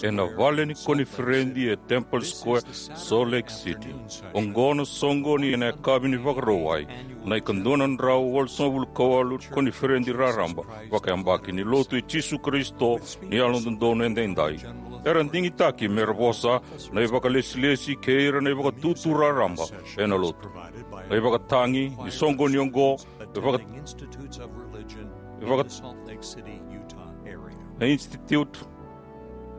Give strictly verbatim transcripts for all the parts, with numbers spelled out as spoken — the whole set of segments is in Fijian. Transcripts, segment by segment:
Ena vale ni koniferedi e Temple Square, Salt Lake City. Oqo na soqoni ena yakavi ni Vakarauwai, na ikadua na drau walusagavulu ka walu ni koniferedi raraba vakayabaki ni Lotu i Jisu Karisito ni Yalododonu Edaidai. Era digitaki mera vosa na ivakalesilesi kei ira na ivakatutu raraba ena Lotu. Na ivakatagi ni soqoni oqo e vaka- e vaka- na institute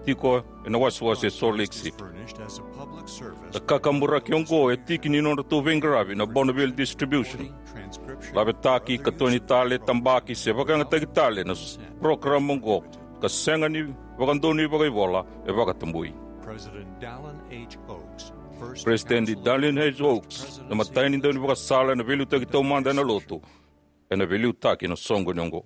tiko ena wasewase e Salt Lake City. Na kakaburaki oqo e tiki ni nodratou veiqaravi na Bonneville Distribution. Lavetaki, katoni tale, tabaki se vakayagataki tale na s- program oqo, ka sega ni vakadonui vakaivola, e vakatabui. President Dallin H. Oaks, na imatai ni daunivakasala ena veiliutaki taumada ena Lotu, ena veiliutaki na soqoni oqo.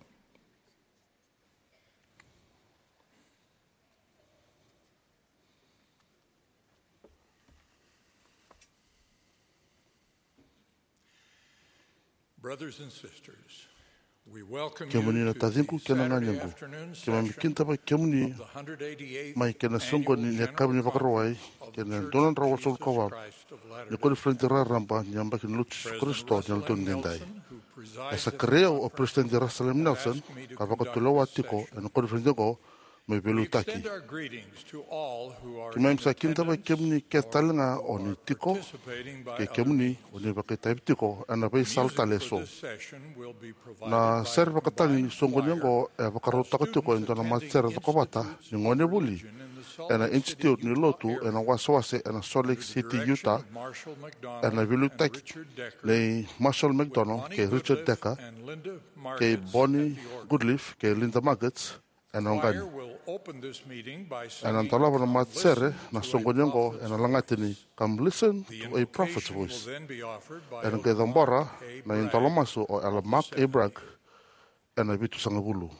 Brothers and sisters, we welcome you to the Saturday afternoon session of the hundred eighty-eighth annual Conference of the Church of Latter-day Saints. Kemuni na taciqu kei na ganequ, keimami kidavaki kemuni mai kei na soqoni ni yakavi ni Vakarauwai kei na dua na drau walusagavulu ka walu ni koniferedi raraba ni yabaki ni Lotu i Jisu Karisito ni Yalododonu Edaidai. E sa kerei au o President Russell M. Nelson ka vakatulewa tiko ena koniferedi oqo me veiliutaki. Keimami sa kidavaki kemuni kece tale ga o ni tiko kei kemuni o ni vakaitavi tiko ena veisala tale eso. Na sere vakatagi ni soqoni oqo e vakarautaka tiko e dua na matasere cokovata ni gonevuli ena Institute ni Lotu ena wasewase ena Salt Lake City, Utah, ena veiliutaki nei Marshall McDonald kei Richard Decker kei Bonnie Goodleaf kei Linda Margetts ena oqani. Ena dolava na matasere na soqoni oqo ena lagata ni Come Listen to a Prophet's Voice. Ena qai cabora na idolomasu o Elder Mark A. Bragg ena vitusagavulu.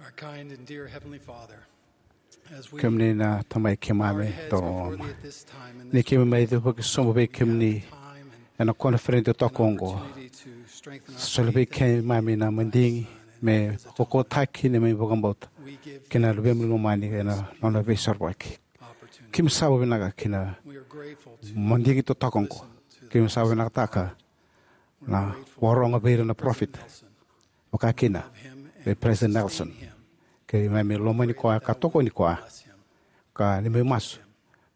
Our kind and dear Heavenly Father, as we Kemuni na Tamai keimami, our heads before thee at this time in ni this keimami mai cuva ki sobu vei kemuni ena koniferedi totoka oqo. Opportunity to strengthen our faith. Soli vei keimami na madigi me kokotaki neimami vakabauta kei na luvemuni lomani ena nona veisorovaki. Keimami sa vakavinavinaka kina madigi totoka oqo. Keimami sa vakavinavinakataka na vakarogo vei ira na parofita, vakakina vei President Nelson. Keimami lomani koya ka tokoni koya, ka neimami masu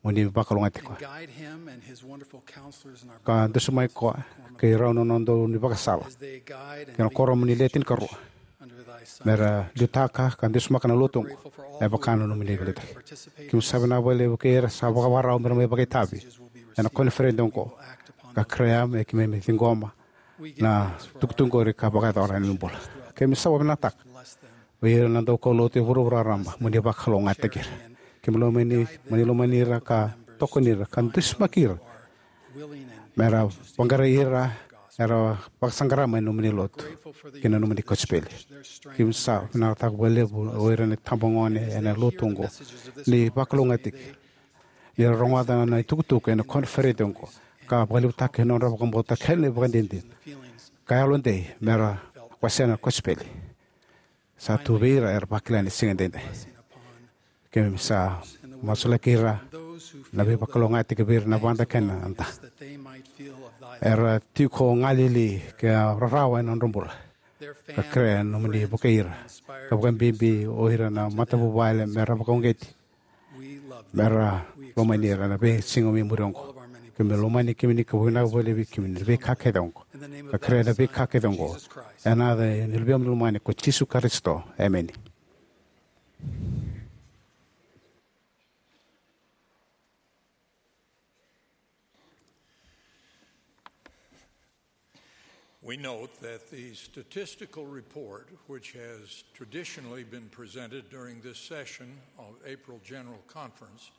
mo ni vakalougatataki koya, ka dusimaki koya kei rau na nodra ivakasala kei na kuoramu ni Le Tinikarua, me ra liutaka ka dusimaka na lotu oqo. E vaka na nomuni veiliutaki. Keimami sa vinaka vakalevu kei ira sa vakavakarau me ra mai vakaitavi ena koniferedi oqo, ka kerea me keimami ciqoma na tukutuku qori ka vakayacora ena bula. Keimami sa vakavinavinakataka vei ira na daukaulotu e vuravura raraba, mo ni vakalougatataki ira. Keimami lomani, mo ni lomani ira ka tokoni ira ka dusimaki ira me ra vaqarai ira era vakasaqara mai na nomuni lotu kei na nomuni kosipeli. Keimami sa vinakataka vakalevu o ira na itabagone ena lotu oqo, ni vakalougatataki, ni ra rogoca na itukutuku ena koniferedi oqo, ka vakalevutaka na nodra vakabauta kei na ivakadinadina ka yalodei me ra wasea na kosipeli. Sa tu vei ira era vakila ena siga edaidai. Keimami sa masulaki ira na veivakalougatataki vei ira na vada kei na da era tiko galili ka rarawa ena nodra bula, ka kerea na nomuni vukei ira, ka vakabibi o ira na matavuvale me ra vakauqeti, me ra lomani ira na veisiga mai muri oqo. Keimami lomani kemuni ka vakavinavinaka vakalevu vei kemuni na veika kece oqo, ka kerea na veika kece oqo ena yaca ni Luvemuni lomani ko Jisu Karisito. Emeni. We note that the statistical report, which has traditionally been presented during this session of April General Conference,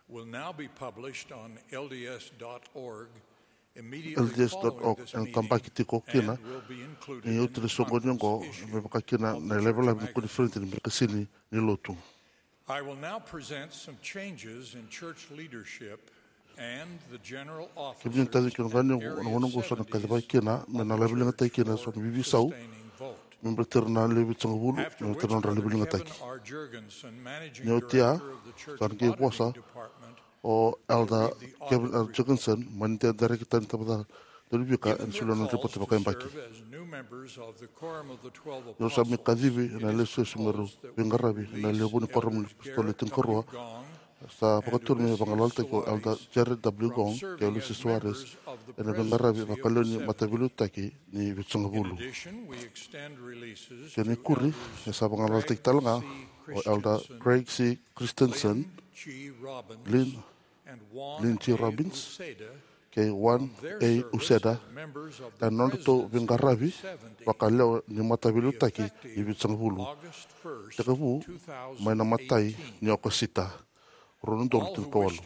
will now be published on L D S dot org immediately following this meeting and will be included in the conference issue. L D S dot org ena tabaki tiko kina ni oti ni soqoni oqo, me vaka kina na ilavelave ni koniferedi ni Birakasini ni Lotu. I will now present some changes in church leadership and the general officers and areas seventy-seven. Kemuni na taciqu kei na ganequ, na gauna oqo sa na kacivaki kina me na laveligataki kina eso na veiveisau me baleti ira na lewe vitusagavulu me baleta na nodra laveligataki. Ni oti ya, sa na qai vosa o Elder Kevin R. Jorgensen, mai na Darekita ni Tabacakacaka ni Daunivika, ena solia na nona ripote vakayabaki. Ni ra sa mai kacivi na lesusu me ra veiqaravi ena lewe vou ni Kuoramu ni Apositolo Le Tinikarua, sa vakaturi me vagalalataki o Elder Jared W. Gong kei Lucy Soares ena veiqaravi vakalewe ni Mataveiliutaki ni Vitusagavulu. Kena ikuri, e sa vagalalataki tale ga o Elder Craig C. Christensen, Lynn, Lynn G. Robbins, kei Juan A. Uceda ena nodratou veiqaravi vakalewe ni Mataveiliutaki ni Vitusagavulu, tekivu mai na imatai ni Okosita, rua na udolu tinikawalu.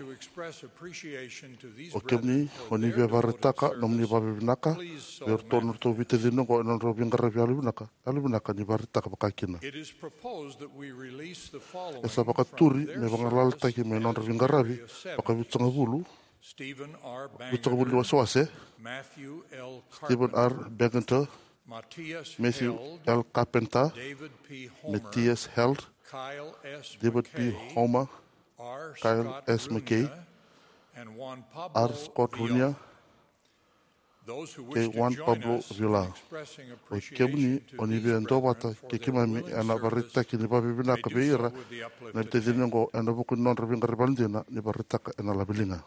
O kemuni o ni via vakaraitaka nomuni vakavinavinaka vei iratou na nodratou veitacini oqo ena nodrau veiqaravi yalovinaka, yalovinaka ni vakaraitaka vakakina. E sa vakaturi me vagalalataki mai na nodra veiqaravi vakavitusagavulu, vitusagavulu ni wasewase, Stephen R. Bangerter, Matthew L. Carpenter, Matthias Held, David P. Homer, Kyle S. McKay, R. Scott Runia, kei Juan Pablo Villar. O kemuni o ni via duavata kei keimami ena vakaraitaki ni vakavinavinaka vei ira na veitacini oqo ena vuku ni nodra veiqaravi yalodina ni vakaraitaka ena laveliga.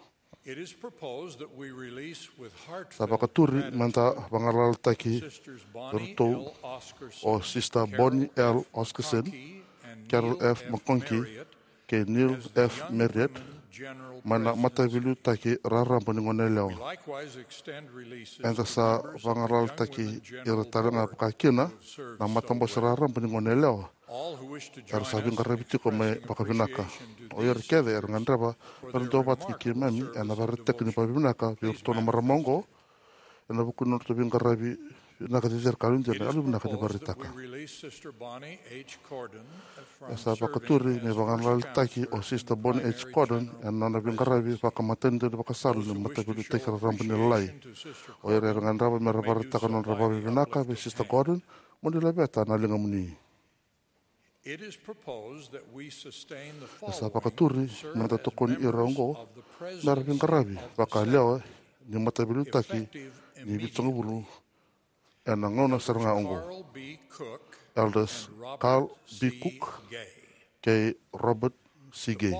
Sa vakaturi me da vagalalataki iratou o Sister Bonnie L. Oscarson, Carol F. McConkie, kei Neil F. Marriott mai na Mataveiliutaki Raraba ni Goneyalewa. Eda sa vagalalataki ira tale ga vakakina na Matabose Raraba ni Goneyalewa era sa veiqaravi tiko mai vakavinaka. O ira kece era gadreva mera duavata kei keimami ena vakaraitaki ni vakavinavinaka vei iratou na marama oqo ena vuku ni nodratou veiqaravi Vinaka cecere ka lutu, na yalo vinaka ni vakaraitaka. E sa vakaturi me vakanalalataki o Sister Bonnie H. Cordon ena nona veiqaravi vakamatanitu ni vakasala ni Mataveiliutaki Raraba ni Lalai. O ira era gadreva me ra vakaraitaka nodra vakavinavinaka vei Sister Cordon, mo ni laveta na ligamuni. E sa vakaturi me da tokoni ira oqo me ra veiqaravi vakayalewa ni Mataveiliutaki ni Vitusagavulu ena gauna sara ga oqo: Elders Carl B. Cook kei Robert C. Gay.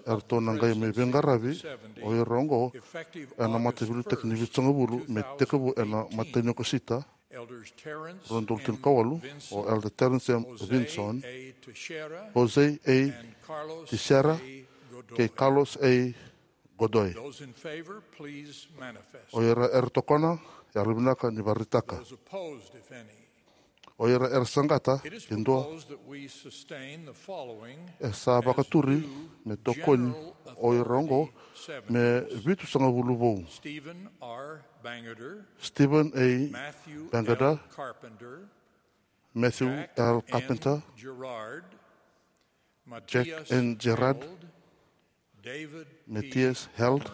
Eratou na qai mai veiqaravi o ira oqo ena Mataveiliutaki ni Vitusagavulu me tekivu ena matai ni Okosita, rua na udolu tinikawalu, o Elder Terence M. Vinson, Jose A. Teixeira kei Carlos A. Godoy. O ira era tokona, yalo vinaka ni vakaraitaka. O ira era saqata, ke dua. E sa vakaturi me tokoni o ira oqo me vitusagavulu vou: Stephen A. Bangerter, Matthew L. Carpenter, Jack N. Gerard, Matthias Held,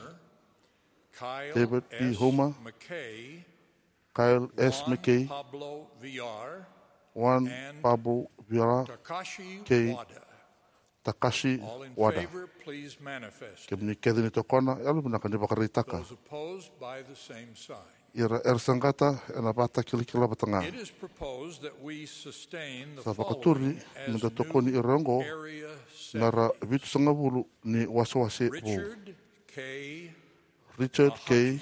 David P. Homer, Kyle S. McKay, Juan Pablo Villar kei Takashi Wada. Kemuni kece ni tokona, yalo vinaka ni vakaraitaka. Ira era saqata, ena vakatakilakila vata ga. Sa vakaturi me da tokoni ira oqo me ra vitusagavulu ni wasewase vou: Richard K.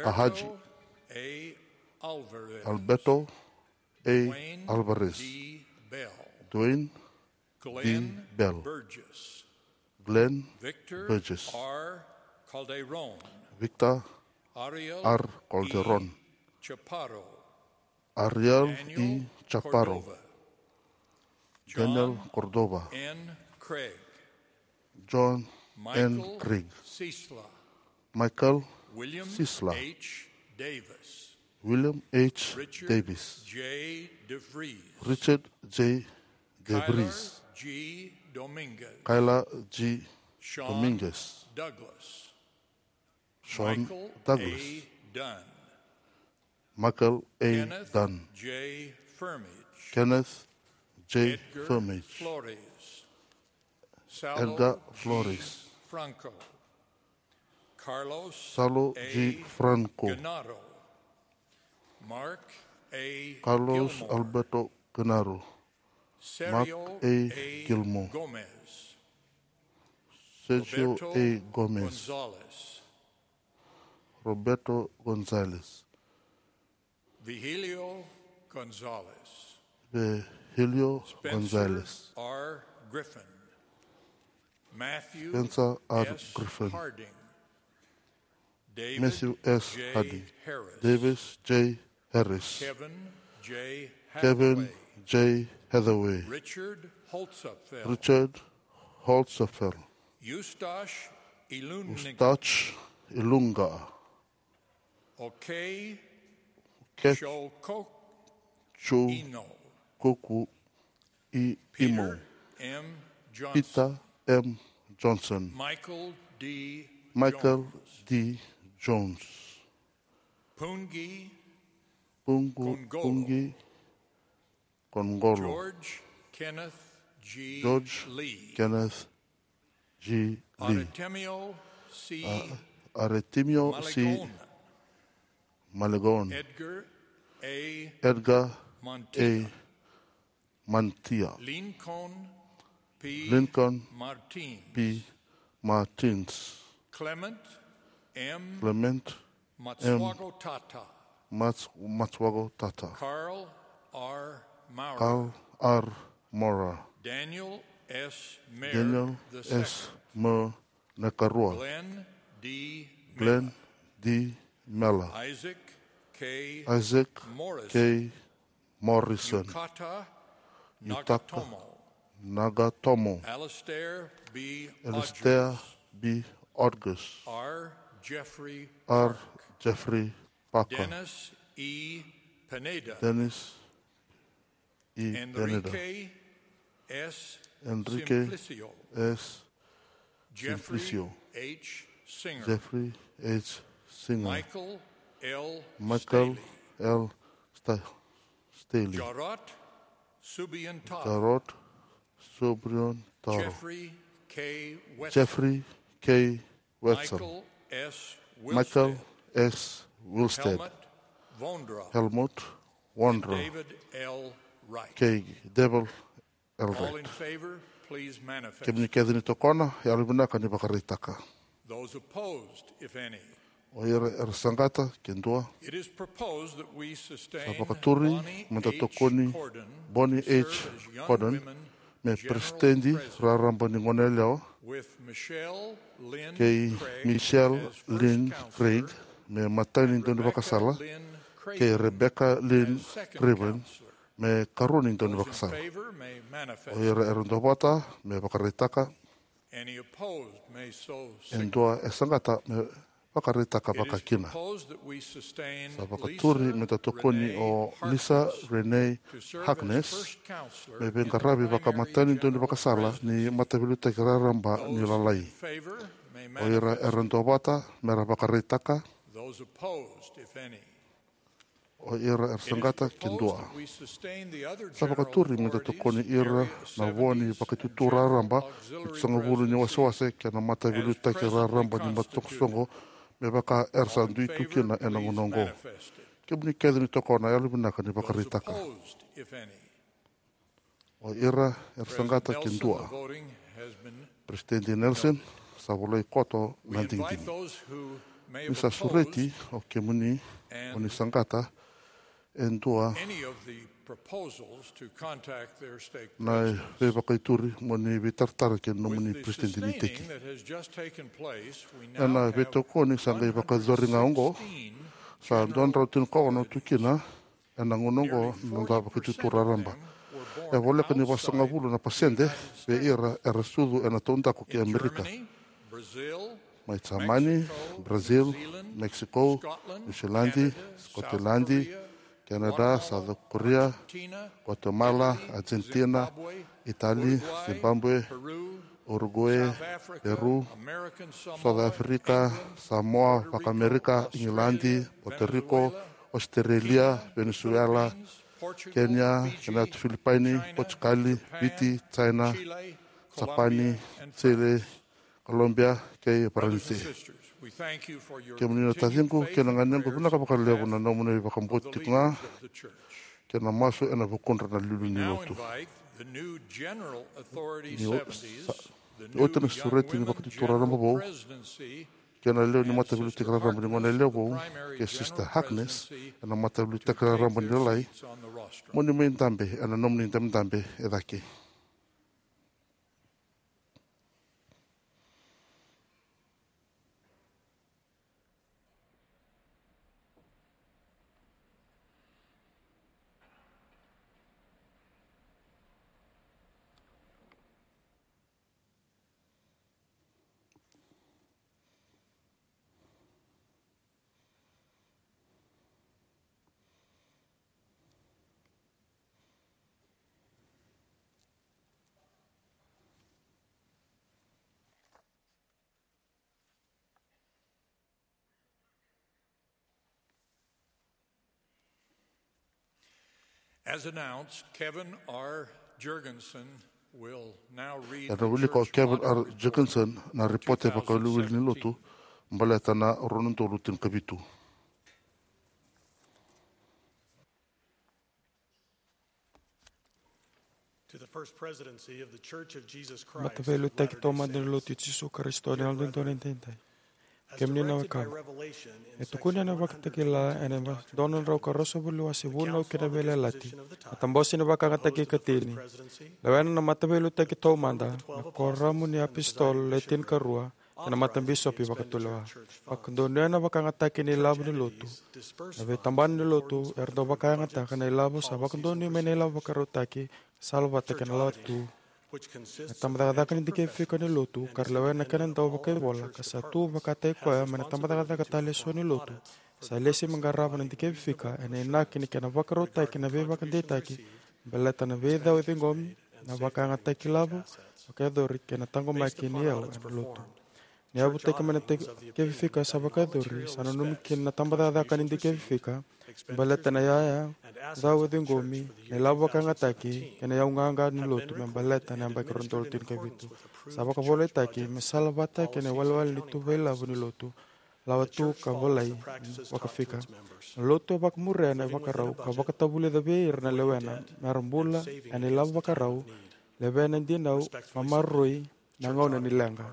Ahaji, Alberto A. Alvarez, Dwayne D. Bell, Glenn Burgess, Victor R. Calderon, Ariel E. Chaparro, Daniel Cordova, John N. Craig, Michael Sisler, William H. Davis, Richard J. DeVries, Kyla G. Dominguez, Sean Douglas, Michael A. Dunn, Kenneth J. Firmage, Edgar Flores, Salo G. Franco, Carlos Alberto Genaro, Mark A. Gilmore, Sergio A. Gomez, Roberto Gonzalez, Vigilio Gonzalez, Virgilio Gonzalez, Spencer R. Griffin, Matthew Spencer R. S. Griffin, Harding, David Matthew S. J. Harding, Harris, Davis J. Harris, Kevin J. Kevin Hathaway, J. Hathaway, Richard Holzapfel, Richard Holzapfel, Eustace Ilunga, Eustace Ilunga, Okei Okei Shokok Cho Ino, Koku I Imo, Peter M. Johnson, Peter M. Johnson, Michael D. Michael Jones, D. Jones, Pungi Pungu Kongolo, Pungi Kongolo, George Kenneth G. George Lee, Kenneth G. Lee, Artemio C. A-, Artemio C. Malegona, Malegona, Edgar A. Edgar Montia, A. Mantia, Lincoln P. Lincoln Martins, P. Martins, Clement M. Clement M. Matsuago Tata, Mats-, Matsuago Tata, Carl R. Maurer, Carl R. Maurer, Daniel S. Mayer Daniel the S. Second, Maurer Nakarua, Glenn D. Glenn Miller, D. Miller, Isaac K. Isaac Morrison, K. Morrison, Yutaka Yutaka Nagatomo, Nagatomo, Alistair B. Alistair Hodges, B. Hodges, R. Jeffrey R. Parker, Jeffrey Parker, Dennis E. Pineda, Dennis E. Pineda, Enrique S. Enrique Simplicio, S. Jeffrey Simplicio, H. Singer, Jeffrey H. Singer, Michael L. Michael Staley, L. Sta-, Staley, Jarot Subiantar, Jarot Subiantar, Jeffrey K. Wetzel, Jeffrey K. Wetzel, Michael S. Michael Wilstead, S. Wilstead, Helmut Vondra, Helmut Vondra, David L. Wright. Kei David L. Wright. All in favor, please manifest. Kemuni kece ni tokona, yalovinaka ni vakaraitaka. Those opposed, if any. O ira era saqata, ke dua. It is proposed that we sustain Sa vakaturi Bonnie meda H. tokoni Cordon Bonnie to H. serve as young Cordon women me general peresitedi president, raraba ni goneyalewa, with Michelle Lynn kei Craig Michelle as first Lynn counselor, Craig me imatai ni daunivakasala, Rebecca Lynn Craven kei Rebecca Lynn as second Craven counselor. Me ikarua ni daunivakasala. Those in favor may manifest. O ira era duavata me vakaraitaka. Any opposed may so signify. E dua e saqata me vakaraitaka vakakina. It is proposed that we sustain Sa vakaturi Lisa meda tokoni Renee o Lisa Harkness Renee to serve as Harkness first counselor me in the veiqaravi primary vakamatani general daunivakasala president. Ni mataveiliutaki raraba ni Those lalai. in favor may manifest. O ira era duavata mera vakaraitaka. Those opposed, if any. O ira era saqata, ke dua. Sa vakaturi meda tokoni ira na vo ni Vakaitutu Raraba e tolusagavulu ni wasewase kei na mataveiliutaki raraba ni mataisoqosoqo me vaka era sa dui tu kina ena gauna oqo. Kemuni kece ni tokona, yalovinaka ni vakaraitaka. O ira era saqata, ke dua. President Nelson, sa volai koto na digidigi. Ni sa sureti o kemuni mo ni saqata e dua na veivakaituri mo ni veitaratara kei na nomuni president ni iteki. Ena veitokoni sa qai vakayacori ga oqo, sa dua na drau tinikaono tu kina ena gauna oqo na noda Vakaitutu Raraba. E voleka ni vasagavulu na pasede vei ira era sucu ena taudaku ki Amerika. Mai Jamani, Brazil, Mexico, Niusiladi, Scotland, Canada, South Korea, Guatemala, Argentina, Itali, Zimbabwe, Uruguay, Peru, South Africa, Samoa, Vakamerika, Igiladi, Puerto Rico, Australia, Venezuela, Kenya, United Philippines, Portugal, Viti, China, Japani, Chile, Colombia, kei Varanise. Kemuni na taciqu kei na ganequ, vinaka vakalevu na nomuni vakabauti tiko ga kei na masu ena vukudra na iliuliu ni lotu. Ni oti na sureti ni Vakaitutu Raraba vou kei na lewe ni mataveiliutaki raraba ni goneyalewa vou, kei Sister Harkness ena mataveiliutaki raraba ni lalai, mo ni mai dabe ena nomuni dabedabe e cake. As announced, Kevin R. Jergensen will now read the church monograph. Ena wilika o Kevin R. Jergensen na ripote vakawiliwili ni lotu baleta na rua na udolu tinikavitu. To the First Presidency of the Church of Jesus Christ of Latter-day Saints. Mataveiliutaki Taumada ni Lotu i Jisu Karisito ni Yalododonu Edaidai. Kemuni na wekaqu, e tukuni ena Vakatakila ena dua na drau ka ruasagavulu ni wase Vunau kei na Veiyalayalati, na Tabose ni Vakayagataki e ikatini, lewena na Mataveiliutaki Taumada, na Kuoramu ni iApositolo Le Tinikarua, kei na Matabisopi Vakatulewa. Vakadonuya na vakayagataki ni ilavo ni lotu. Na veitabana ni lotu era dau vakayagataka na ilavo sa vakadonui mai na ilavo vakarautaki, salavata kei na lawatu Na tabacakacaka ni dikevi fika ni lotu ka ra lewena na kena dau vakaivola ka sa tu vakataki koya mai na tabacakacaka tale eso ni lotu, sa lesi me qarava na dikevi fika ena inaki ni kena vakarautaki na veivakadeitaki baleta na veicau e ciqomi, na vakayagataki lavo, vakayacori kei na taqomaki ni yau ena lotu. Ni yavutaki mai na dikevi fika sa vakayacori, sa nanumi kina na tabacakacaka ni dikevi fika me baleta na yaya, cau e ciqomi, na ilavo vakayagataki kei na yau qaqa ni lotu me baleta na yabaki rua na udolu tinikavitu. Sa vakavolaitaki me salavata kei na iwalewale ni tuva ilavo ni lotu, lawa tu ka volai vakafika. Na lotu e vakamuria na ivakarau ka vakatavulica vei ira na lewena me ra bula ena ilavo vakarau, levea na dinau, maroroi na gauna ni leqa.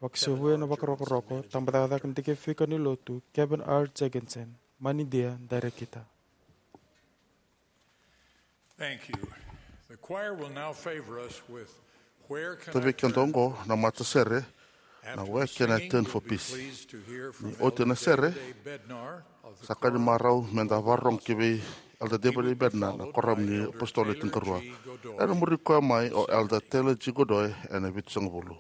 Vakasevuya na vakarokoroko, tabacakacaka ni dikevi fika ni lotu, Kevin R. Jenkinson, Manidia, Director. Thank you. The choir will now favor us with Where Can I Turn? Tavei keda oqo na matasere, na Where Can I Turn for Peace. Ni oti na sere, sa ka ni marau meda vakarorogo ki vei Elder David A. Bednar, na Kuoramu ni iApositolo Le Tinikarua. Ena muri koya mai o Elder Taylor G. Godoy ena vitusagavulu.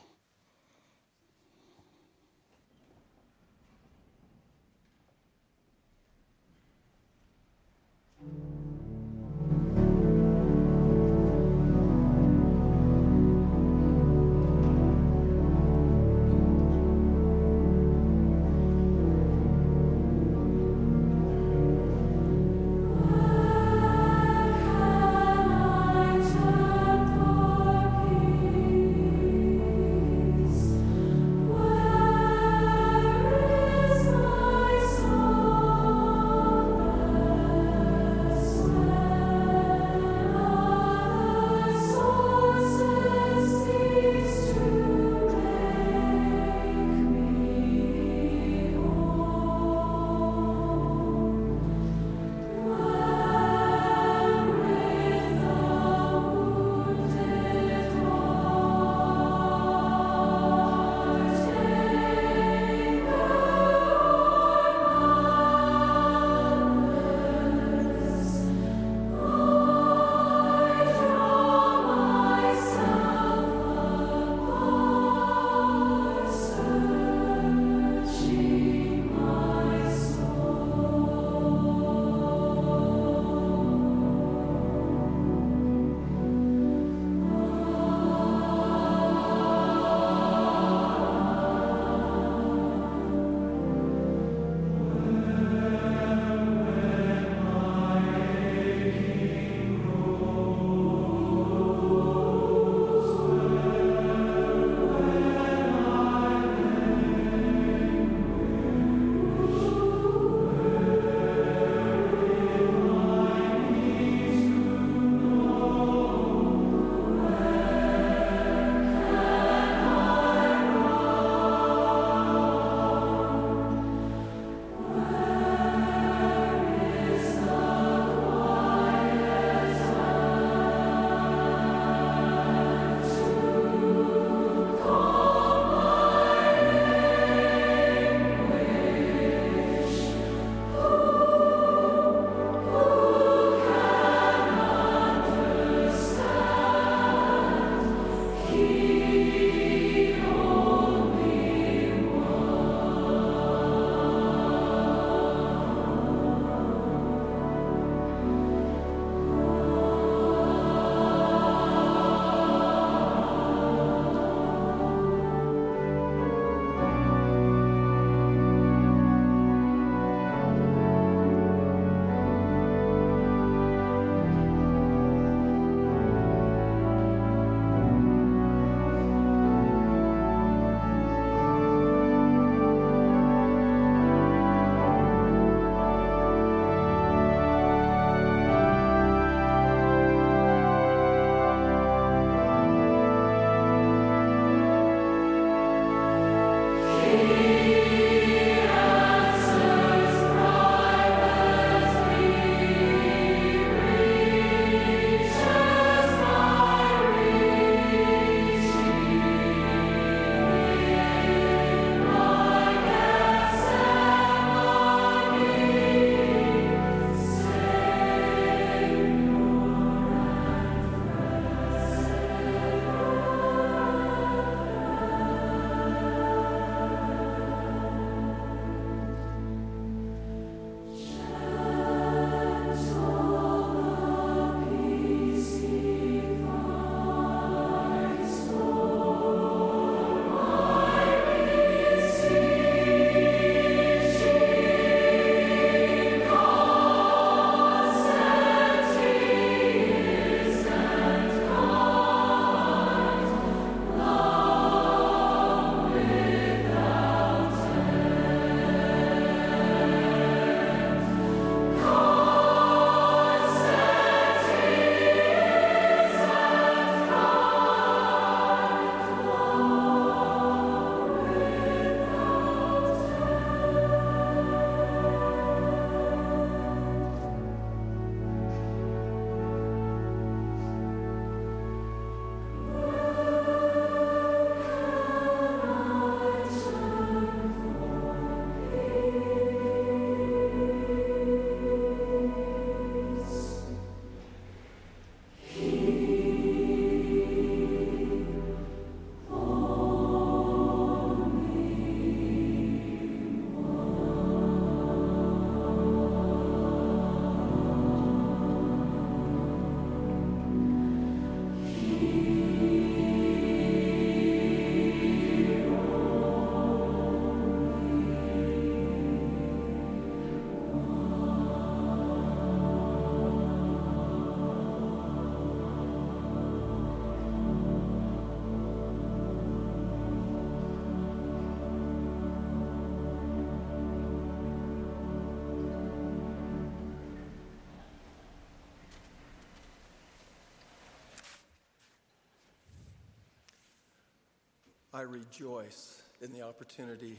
I rejoice in the opportunity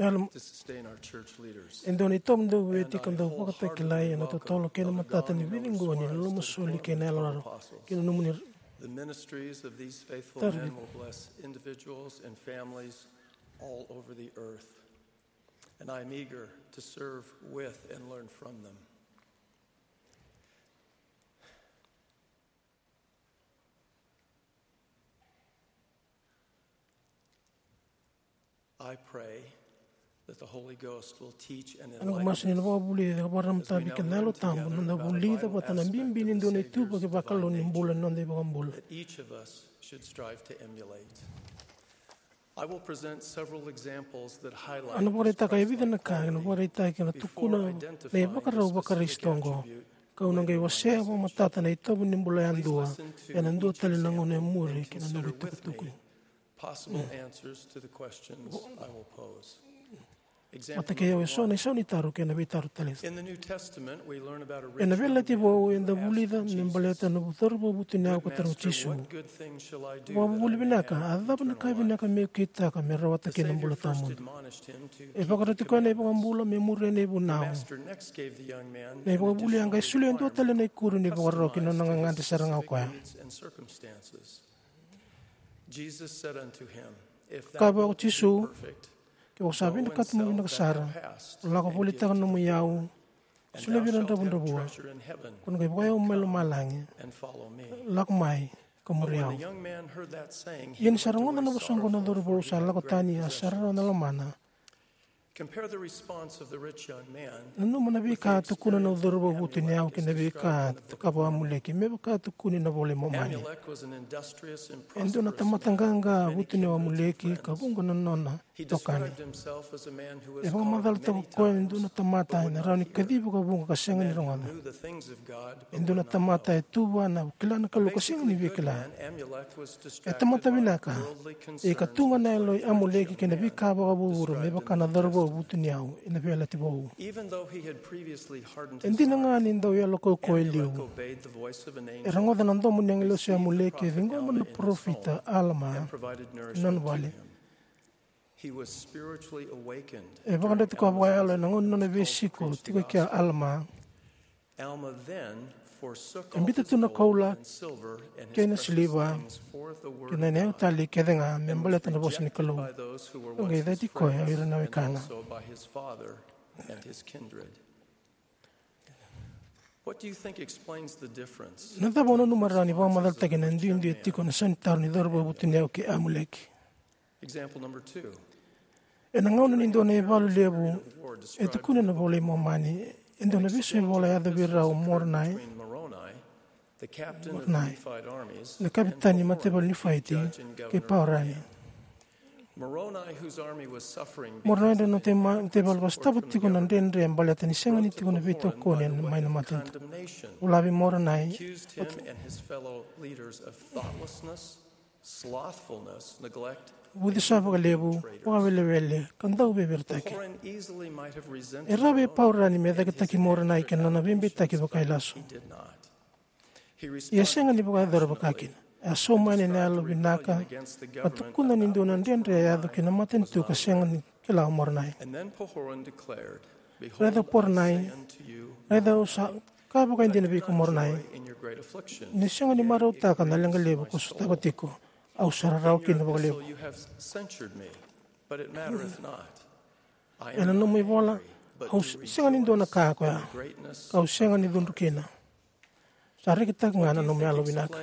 Ela to sustain our church leaders. E dua na itovo dau veti ka dau vakatakilai ena totolo kei na matata ni vici qo ni lomasoli kei na yalorarawa. Kei na nomuni The ministries of these faithful men will bless individuals and families all over the earth. And I'm eager to serve with and learn from them. I pray that the Holy Ghost will teach and enlighten us. Ena masu ni na vakavulica ka vakararamataki kei na Yalo Tabu na noda vulica vata na bibi ni dua na ituvaki vakalou ni bula ni noda iVakabula. That each of us should strive to emulate. I will present several examples that highlight Ana vakaraitaka e vica na ka ena vakaraitaki ena tukuna na ivakarau vaKarisito oqo. Kau na qai wasea vakamatata na itovo ni bula yadua ena dua tale na gauna e muri kei na noqu itukutuku. Possible answers to the questions I will pose. Vata kei au eso na isau ni taro kei na veitaro tale. Ena Veiyalayalati Vou eda vulica me baleta na cauravou vutuniyau ka taroga o Jisu, vakavuvuli vinaka, a cava na ka vinaka meu kitaka me rawata kina na bula tawamudu? E vakaroti koya na iVakabula me muria na ivunau. Na ivakavuvuli a qai solia e dua tale na ikuri ni vakarau ki na nona gagadre sara ga o koya. Kaya vua ko Jisu, ke o sa vinakata mo vinaka sara, lako volitaka na nomu iyau, solia vei ira na dravudravua, ko na qai vakayau mai lomalagi. Lako mai ka muri au. Ia ni sa rogoca na vosa oqo na cauravou sa lako tani, a sa rarawa na lomana. Nanuma na veika a tukuna na cauravou vutuniyau kei na veika a cakava o Amuleki me vaka a tukuni na iVola i Momani. E dua na tamata qaqa vutuniyau o Amuleki ka vuqa na nona itokani. E vakamacalataka o koya e dua na tamata ena rawa ni kacivi vakavuqa ka sega ni rogoca. E dua na tamata e tu vua na kila na Kalou ka sega ni via kila. E tamata vinaka. Ia ka tu ga na yalo i Amuleki kei na veika vakavuravura me vaka na cauravou vutuniyau ena Veiyalayalati Vou. E dina ga ni dau yalo kaukauwa e liu, e rogoca na domo ni agilosi o Amuleki e ciqoma na parofita o Alama ena nona vale. E vakayadrati koya vakayalo ena gauna ni nona veisiko tiko e kea o Alama. E biuta tu na koula kei na siliva kei na iyau tale kece ga me baleta na vosa ni Kalou. Ka qai cati koya o ira na wekana. Na cava o nanuma rawa ni vakamacalataki na duidui e tiko ena sau ni taro ni cauravou vutuniyau kei Amuleki? Ena gauna ni dua na ivalu levu e tukuna na iVola i Momani, e dua na veisau ivola e yaco vei rau o Moronai, Moronai, na kavetani ni mataivalu ni Nifaiti, kei Paurani. Moronai, na nona mataivalu vakasotava tiko na dredre baleta ni sega ni tiko na veitokoni mai na matanitu. Vola vei Moronai, vucesa vakalevu, vakawelewele, ka dau veiviritaki. E rawa vei Paurani me cakitaki Moronai kei na nona veibeitaki vakailasu. Ia e sega ni vakayacora vakakina. E a sauma yani ena yalo vinaka ka tukuna ni dua na dredre e yaco ki na matanitu ka sega ni kila o Moronai. Raica Poronai, raica au sa kaya vakaidina vei iko Moronai, ni sega ni marautaka na leqa levu ko sotava tiko, au sa rarawa kina vakalevu. Ena nomu ivola, au sega ni dua na ka koya, ka au sega ni cudru kina. Sa rekitaka ga na nomu yalo vinaka.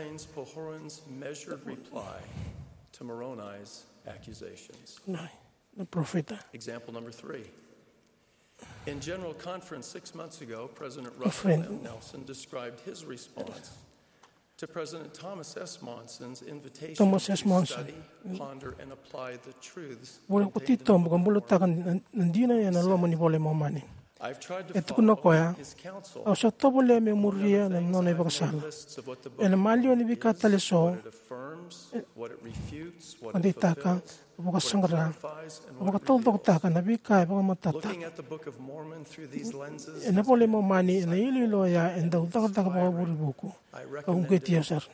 Na, na parofita. In General Conference six months ago, President Russell M. Nelson described his response to President Thomas S. Monson's invitation to study, ponder, and apply the truths contained in the Mormon Prayer. Vula ko titobu ka bulataka na dina ena loma ni iVola i Momani. E tukuna o koya, au sa tovolea meu muria na nona ivakasala. Ena maliwa ni veika tale eso, e deitaka, vakasaqara, vakataucokotaka na veika e vakamatataka. Ena iVola i Momani, ena iloilo oya e dau cakacaka vakavure vuku. Ka uqeti au sara.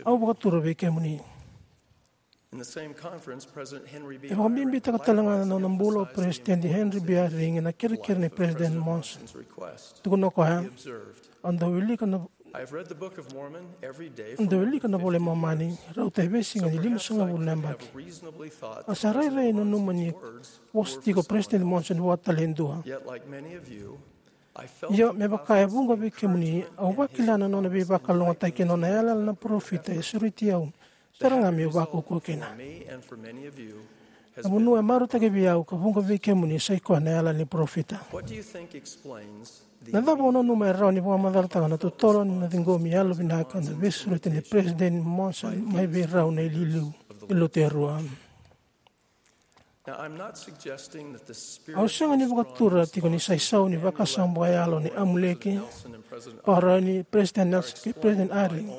Au vakatura vei kemuni. E vakabibitaka tale ga na nona bula o Peresitedi Henry B. Eyring na kerekere nei Peresitedi Monson. Tukuna o koya, au dau wilika na, au dau wilika na iVola i Momani rauta e veisiga ni limasagavulu na yabaki. Au sa rairai nanuma ni vosa tiko o Peresitedi Monson vua tale e dua. Io, me vaka e vuqa vei kemuni, au vakila na nona veivakalougatataki kei na nona yalayala na parofita e sureti au sara ga meu vakaukauwa kina. Na vanua e marautaki vei au ka vuqa vei kemuni sa i koya na yalayala ni parofita. Na cava o nanuma e rawa ni vakamacalataka na totolo ni na ciqomi yalovinaka na veisureti nei Peresitedi Monson mai vei rau na iliuliu ni Lotu e rua? Au sega ni vakatura tiko ni sa isau ni vakasama vakayalo nei Amuleki, Paurani, Peresitedi Nelson kei Peresitedi Eyring.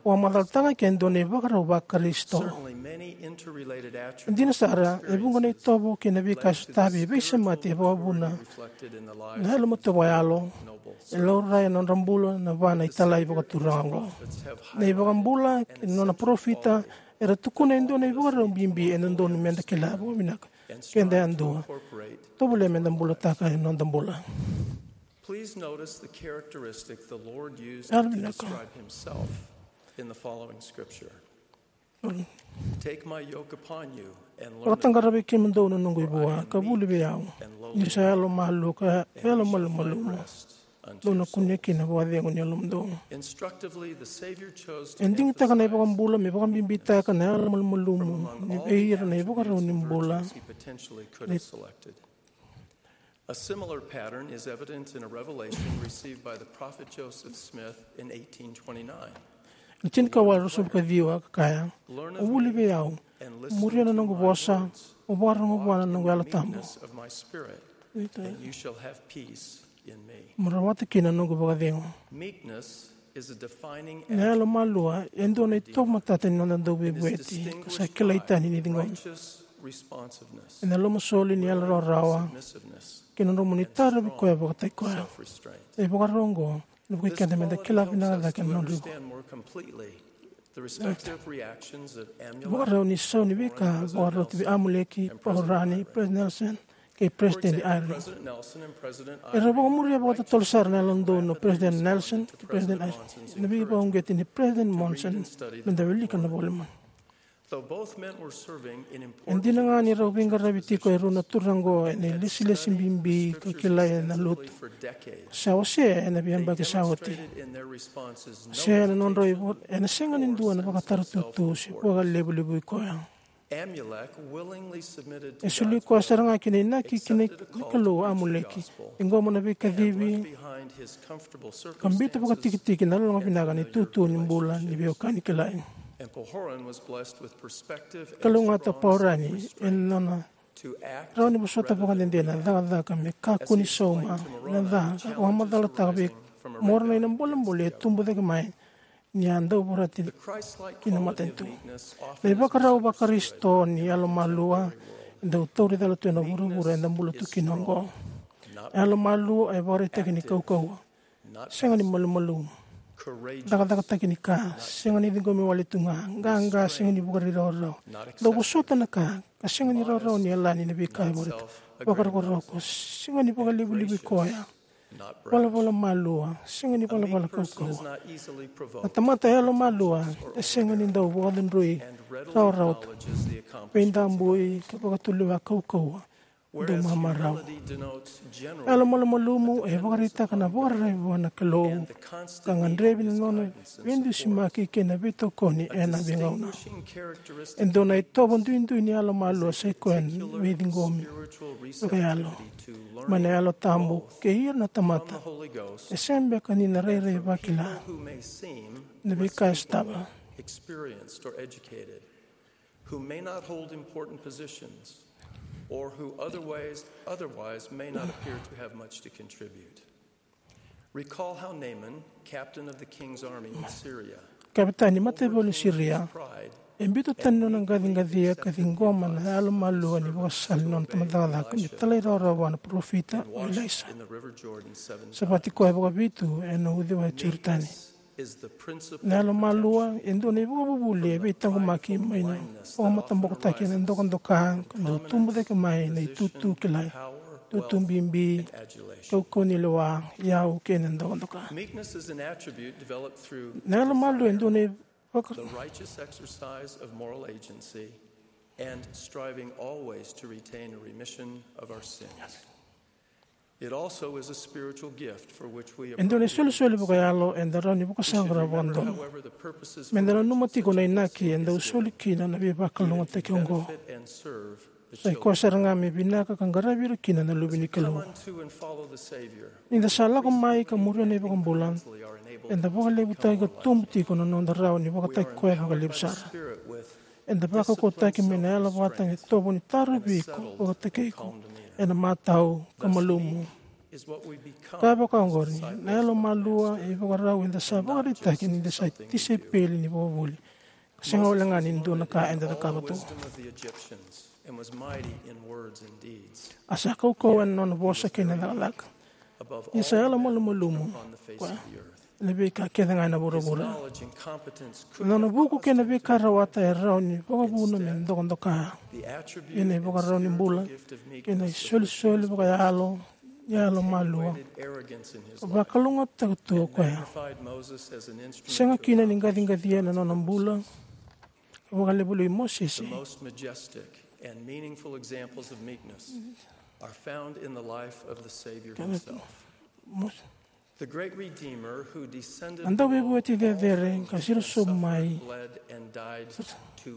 Au vakamacalataka ke dua na ivakarau vaKarisito. E dina sara, e vuqa na itovo kei na veika e sotavi e veisemati e vakavuna na yalomatua vakayalo. E laurai ena nodra bula na va na italai vakaturaga oqo. Na iVakabula kei na nona parofita era tukuna e dua na ivakarau bibi e dodonu meda kila vakavinaka keda yadua. Tovolea meda bulataka ena noda bula. Please notice the characteristic the Lord used to describe himself in the following scripture. Take my yoke upon you and learn. Vakataqara vei kemudou na noqu ivua ka vuli vei au, niu sa yalomalua ka yalomalumalumu. Dou na kunea kina vakacegu ni yalomudou. Instructively, the Savior chose to, e digitaka na iVakabula me vakabibitaka na yalomalumalumu ni vei ira na ivakarau ni bula. A similar pattern is evident in a revelation received by the prophet Joseph Smith in eighteen twenty-nine. Na tinikawalu ruasagavulu ka ciwa ka kaya, o vuli vei au, muria na noqu vosa, o vakarorogo vua na noqu Yalo Tabu. Of my spirit, and you shall have peace in me. Mo rawata kina na noqu vakacegu. Meekness is a defining. Na yalomalua e dua na itovo matata ni noda dauveivueti ka sa kilai tani ni ciqomi. Ena lomasoli ni yalo rawarawa kei na nomuni tarovi koya vakataki koya. Na ivakarau oqo ena vukei keda meda kila vinaka cake na nodra ivua. Vakarau ni sau ni veika vakaroti vei Amuleki, Paurani, Peresitedi Nelson kei Peresitedi Eyring. Era vakamuria vakatotolo sara na yalododonu o Peresitedi Nelson kei Peresitedi Eyring ena veivakauqeti nei Peresitedi Monson, meda wilika na vola i Momani. E dina ga ni rau veiqaravi tiko e rua na turaga oqo ena ilesilesi bibi ka kilai ena lotu, sa ose ena veiyabaki sa oti. Se ena nodrau ivo, ena sega ni dua na vakataratutu se vakalevulevui koya. E soli koya sara ga ki na inaki ki na Kalou o Amuleki, ciqoma na veikacivi ka biuta vakatikitiki na loloma vinaka ni tutu ni bula ni veiwekani kilai. Kalougata o Paurani ena nona rawa ni vosota vakadede na cakacaka me kakua ni sauma na ca ka vakamacalataka vei Moronai na bolebole e tubu cake mai ni a dau vorati ki na matanitu. Na ivakarau vaKarisito ni yalomalua e dau tauri cala tu ena vuravura eda bula tu kina oqo. Yalomalua e vakaraitaki ni kaukauwa, sega ni malumalumu, cakacakataki ni ka, sega ni ciqomi wale tu ga, qaqa, sega ni vakarairairawarawa, dau vosota na ka ka sega ni rawarawa ni yalani na veika e vakaraitaka, vakarokoroko, sega ni vakalevulevui koya, valavala malua, sega ni valavala kaukauwa. Na tamata yalomalua e sega ni dau vakacudrui rawarawa tu, veidabui ka vakatulewa kaukauwa, dau mamarau. Yalomalumalumu e vakaraitaka na vakararavi vua na Kalou ka gadrevi na nona veidusimaki kei na veitokoni ena veigauna. E dua na itovo duidui ni yalomalua sa i koya na veiciqomi vakayalo mai na Yalo Tabu kei ira na tamata e sega beka ni na rairai vakila na veika e sotava. Who may not hold important positions or who otherwise, otherwise may not appear to have much to contribute. Recall how Naaman, captain of the king's army in Syria, Kavetani mataivalu ni Siria, e biuta tani na nona qaciqacia ka ciqoma na yalomalua ni vakasala ni nona tamata cakacaka me talairawarawa vua na parofita o Ilaisa. Savati koya vakavitu ena uciwai Joritani. Na yalomalua e dua na ivakavuvuli e veitaqomaki mai na vakamatabokotaki ena dokadoka ka dau tubu cake mai na itutu kilai, tutu bibi, kaukauwa ni lewa, iyau kei na dokadoka. Na yalomalua e dua na ivaka e dua na isolisoli vakayalo eda rawa ni vakasaqara vakadodonu. Meda nanuma tiko na inaki e dau soli kina na veivakalougatataki oqo. Sa i koya sara ga me vinaka ka qaravi ira kina na luve ni Kalou. Ni da sa lako mai ka muria na iVakabula, eda vakalevutaki ka tubu tiko na noda rawa ni vakataki koya vakalevu sara. Eda vakaukauwataki mai na yalo vata e tovo ni tarovi iko, vakataki iko ena matau ka malumu. Ka vaka oqori, na yalomalua e ivakarau eda sa vakaraitaki ni da sa tisaipeli ni vakavuvuli, ka sega wale ga ni dua na ka eda cakava tu. A sa kaukauwa ena nona vosa kei na cakacaka. Ia sa yalomalumalumu koya ena veika kece ga ena vuravura. Na nona vuku kei na veika rawata e rawa ni vakavuna me dokadoka. Ia na ivakarau ni bula kei na isolisoli vakayalo ni yalomalua, vakalougatataka tu o koya. Sega kina ni qaciqacia na nona bula, vakalevu i Mosese. Mos- Na Dauveivueti cecere ka siro sobu mai,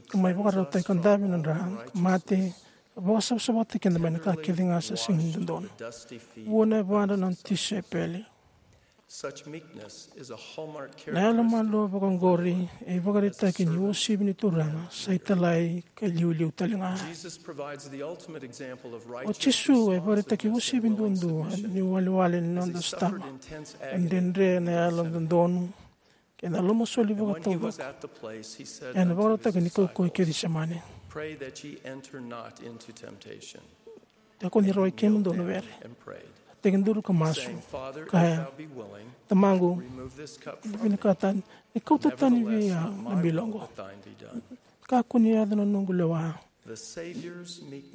ka mai vakarautaki ka dave na dra, ka mate, ka vakasavasavataki keda mai na ka kece ga sa sega ni dodonu. Vua na yavadra na nona tisaipeli. Na yalomalua vakaoqori e ivakaraitaki ni uasivi ni Turaga sa italai ka iliuliu tale ga. O Jisu e ivakaraitaki uasivi duadua ni iwalewale ni noda sotava. E dredre na yalododonu kei na lomasoli vakataucoko ena ivakarautaki ni kaukauwa e Kecisemani. Kakua ni rawai kemudou na were. A tekiduru ka masu, kaya, Tamaqu, ni vinakata ni kauta tani vei au na bilo oqo. Kakua ni yaco na noqu lewa,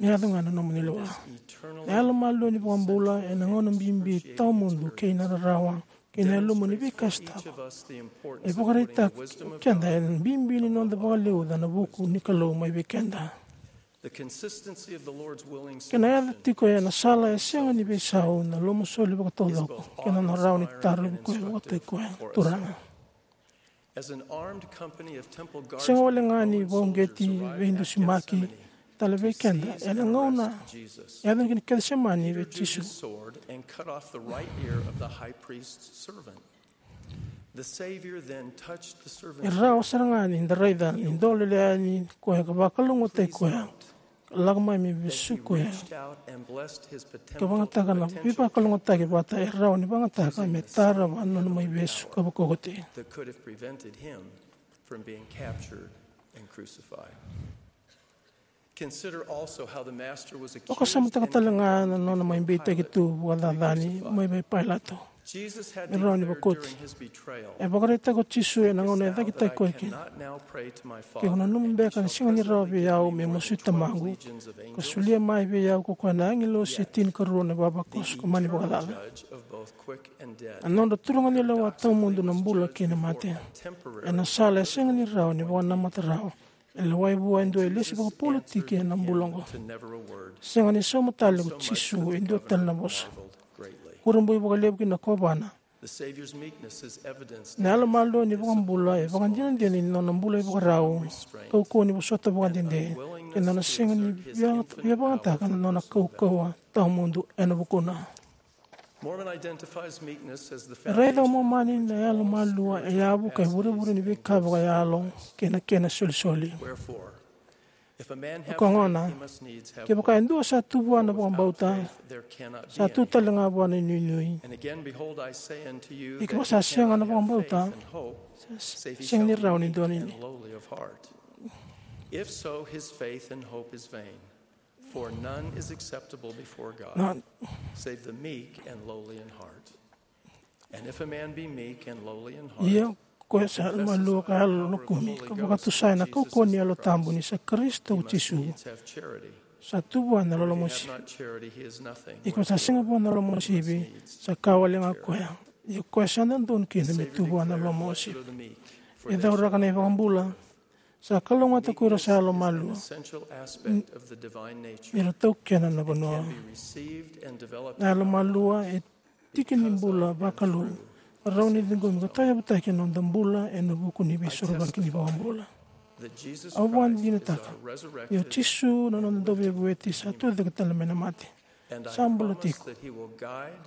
me yaco ga na nomuni lewa. Na yalomalua ni vakabula ena gauna bibi tawamudu kei na rarawa kei na yaluma ni veika sotava. E vakaraitaka keda ena bibi ni noda vakaliuca na vuku ni Kalou mai vei keda. Kena yaco tiko ena sala e sega ni veisau na lomasoli vakataucoko kei na nona rawa ni tarovi koya vakataki koya na Turaga. Sega wale ga ni vakauqeti veidusimaki tale vei keda ena gauna e yaco kina Kecisemani vei Jisu. E rawa sara ga ni da raica ni dolele yani koya ka vakalougatataki koya, ka lako mai me vesu koya, ka vagataka na veivakalougatataki vata e rawa ni vagataka me tarava na nona mai vesu ka vakaukauwataki. Vakasamataka tale ga na nona mai beitaki tu vakacacani mai vei Pailato me rawa ni vakoti. E vakaraitaka o Jisu ena gauna e cakitaki koya kina, ke ko nanuma beka ni sega ni rawa vei au me masuti Tamaqu, ka solia mai vei au ko koya na agilosi e tinikarua na ivavakoso ka mani vakacaca. Na nodra turaganilewa tawamudu na bula kei na mate. Ena sala e sega ni rawa ni vakanamata rawa, e lewai vua e dua e lesi vakapolitiki ena bula oqo. Sega ni sauma tale ko Jisu e dua tale na vosa. Kurabui vakalevu ki na kovana. Na yalomalua ni vakabula e vakadinadina ni nona bula ivakarau, kaukauwa ni vosota vakadede, kei na nona sega ni via, via vagataka na nona kaukauwa tawamudu ena vukuna. E raica o Momani na yalomalua e yavu ka ivurevure ni veika vakayalo kei na kena isolisoli. Ko gona, kevaka e dua sa tu vua na vakabauta, sa tu tale ga vua na inuinui. Ia kevaka sa sega na vakabauta, sa sega ni rawa ni dua ni. Na, ia Koya sa yalomalua ka yalolokumi, ka vakatusa ena kaukauwa ni Yalo Tabu ni sa Karisito ko Jisu, sa tu vua na loloma uasivi. Ia ko sa sega vua na loloma uasivi, sa ka wale ga koya. Ia koya sa dodonu kina me tu vua na loloma uasivi. E cauraka na iVakabula, sa kalougata ko ira sa yalomalua, ni ra taukena na vanua. Na yalomalua e tiki ni bula vakalou, rawa ni ciqomi ka tauyavutaki ena noda bula ena vuku ni veisorovaki ni iVakabula. Au vakadinadinataka ni o Jisu na noda Dauveivueti sa tucake tale mai na mate, sa bula tiko.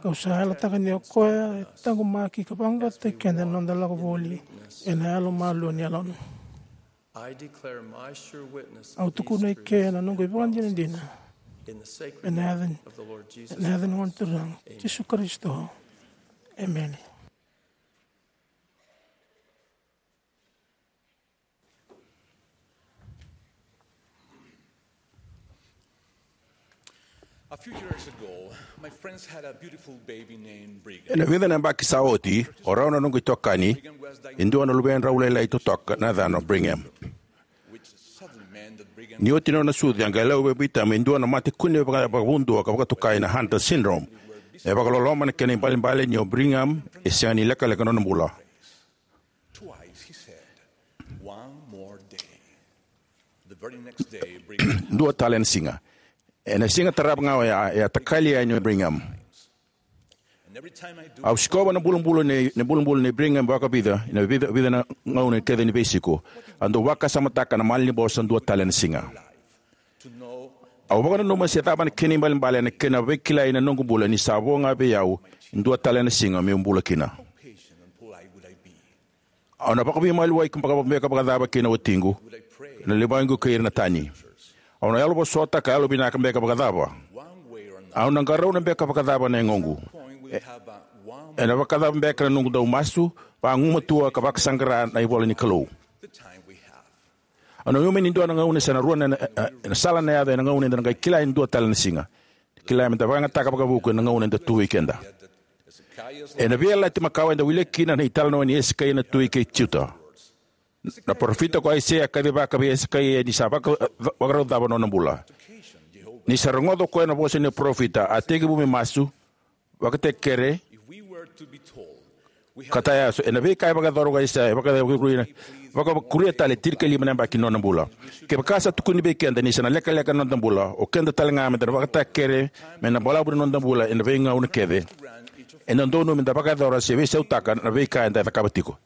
Kau sa yalataka ni o koya e taqomaki ka vaqaqacotaki keda ena noda lako voli ena yalomalua ni Yalona. Au tukuna eke na noqu ivakadinadina ena yaca, ena yaca ni Gone Turaga, Jisu Karisito. Emeni. A few years ago, my friends had a beautiful baby named Brigham. Ena vica na yabaki sa oti, o rau na noqu itokani, e dua na luvedrau lailai totoka na yacana o Brigham. Which suddenly meant that Brigham Ni oti na nona sucu, a qai lako vei Brigham e dua na mate kune vaka, vakavudua ka vakatokai na Hunter syndrome. E vakaloloma na kena ibalebale ni o Brigham e sega ni lekaleka na nona bula. Twice he said, "One more day." The very next day, Brigham Dua tale na siga. Ena siga tarava ga oya, e a takali yani o Brigham. And every time I do, Au sikova na bulabula nei, na bulabula nei Brigham vakavica, ena vica, vica na gauna kece ni veisiko. Au dau vakasamataka na malanivosa dua tale na siga. To know Au vakananuma se cava na kena ibalebale ena kena veikilai na noqu bula ni sa vo ga vei au e dua tale na siga meu bula kina. How patient and polite would I be? Au na vakaveimaliwai beka vakacava kei na watiqu, na luvequ kei ira na tani? Au na yalovosota ka yalovinaka beka vakacava? Au na qarauna beka vakacava na yagoqu? E, ena vakacava beka na noqu dau masu vagumatua ka vakasaqara na ivola ni Kalou? Au nanuma ni dua na gauna se na rua na, na, na sala na yaco ena gauna eda na qai kila e dua tale na siga. Kila meda vakayagataka vakavuku ena gauna eda tu vei keda. Ena Veiyalayalati Makawa eda wilika kina na italanoa nei Esekaia na tui kei Juta. Na parofita ko Aisea a kacivaka vei Esekaia ni sa vaka, vakarau cava na nona bula. Ni sa rogoca o koya na vosa ni parofita, a tekivu me masu, vakatakekere, ka tayaso ena veika e vakayacora ko Aisea, e vaka, vakakuria, vakakuria tale tinikalima na yabaki ni nona bula. Kevaka sa tukuni vei keda ni sa na lekaleka na noda bula, o keda tale ga meda na vakatakekere mai na balavu ni noda bula ena veigauna kece, e dodonu meda vakayacora se veisautaka na veika eda cakava tiko.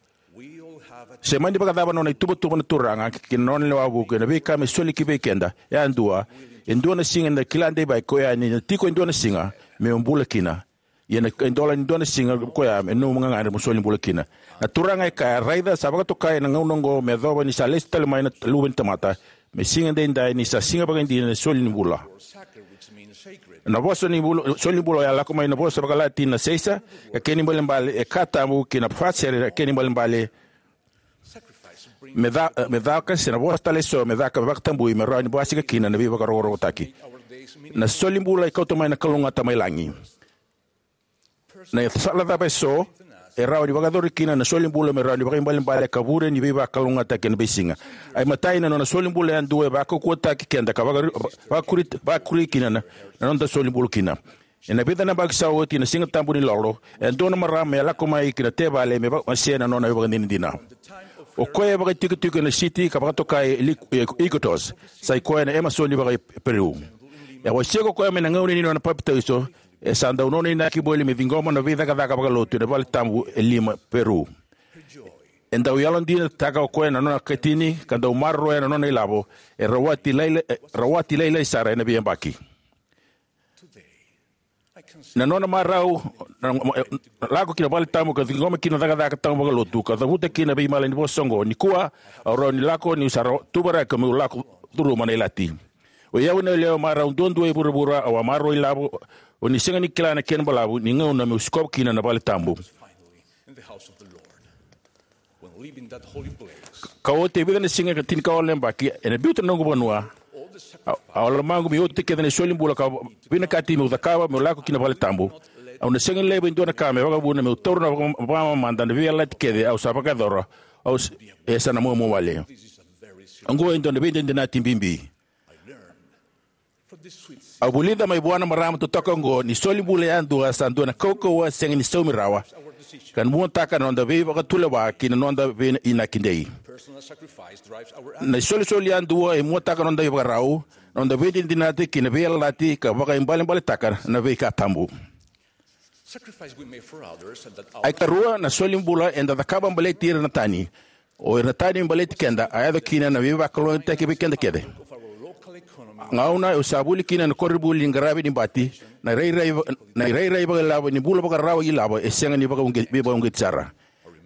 Se mani vakacava na nona ituvatuva na Turaga kei na nona lewe vuku ena veika me soli ki vei keda yadua, e dua na siga eda kila deivaki koya ni na tiko e dua na siga meu bula kina. Ia na idola ni dua na siga koya me nomu gagadre mo soli bula kina. Na Turaga e kaya, raica sa vakatokai ena gauna oqo me yacova ni sa lesu tale mai na Luve ni tamata, me siga daidai ni sa siga vakaidina ni soli ni bula. Na vosa ni bula, soli ni bula oya lako mai na vosa vakaLatini na seisa, ka kena ibalebale e ka tabu, kei na fasere, ka kena ibalebale me ca, me caka, se na vosa tale eso me caka, me vakatabui, me rawa ni basika kina na veivakarokorokotaki. Na soli bula e kauta mai na kalougata mai lagi. Na sala cava eso e rawa ni vakayacori kina na soli bula me rawa ni vakaibalebale ka vure ni veivakalougatataki ena veisiga? A imatai, na nona soli bula yadua e vakaukauwataki keda ka vakakuri, vakakuri, vakakuri kina na, na noda soli bula kina. Ena vica na yabaki sa oti, na Siga Tabu ni Lolo, e dua na marama e lako mai ki na tevale me vakamasea na nona ivakadinadina. O koya e vakaitikotiko ena siti ka vakatokai Iquitos, sa i koya na Emasoni vaka-Peru. E wasea ko koya mai na gauna ni nona papitaiso, e sa dau nona inaki voli me ciqoma na veicakacaka vakalotu ena vale tabu e Lima, Peru. E dau yalodinataka o koya na nona katini ka dau maroroya na nona ilavo, e rawati lailai, e rawati lailai sara ena veiyabaki. Na nona marau na, na lako ki na vale tabu ka ciqoma kina na cakacaka tabu vakalotu ka cavuta kina na veimalanivosa oqo: Nikua au rawa ni lako, niu sa tuvakarau meu lako curuma na ilati. O i au na yalewa marau duadua e vuravura, au a maroroi ilavo, o ni sega ni kila na kena balavu ni gauna meu sikova kina na vale tabu. Ka oti e vica na siga ka tinikawalu na yabaki, ena biuta na noqu vanua, a, a lomaqu me oti kece na soli bula ka vinakati meu cakava meu lako ki na vale tabu. Au na sega ni laiva e dua na ka me vakavuna meu taura na vaka-, vakamamada na veiyalayalati kece au sa vakayacora. Au s-, e sa na muamua wale. Oqo e dua na veidinadinati bibi. Au vulica mai vua na marama totoka oqo ni soli bula yadua sa dua na kaukauwa sega ni saumi rawa, ka muataka na noda veivakatulewa ki na noda veiinaki dei. Na isolisoli yadua e muataka na noda ivakarau, na noda veidinadinati ki na veiyalayalati, ka vakaibalebaletaka na veika tabu. Ai karua, na soli bula eda cakava baleti ira na tani, o ira na tani me baleti keda, a yaco kina na veivakalougatataki vei keda kece. Gauna au sa vuli kina na koronivuli ni qaravi ni bati, na irairai va-, na irairai vakailavo ni bula vakarawa ilavo e sega ni vakauqe-, veivakauqeti sara.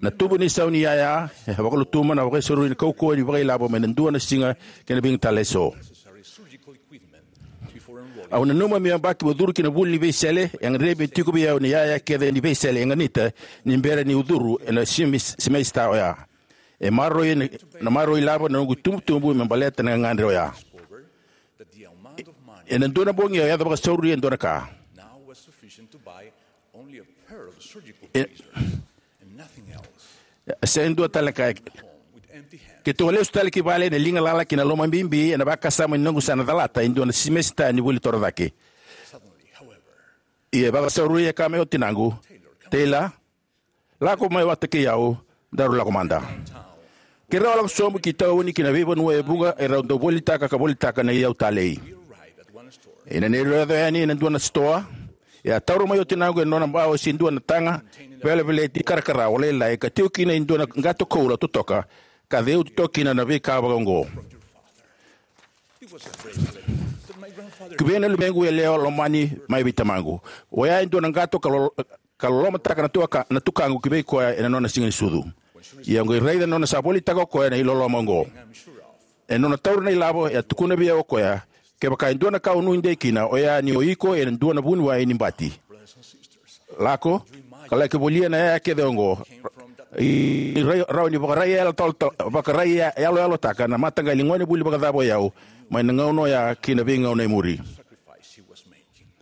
Na tubu ni sau ni yaya e vakalutuma na vakasauri ni kaukauwa ni vakailavo mai na dua na siga kei na vica tale eso. Au nanuma meu yabaki meu curu ki na vuli ni veisele, e gadrevi me tiko vei au na iyaya kece ni veisele e ganita ni bera niu curu ena simi-, simesita oya. E maroroi na, na maroroi ilavo na noqu itubutubu me baleta na gagadre oya. E, ena dua na bogi au yaco vakasauri e dua na ka. E, e sega ni dua tale na ka. Keitou a lesu tale ki vale ena liga lala kei na loma bibi ena vakasama ni noqu sa na calata e dua na simesita ni vuli torocake. Ia e vakasauri e kaya mai o tinaqu, "Taylor, lako mai vata kei au, daru lako mada." Keirau a lako sobu ki tauni ki na veivanua e vuqa, e rau dau volitaka ka volitaka na iyau talei. Ena neirau yaco yani ena dua na sitoa, e a taura mai o tinaqu e nona bau se dua na taga veleveleti karakara o lailai ka tiko kina e dua na qato koula totoka, ka ceuti toka kina na veika vakaoqo. Ki vei na luvequ yalewa lomani mai vei tamaqu. Oya e dua na qato ka lo-, ka lolomataka na tuaka-, na tukaqu ki vei koya ena nona siga ni sucu. Ia au qai raica na nona sa volitaka o koya na iloloma oqo. Ena nona taura na ilavo, e a tukuna vei au o koya, "Kevaka e dua na ka o nuidei kina, oya ni o iko ena dua na vuniwai ni bati. Lako, ka laki volia na yaya kece oqo. I, i rai-, rawa ni vakaraiyalayalo-, vakaraiya-, yaloyalotaka na mataqali gonevuli vakacava o yau, mai na gauna oya ki na veigauna e muri."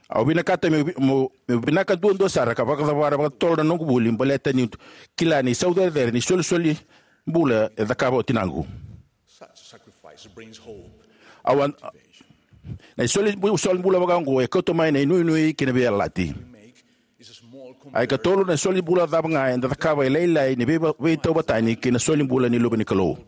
Au vinakata meu vi-, meu, meu vinaka duadua sara ka vakacavara vakatotolo na noqu vuli, baleta niu kila ni saucerecere ni solisoli bula e cakava o tinaqu. Au a-, na isoli bu-, soli bula vakaoqo e kauta mai na inuinui kei na veiyalayalati. Ai katolu, na soli bula cava ga eda cakava e lailai ni veiva-, veitauvatani kei na soli bula ni Luve ni Kalou.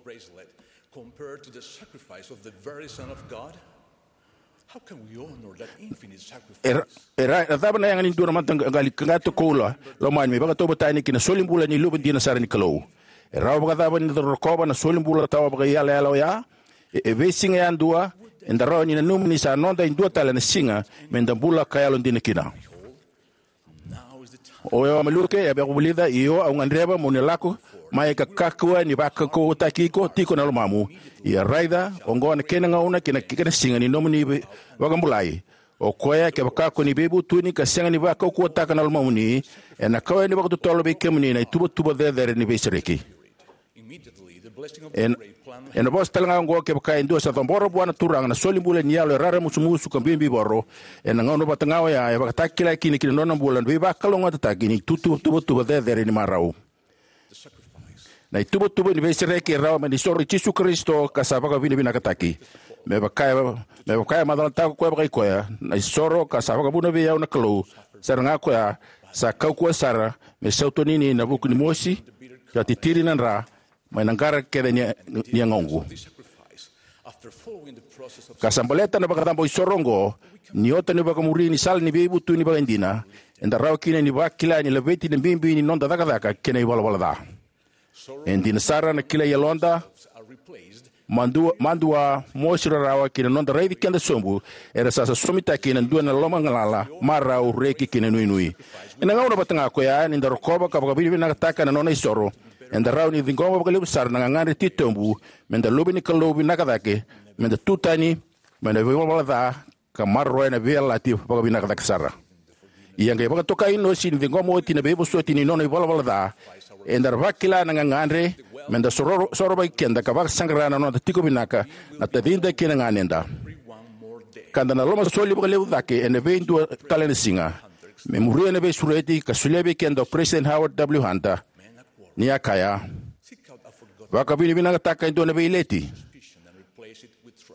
E ra-, e ra-, e cava na yaga ni dua na mataqali qato koula lomani me vakatauvatani kei na soli bula ni Luve dina sara ni Kalou? E rawa vakacava ni da rokova na soli bula tawa vakaiyalayala oya? E, e veisiga yadua eda rawa ni nanuma ni sa noda e dua tale na siga me da bula ka yalodina kina. O Maluke e vakavulica, "Io, au gadreva mo ni lako mai ka kakua ni vakaukauwataki iko tiko na lomamu. Ia raica, oqo na kena gauna kei na, kei na siga ni nomuni vei-, vakabulai. O koya, kevaka ko ni veivutuni ka sega ni vakaukauwataka na lomamuni, ena kau yani vakatotolo vei kemuni na ituvatuva cecere ni veisereki." Ena, ena vosa tale ga oqo, kevaka e dua sa cabora vua na Turaga na soli bula ni yalo e raramusumusu ka bibivoro, ena gauna vata ga oya e vakatakilai kina ki na nona bula na veivakalougatataki ni tutu-, tuvatuva cecere ni marau. Na ituvatuva ni veisereki e rawa mai na isoro i Jisu Karisito ka sa vakavinavinakataki. Me vaka e, me vaka e macalataka o koya vakaikoya, na isoro ka sa vakavuna vei au na Kalou, sara ga koya, sa kaukauwa sara me sautoni na vuku ni mosi, ka titiri na dra, mai na qara kece ni, ni yagoqu. Ka sa baleta na vakacabo isoro oqo, ni ota na vakamuri ni sala ni veivutuni vakaidina, eda rawa kina ni vakila ni laveti na bibi ni noda cakacaka kei na ivalavala ca. E dina sara na kilai yaloda, madua, madua, mosi, rarawa kei na noda raici keda sobu, era sa sosomitaki ena dua na lomagalala, marau, reki kei na nuinui. Ena gauna vata ga koya, ni da rokova ka vakavinavinakataka na nona isoro, eda rawa ni ciqoma vakalevu sara na gagadre titobu, me da luve ni Kalou vinaka cake, me da tutani mai na ivalavala ca, ka maroroya na veiyalayalati vakavinaka cake sara. Ia qai vakatokai Inosi ni ciqoma oti na veivosoti ni nona ivalavala ca, eda vakila na gagadre me da soro-, sorovaki keda ka vakasaqara na noda tiko vinaka na tacida kei na ganeda. Ka da na lomasoli vakalevu cake ena veidua tale na siga. Me muria na veisureti ka solia vei keda o President Howard W. Hunter, ni a kaya: Vakavinavinakataka e dua na veileti.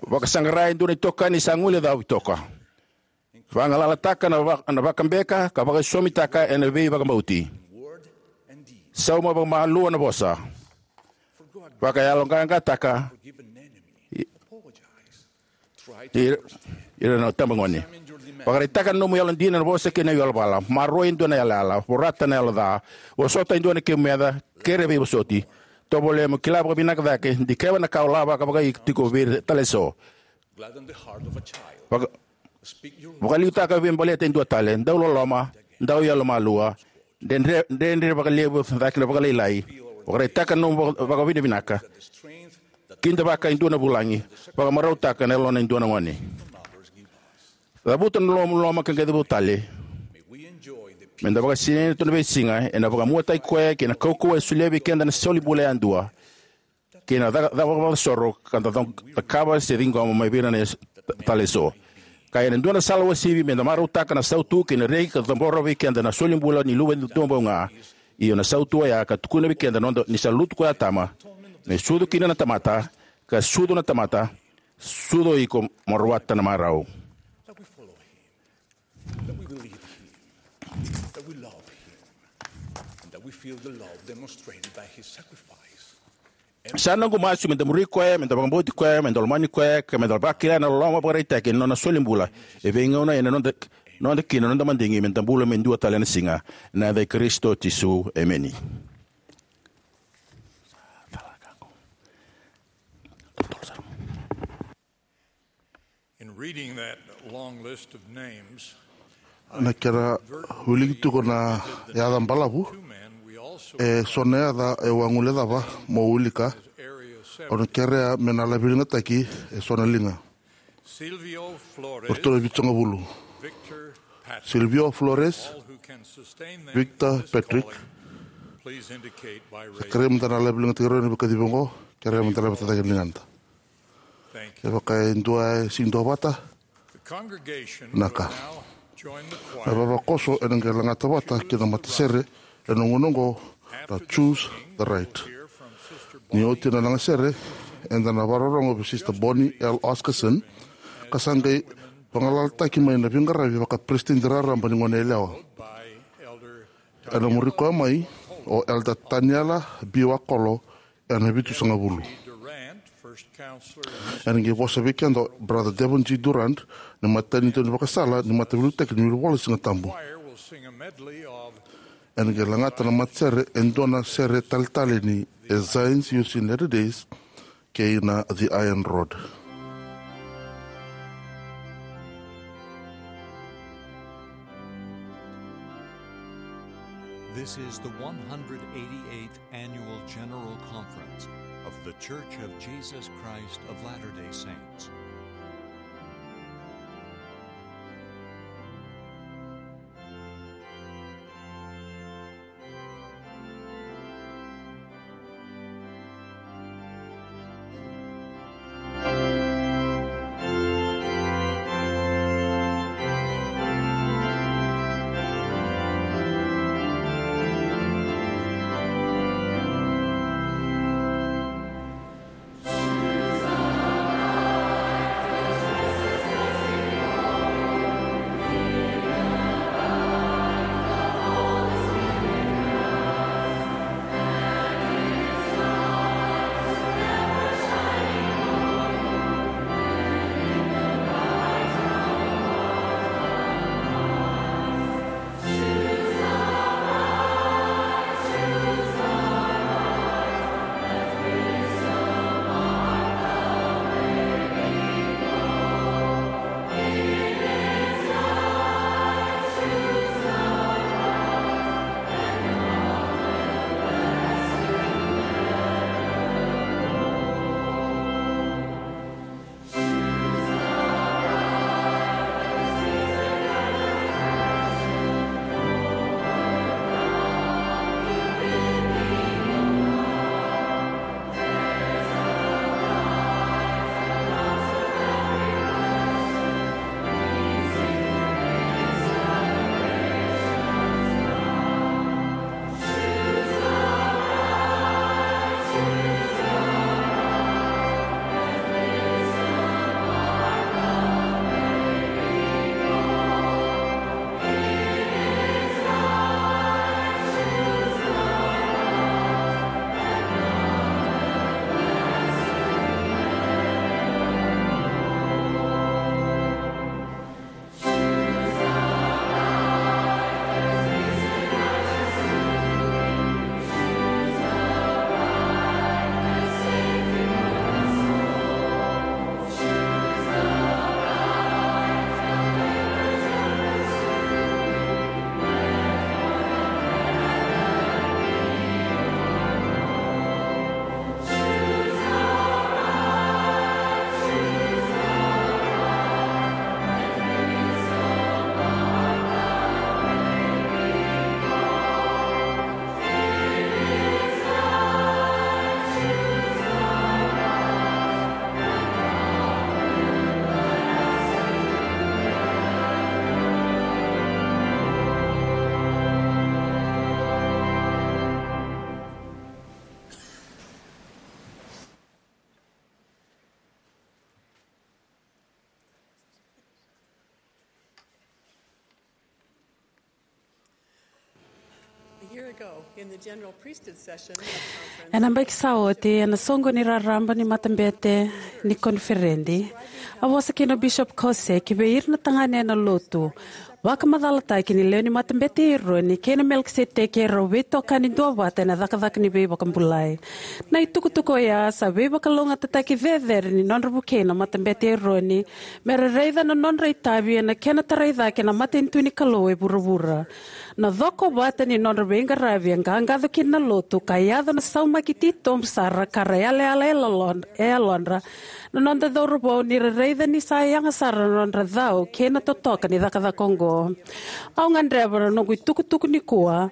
Vakasaqara e dua na itokani sa guilecavi toka. Vagalalataka na, va, na vakabeka ka vakaisosomitaka ena veivakabauti. Sauma vakamalua na vosa. Vakayaloqaqataka i, i, ira na itabagone. Vakaraitaka na nomu yalodina, na vosa kei na ivalavala. Maroroi e dua na yalayala. Vorata na yalo ca. Vosota e dua na kemu meca. Kere veivosoti. Tovolea mo kila vakavinaka cake. Dikeva na ka o lavaka vakaiko tiko vei ira tale eso. Vaka, vakaliutaka vei baleta e dua tale, dau loloma, dau yalomalua, dredre, dredre vakalevu cake na vakalailai. Vakaraitaka na nomu vaka, vakavinavinaka. Kidavaka e dua na vulagi. Vakamarautaka na yalona e dua na gone. Cavuta na loloma ka qai cavuta tale. Me da vakasinaita tu na veisiga ena vakamuataki koya kei na kaukauwa e solia vei keda na soli bula yadua. Kei na caka, caka vakavakasoro ka da cakava se ciqoma mai vei ira na tale eso. Ka ena dua na sala uasivi, me da marautaka na sautu kei na reki ka cabora vei keda na soli bula ni Luve duabau ga. Io, na sautu oya ka tukuna vei keda na noda, ni sa lutu ko Atama, me sucu kina na tamata, ka sucu na tamata, sucu o iko mo rawata na marau. That we believe him, that we love him, and that we feel the love demonstrated by his sacrifice. Sa noqu masu me da muri koya, me da vakabauti koya, me da lomani koya, ka me da vakila na loloma vakaraitaki ena nona soli bula e veigauna ena noda, noda kina noda madigi me da bula me dua tale na siga. Ena yaca i Karisito Jisu, emeni. In reading that long list of names, na kena wiliki tiko na yaca balavu, e so na yaca e waguilecava mo wilika, au na kerea me na laveligataki e so na liga. Silvio Flores, Silvio Flores, Victor Patrick. Sa kerea me da na laveligataki rau ena veikacivi oqo, kerea me da na vetataki na ligada. E vaka e dua e sega ni duavata. Na ka. Na vavakoso ena qai lagata vata kei na matasere ena gauna oqo na Choose the Right. Ni oti na lagasere, eda na vakarorogo vei Sister Bonnie L. Oscarson, ka sa qai vagalalataki mai na veiqaravi vakaperesitedi raraba ni Goneyalewa. Ena muri koya mai o Elder Taniela B. Wakolo, ena vitusagavulu. Ena qai vosa vei keda o Brother Devon G. Durrant, na matanitu ni vakasala ni Mataveiliutaki ni Wilivola Sigatabu. Ena qai lagata na matasere e dua na sere taleitale ni As Zions Used in Latter Days kei na The Iron Rod. This is the one hundred eighty-eighth Annual General Conference of The Church of Jesus Christ of Latter-day Saints. Ena baki sa oti, ena soqo ni raraba ni matabete ni koniferedi, a vosa kina o Bishop Caussé ki vei ira na tagane ena lotu vakamacalataki ni lewe ni matabete i Eroni kei na Melikiseteki e rau veitokani duavata ena cakacaka ni veivakabulai. Na itukutuku oya sa veivakalougatataki cecere ni nodra vukei na matabete i Eroni me ra raica na nodra itavi ena kena tarai cake na matanitu ni Kalou e vuravura. Na cokovata ni nodra veiqaravi e qaqaco kina na lotu ka yaco na saumaki titobu sara ka ra yalayala e yalodra na noda cauravou ni ra raica ni sa yaga sara na nodra cau kei na totoka ni cakacaka oqo. Au gadreva na noqu itukutuku nikua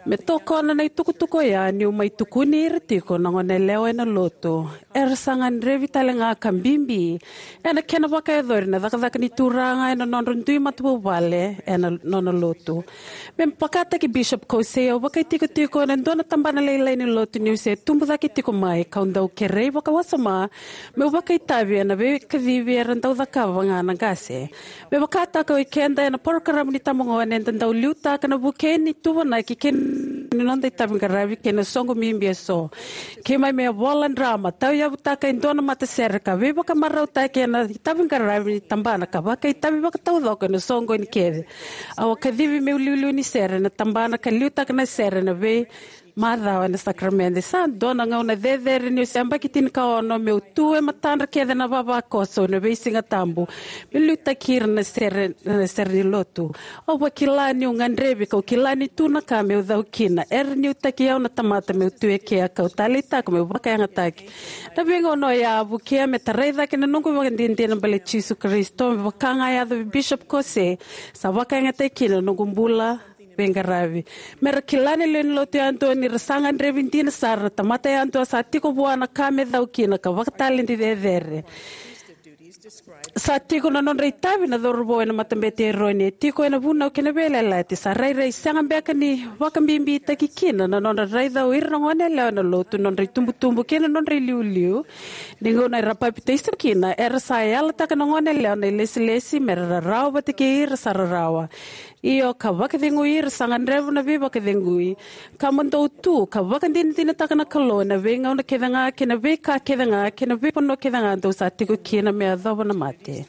me tokona na itukutuku oya niu mai tukuni ira tiko na goneyalewa ena lotu. Era sa gadrevi tale ga ka bibi ena kena vakayacori na cakacaka ni Turaga ena nodra dui matavuvale ena nona lotu. Me vakataki Bishop Caussé, au vakaitikotiko ena dua na tabana lailai ni lotu niu se tubu cake tiko mai, kau dau kerei vakawasoma meu vakaitavi ena veikacivi era dau cakava ga na qase. Me vakataka o ikeda ena parokaramu ni tabagone eda dau liutaka na vukei ni tuvanaki kei na noda itavi qaravi kei na soqo bibi eso. Keimami a vola drama, tauyavutaka e dua na matasere ka veivakamarautaki ena itavi qaravi ni tabana ka vakaitavi vakataucoko ena soqo ni kece. Au a kacivi meu liuliu ni sere ena tabana ka liutaka na sere ena vei macawa ena sakaramede. Sa dua na gauna cecere niu se yabaki tinikaono meu tu e matadra kece na vavakoso ena veisiga tabu me liutaki ira na sere, na sere ni lotu. Au vakila niu gadrevi kau kila ni tu na ka meu cau kina. Era niutaki au na tamata meu tu e kea kau taleitaka meu vakayagataki. Na veigauna oya a vukea me tarai cake na noqu ivakadinadina baleti Jisu Karisito, me vaka ga a yaco vei Bishop Caussé, sa vakayagataki kina na noqu bula veiqaravi. Me ra kila na lewe ni lotu yadua ni ra sa gadrevi dina sara na tamata yadua sa tiko vua na ka me cau kina ka vakataledi cecere. Sa tiko na nodra itavi na cauravou ena matabete i Eroni, e tiko ena vunau kei na veiyalayalati. Sa rairai sega beka ni vakabibitaki kina na nodra raica o ira na goneyalewa ena lotu, nodra itubutubu kei na nodra iliuliu. Ni gauna era papitaiso kina, era sa yalataka na goneyalewa na ilesilesi me ra rarawa vata kei ira sa rarawa. Io, ka vakacegui ira sa gadreva na veivakacegui. Ka mo dou tu ka vakadinadinataka na Kalou ena veigauna kece ga kei na veika kece ga kei na veivanua kece ga dou sa tiko kina me yacova na mate.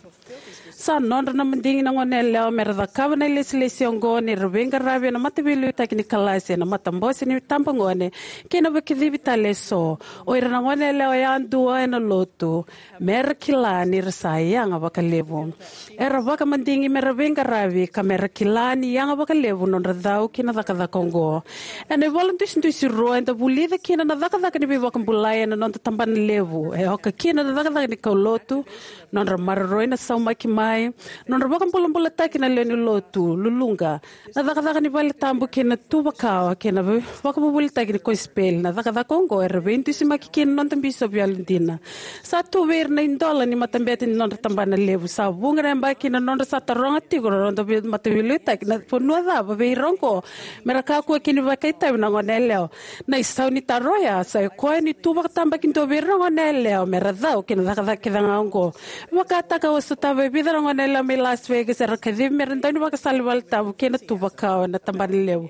Sa nodra na madigi na goneyalewa me ra cakava na ilesilesi oqo ni ra veiqaravi ena mataveiliutaki ni kalasi, ena matabose ni tabagone kei na veikacivi tale eso. O ira na goneyalewa yadua ena lotu me ra kila ni ra sa yaga vakalevu. Era vakamadigi me ra veiqaravi ka me ra kila ni yaga vakalevu nodra cau ki na cakacaka oqo. Ena ivola dusidusi rua eda vulica kina na cakacaka ni veivakabulai ena noda tabana levu. E oka kina na cakacaka ni kaulotu, nodra maroroi na saumaki mai, nodra vakabulabulataki na lewe ni lotu, luluqa, na cakacaka ni vale tabu kei na tuvakawa kei na ve-, vakavuvulitaki ni kosipeli. Na cakacaka oqo era veidusimaki kina na noda bisopi yalodina. Sa tu vei ira na idola ni matabete ni nodra tabana levu. Sa vuqa na yabaki na nodra sa taroga tiko na noda vei-, mataveiliutaki na vanua cava vei ira oqo me ra kakua kina ni vakaitavi na goneyalewa. Na isau ni taro oya sa i koya ni tu vakatabakidua vei ira na goneyalewa me ra cau ki na cakacaka kece ga oqo. Vakataka au a sotava e vica na goneyalewa mai Las Vegas era kacivi me ra dau ni vakasala ni vale tabu kei na tuvakawa ena tabana levu.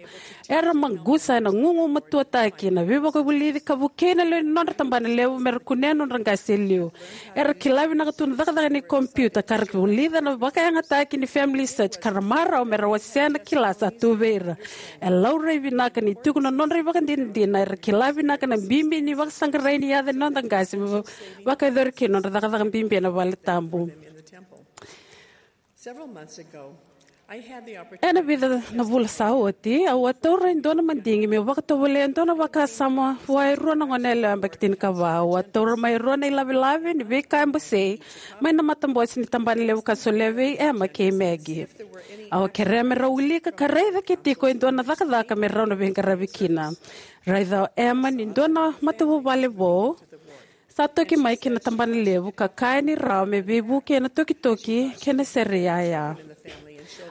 Era maqusa ena gugumatuataki na veivakavulici ka vukei na lewe ni nodra tabana levu me ra kunea na nodra qase e liu. Era kila vinaka tu na cakacaka ni kompiuta ka ra vulica na vakayagataki ni FamilySearch ka ra marau me ra wasea na kila sa tu vei ira. E laurai vinaka ni tiko na nodra ivakadinadina, era kila vinaka na bibi ni vakasaqarai ni yaca ni noda qase me va-, vakayacori kina na nodra cakacaka bibi ena vale tabu. Several months ago, I had the opportunity Ena vica na vula sa oti, au a taura e dua na madigi meu vakatovolea e dua na vakasama vua e rua na goneyalewa yabaki tinikava. Au a taura mai e rua na ilavelave ni veika e basei mai na matabose ni tabana levu ka solia vei Emma kei Maggie. Au a kerea me rau wilika ka raica ke tiko e dua na cakacaka me rau na veiqaravi kina. Raica o Emma ni dua na matavuvale vou sa toki mai ki na tabana levu ka kaya ni rawa me veivuke ena tokitoki kei na sere iyaya.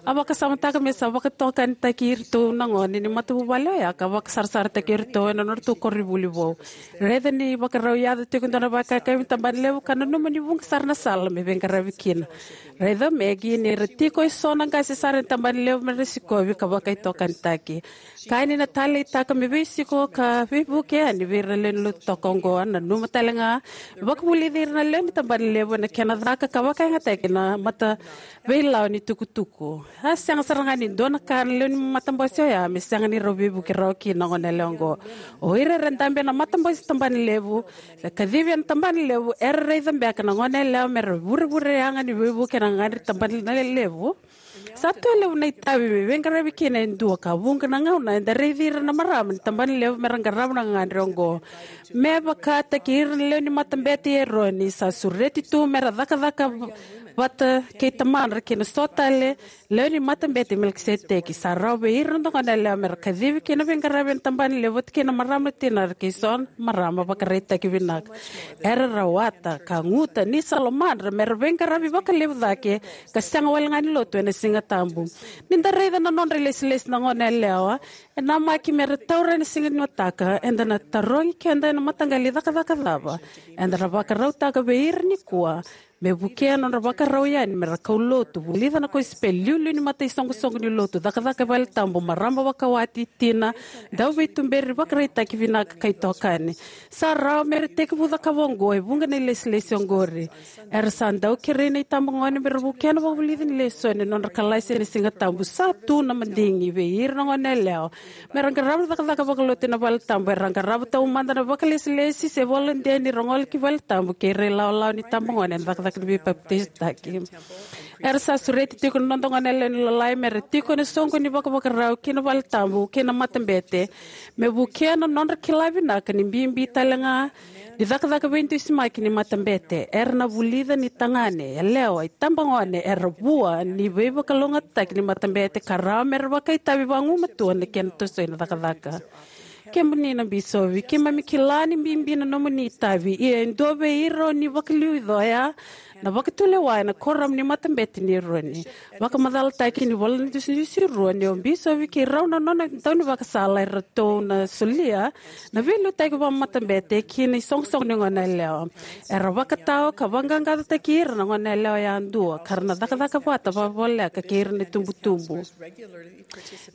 A vakasamataka me sa vakatokanitaki iratou na gone ni matavuvale oya ka vakasarasarataki iratou ena nodratou koronivuli vou. Raica ni vakarau yaco tiko e dua na vakayakavi ni tabana levu ka nanuma ni vuqa sara na sala me veiqaravi kina. Raica o Maggie ni ra tiko e so na qase sara ni tabana levu me ra sikovi ka vakaitokanitaki. Ka ni na taleitaka me veisiko ka veivuke yani vei ira na lewe ni lotu toka oqo. Nanuma tale ga me vakavulici ira na lewe ni tabana levu ena kena caka ka vakayagataki na mata veilawa ni tukutuku. A sega sara ga ni dua na ka na lewe ni matabose oya me sega ni rau veivuke rawa kina na gone yalewa oqo. O ira era dabe ena matabose tabana levu, se kacivi ena tabana levu, era raica beka na gone yalewa me ra vurevure yaga ni veivuke ena gagadre tabana levu. Sa tu e levu na itavi me veiqaravi kina e dua ka vuqa na gauna eda raici ira na marama ni tabana levu me ra qarava na gagadre oqo. Me vakataki ira na lewe ni matabete i Eroni sa sureti tu me ra cakacaka vata kei tamadra kei na so tale lewe ni matabete i Melikiseteki. Sa rawa vei ira na gone yalewa me ra kacivi kei na veiqaravi ena tabana levu vata kei na marama na tinara kei so na marama vakaraitaki vinaka. Era rawata ka guta ni sa lomadra me ra veiqaravi vakalevu cake ka sega wale ga ni lotu ena Siga Tabu. Ni da raica na nodra ilesilesi na gone yalewa, e namaki me ra taura ena siga ni mataka. Eda na tarogi keda ena mataqali cakacaka cava eda na vakarautaka vei ira nikua me vukea na nodra vakarau yani me ra kaulotu, vulica na kosipeli, liuliu ni mataisoqosoqo ni lotu, cakacaka e vale tabu, marama vakawati, tina, dauveituberi, vakaraitaki vinaka, ka itokani. Sa rawa me ra tekivu cakava oqo e vuqa na ilesilesi oqori. Era sa dau kerei na itabagone me ra vukea na vakavulici ni lesoni ena nodra kalasi ena Siga Tabu. Sa tu na madigi vei ira na gone yalewa me ra qarava na cakacaka vakalotu ena vale tabu. Era qarava taumada na vakailesilesi se volontia ni ra gole ki vale tabu kei ira na ilawalawa ni itabagone ena cakacaka ni veipapitaisotaki. Era sa sureti tiko na noda gone yalewa ni lalai me ra tiko ena soqo ni vakavakarau ki na vale tabu kei na matabete, me vukea na nodra kila vinaka ni bibi tale ga ni cakacaka veidusimaki ni matabete. Era na vulica ni tagane, yalewa, itabagone era vua ni veivakalougatataki ni matabete ka rawa me ra vakaitavi vagumatua ena kena tosoi na cakacaka. Kemuni na bisopi, keimami kila ni bibi na nomuni itavi, ia e dua vei ira o ni vakaliuca oya na vakatulewa ena kuoramu ni matabete ni Eroni. Vakamacalataki ni ivola ni Dusidusi Rua ni o bisopi kei rau na nona daunivakasala eratou na solia na veiliutaki vakamatabete ki na isoqosoqo ni gone yalewa. Era vakatawa ka vaqaqacotaki ira na gone yalewa yadua ka ra na cakacaka vata vakavoleka kei ira na itubutubu.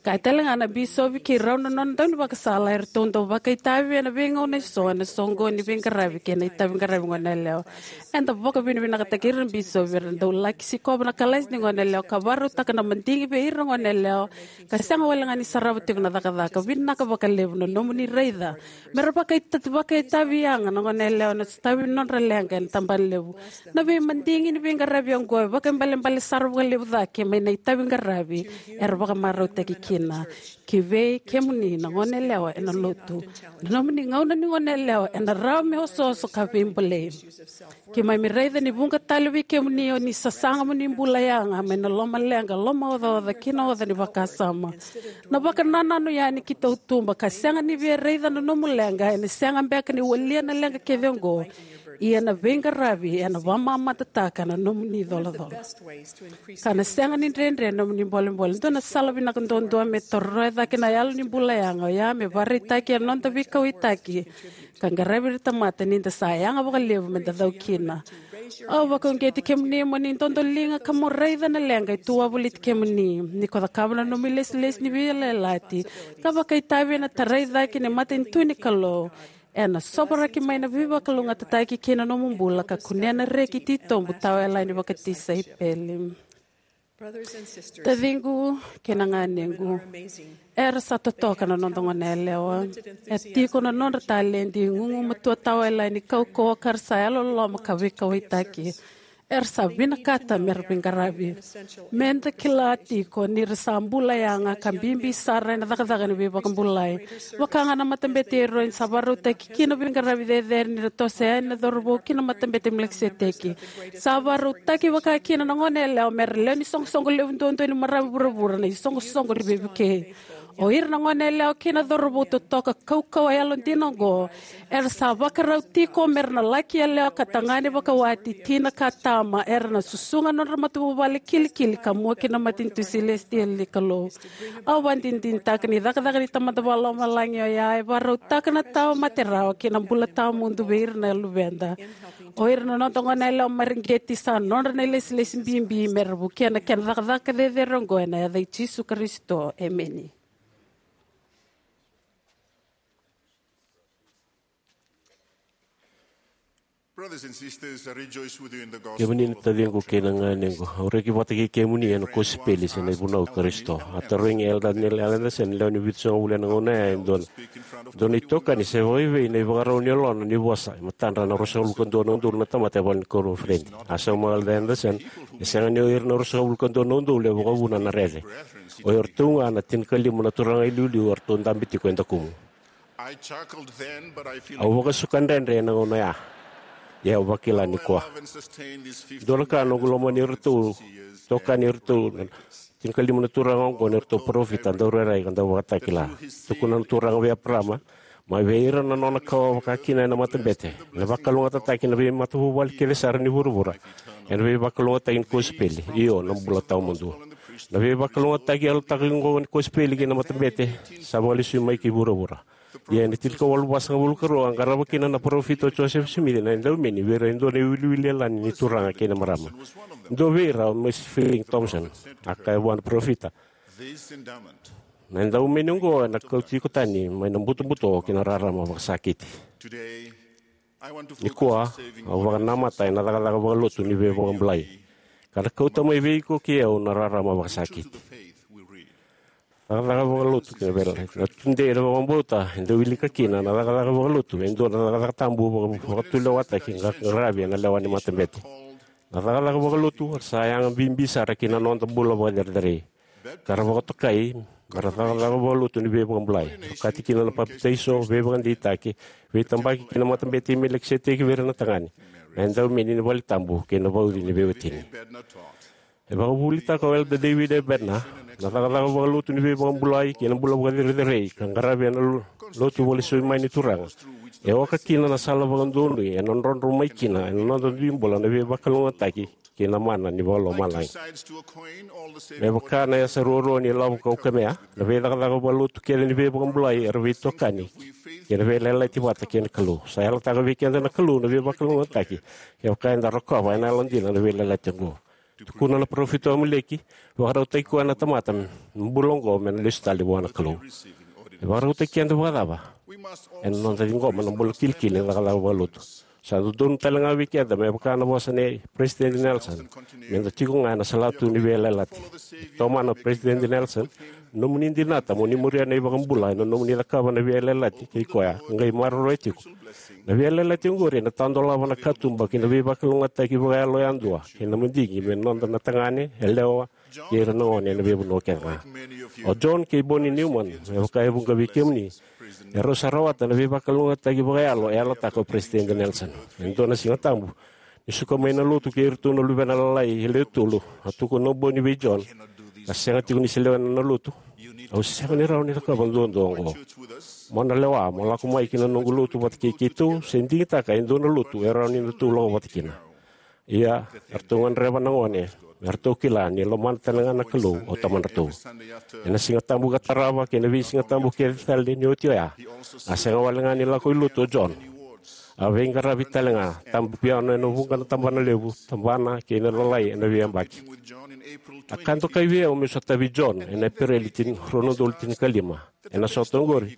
Kaya tale ga na bisopi kei rau na nona daunivakasala eratou dau vakaitavi ena veigauna eso ena soqo ni veiqaravi kei na itaviqaravi gone yalewa. Eda vakavinavinakataki ira na bisopi era dau laki sikova na kalasi ni gone yalewa ka vakarautaka na madigi vei ira na gone yalewa ka sega wale ga ni sarava tiko na cakacaka. Vinaka vakalevu na nomuni raica me ra vakaita- vakaitavi yaga na gone yalewa ena sotavi ni nodra leqa ena tabana levu. Na veimadigi ni veiqaravi oqo e vakaibalebale sara vakalevu cake mai na itaviqaravi era vakamarautaki kina. Ki vei kemuni na gone yalewa ena lotu, na nomuni gauna ni gone yalewa ena rawa me osooso ka veibolei. Keimami raica ni vuqa tale vei kemuni o ni sasaga mo ni bula yaga mai na lomaleqa, lomaocaoca kei na oca ni vakasama. Na vakanananu yani ki tautuba ka sega ni via raica na nomu leqa ena sega beka ni walia na leqa kece oqo. Ia na veiqaravi ena vakamamadataka na nomuni icolacola ka na sega ni dredre na nomuni bolebole. Dua na sala vinaka duadua me toroya cake na yalo ni bula yaga oya me vakaraitaki ena noda veikauwaitaki ka qaravi ira na tamata ni da sa yaga vakalevu me da cau kina. Au vakauqeti kemuni mo ni dodoliga ka mo raica na leqa e tu wavoliti kemuni ni ko cakava na nomu ilesilesi ni veiyalayalati ka vakaitavi ena tarai cake ni matanitu ni Kalou. Ena sovaraki mai na veivakalougatataki kei na nomu bula ka kunea na reki titobu tawayalani vakatisaipeli. Taciqu kei na ganequ, era sa totoka na noda gone yalewa. E tiko na nodra taledi, gugumatua tawayalani, kaukauwa ka ra sa yalololoma ka veikauwaitaki. Era sa vinakata me ra veiqaravi. Me da kila tiko ni ra sa bula yaga ka bibi sara ena cakacaka ni veivakabulai. Vaka ga na matabete e Eroni sa vakarautaki kina veiqaravi cecere ni ra toso yani na cauravou ki na matabete Melikiseteki. Sa vakarautaki vaka kina na gone yalewa me ra lewe ni soqosoqo levu duadua ni marama vuravura, na isoqosoqo ni veivukei. O ira na goneyalewa kei na cauravou totoka kaukauwa yalodina oqo, era sa vakarau tiko me ra na laki yalewa ka tagane vakawati, tina ka tama, era na susuga na nodra matavuvale kilikili ka mua ki na matanitu silesitieli ni Kalou. Au vakadinadinataka ni cakacaka ni Tamada Vakalomalagi oya e vakarautaka na tawa mate rawa kei na bula tawamudu vei ira na luveda. O ira na noda goneyalewa mareqeti sa nodra na ilesilesi bibi me ra vukea na kena cakacaka cecere oqo, ena yaca i Jisu Karisito, emeni. Brothers and sisters, I rejoice with you in the gospel. Kemuni na taciqu kei na ganequ, au reki vata kei kemuni ena kosipeli se na ivunau i Karisito. A tarogi Elder Neil Andersen, lewe ni vitusagavulu ena gauna ya, e dua na, dua na itokani se vakaivei na ivakarau ni yalona ni vosa e matadra na ruasagavulu ka dua na udolu na tamata e vale ni koniferedi. A sauma o Elder Andersen, e sega ni o ira na ruasagavulu ka dua na udolu e vakavuna na rere. O iratou ga na tinikalima na turaga iliuliu eratou dabe tiko e dakumu. I chuckled then, but I feel Au vakasuka dredre ena gauna ya. Ia au vakila nikua. Dua na ka, noqu lomani iratou, tokani iratou na tinikalima na turaga oqo ni ratou parofita, daurairai ka dauvakatakila. Tukuna na Turaga vei Eparama, mai vei ira na nona kawa vakakina ena matabete, ena vakalougatataki na veimatavuvale kece sara ni vuravura ena veivakalougatataki ni kosipeli, io, na bula tawamudu. Na veivakalougatataki yalataki oqo ni kosipeli kei na matabete sa vakalesui mai ki vuravura. Ia ena tinikawalu vasagavulu ka rua, a qarava kina na parofita o Josefa Simici na edaumeni vei ira e dua na iwiliwili yalani ni turaga kei na marama. Dua vei ira o Mercy Fielding Thompson. A kaya vua na parofita, na edaumeni oqo ena kauti iko tani mai na butobuto ki na rarama vakasakiti. Nikua, au vakanamata ena cakacaka vakalotu ni veivakabulai, ka na kauta mai vei iko kei au na rarama vakasakiti. Cakacaka vakalotu kei na veiyalayalati. Na tudei ena vakabauta e dau wilika kina na cakacaka vakalotu e dua na cakacaka tabu vaka-, vakatulewataki ka qaravi ena lewa ni matabete. Na cakacaka vakalotu era sa yaga bibi sara ki na noda bula vakacerecerei, ka ra vakatokai me ra cakacaka vakalotu ni veivakabulai. Okati kina na papitaiso, veivakadeitaki, veitabaki ki na matabete i Melikiseteki vei ira na tagane, na edaumeni ni vale tabu kei na vauci ni veiwatini. E vakavuvulitaka o Elder David A. Bednar na cakacaka vakalotu ni veivakabulai kei na bula vakacerecerei ka qaravi ena lo-, lotu vakalesui mai ni Turaga. E oka kina na sala vakadonui ena drodro mai kina ena noda dui bula na veivakalougatataki kei na mana ni vakalomalagi. Me vaka na yasa ruarua ni lavo kaukamea, na veicakacaka vakalotu kece ni veivakabulai era veitokani kei na veiyalayalati vata kei na Kalou. Sa yalataka vei keda na Kalou na veivakalougatataki kevaka eda rokova ena yalodina na veiyalayalati oqo. Tukuna na parofita o Amuleki, vakarautaki koya na tamata me bula oqo me na lesu tale vua na Kalou. E vakarautaki keda vakacava? Ena noda ciqoma na bula kilikili ni cakacaka vakalotu. Sa dodonu tale ga vei keda, me vaka na vosa nei President Nelson, meda tiko ga ena salatu ni veiyalayalati. Tomana o President Nelson, nomuni dinata mo ni muria na iVakabula ena nomuni cakava na veiyalayalati kei koya ka qai maroroya tiko. Na veiyalayalati oqori ena tadolava na katuba ki na veivakalougatataki vakayalo yadua kei na madigi me noda na tagane, yalewa, kei ira na gone ena veivanua kece ga. O John kei Bonnie Newman, me vaka e vuqa vei kemuni, erau sa rawata na veivakalougatataki vakayalo e yalataka o President Nelson. E dua na Siga Tabu, ni suka mai na lotu kei iratou na luvena lalai e lewe tolu, a tukuna o Bonnie vei John, ka sega tiko ni se lewena na lotu. Au sega ni rawa ni cakava duadua oqo. Mo na lewa mo lako mai ki na noqu lotu vata kei keitou, se digitaka e dua na lotu e rawa ni datou lako vata kina. Ia, eratou gadreva na gone me ratou kila ni lomana tale ga na Kalou o tamadratou. Ena Siga Tabu ka tarava kei na veisiga tabu kece tale ni oti oya, a sega wale ga ni lako i lotu o John. A veiqaravi tale ga, tabu piano ena vuqa na tabana levu, tabana kei na lalai ena veiyabaki. A ka dokai vei au meu sotavi John ena Epereli tini, rua na udolu tinikalima. Ena sota oqori,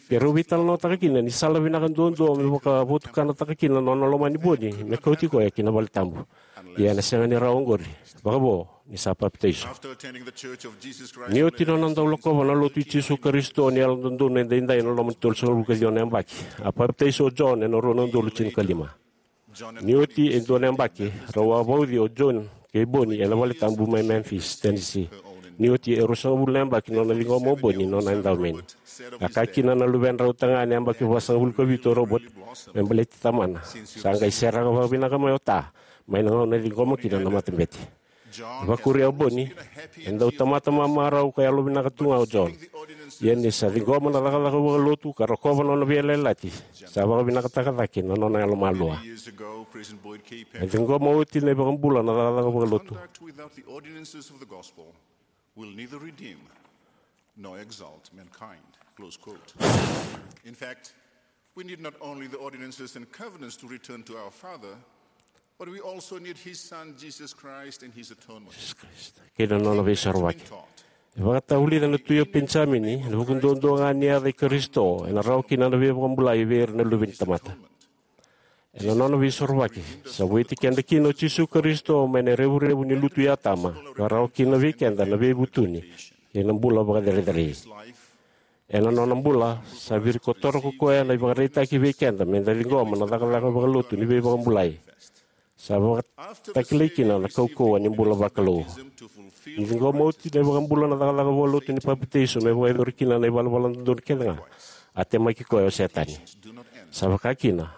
keirau veitalanoataka kina ni sala vinaka duadua me vakavotukanataka kina na nona lomani Bonnie me kauti koya ki na vale tabu. Ia ena sega ni rawa oqori, vakavo ni sa papitaiso. Ni oti nona dau lakova na Lotu i Jisu Karisito ni Yalododonu Edaidai ena loma ni tolusagavulu ka ciwa na yabaki, a papitaiso o John ena rua na udolu tinikalima. Ni oti e dua na yabaki, rau a vauci o John kei Bonnie ena vale tabu mai Memphis, Tennessee. Ni oti e ruasagavulu na yabaki nona ciqoma o Bonnie nona edaumeni. A kaya kina na luvedrau tagane yabaki vasagavulu ka vitu o Robert, me baleti tamana, sa qai seraka vakavinaka mai o Ta mai na gauna e ciqoma kina na matabete. E vakuria o Bonnie, e dau tamata mamarau ka yalovinaka tu ga o John. Ia ni sa ciqoma na cakacaka vakalotu ka rokova na nona veiyalayalati, sa vakavinakataka cake na nona yalomalua. Many years ago, President Boyd K. Packer, e ciqoma oti na iVakabula na cakacaka vakalotu. Conduct without the ordinances of the gospel will neither redeem nor exalt mankind. Close quote. In fact, we need not only the ordinances and covenants to return to our Father, but we also need His Son, Jesus Christ, and His atonement. Kei na nona veisorovaki. E vakatavulica na tui o Penijamini, ena vuku duadua ga ni yaca i Karisito, ena rawa kina na veivakabulai vei ira na luve ni tamata. Ena nona veisorovaki, sa vueti keda kina o Jisu Karisito mai na revurevu ni lutu i Atama, ka rawa kina vei keda na veivutuni kei na bula vakacerecerei. Ena nona bula, sa virikotora ko koya na ivakaraitaki vei keda meda ciqoma na cakacaka vakalotu ni veivakabulai. Sa vakatakilai kina na kaukauwa ni bula vakalou. Ni ciqoma oti na iVakabula na cakacaka vakalotu ni papitaiso me vakayacori kina na ivalavala dodonu kece ga, a temaki koya o Setani. Sa vaka kina,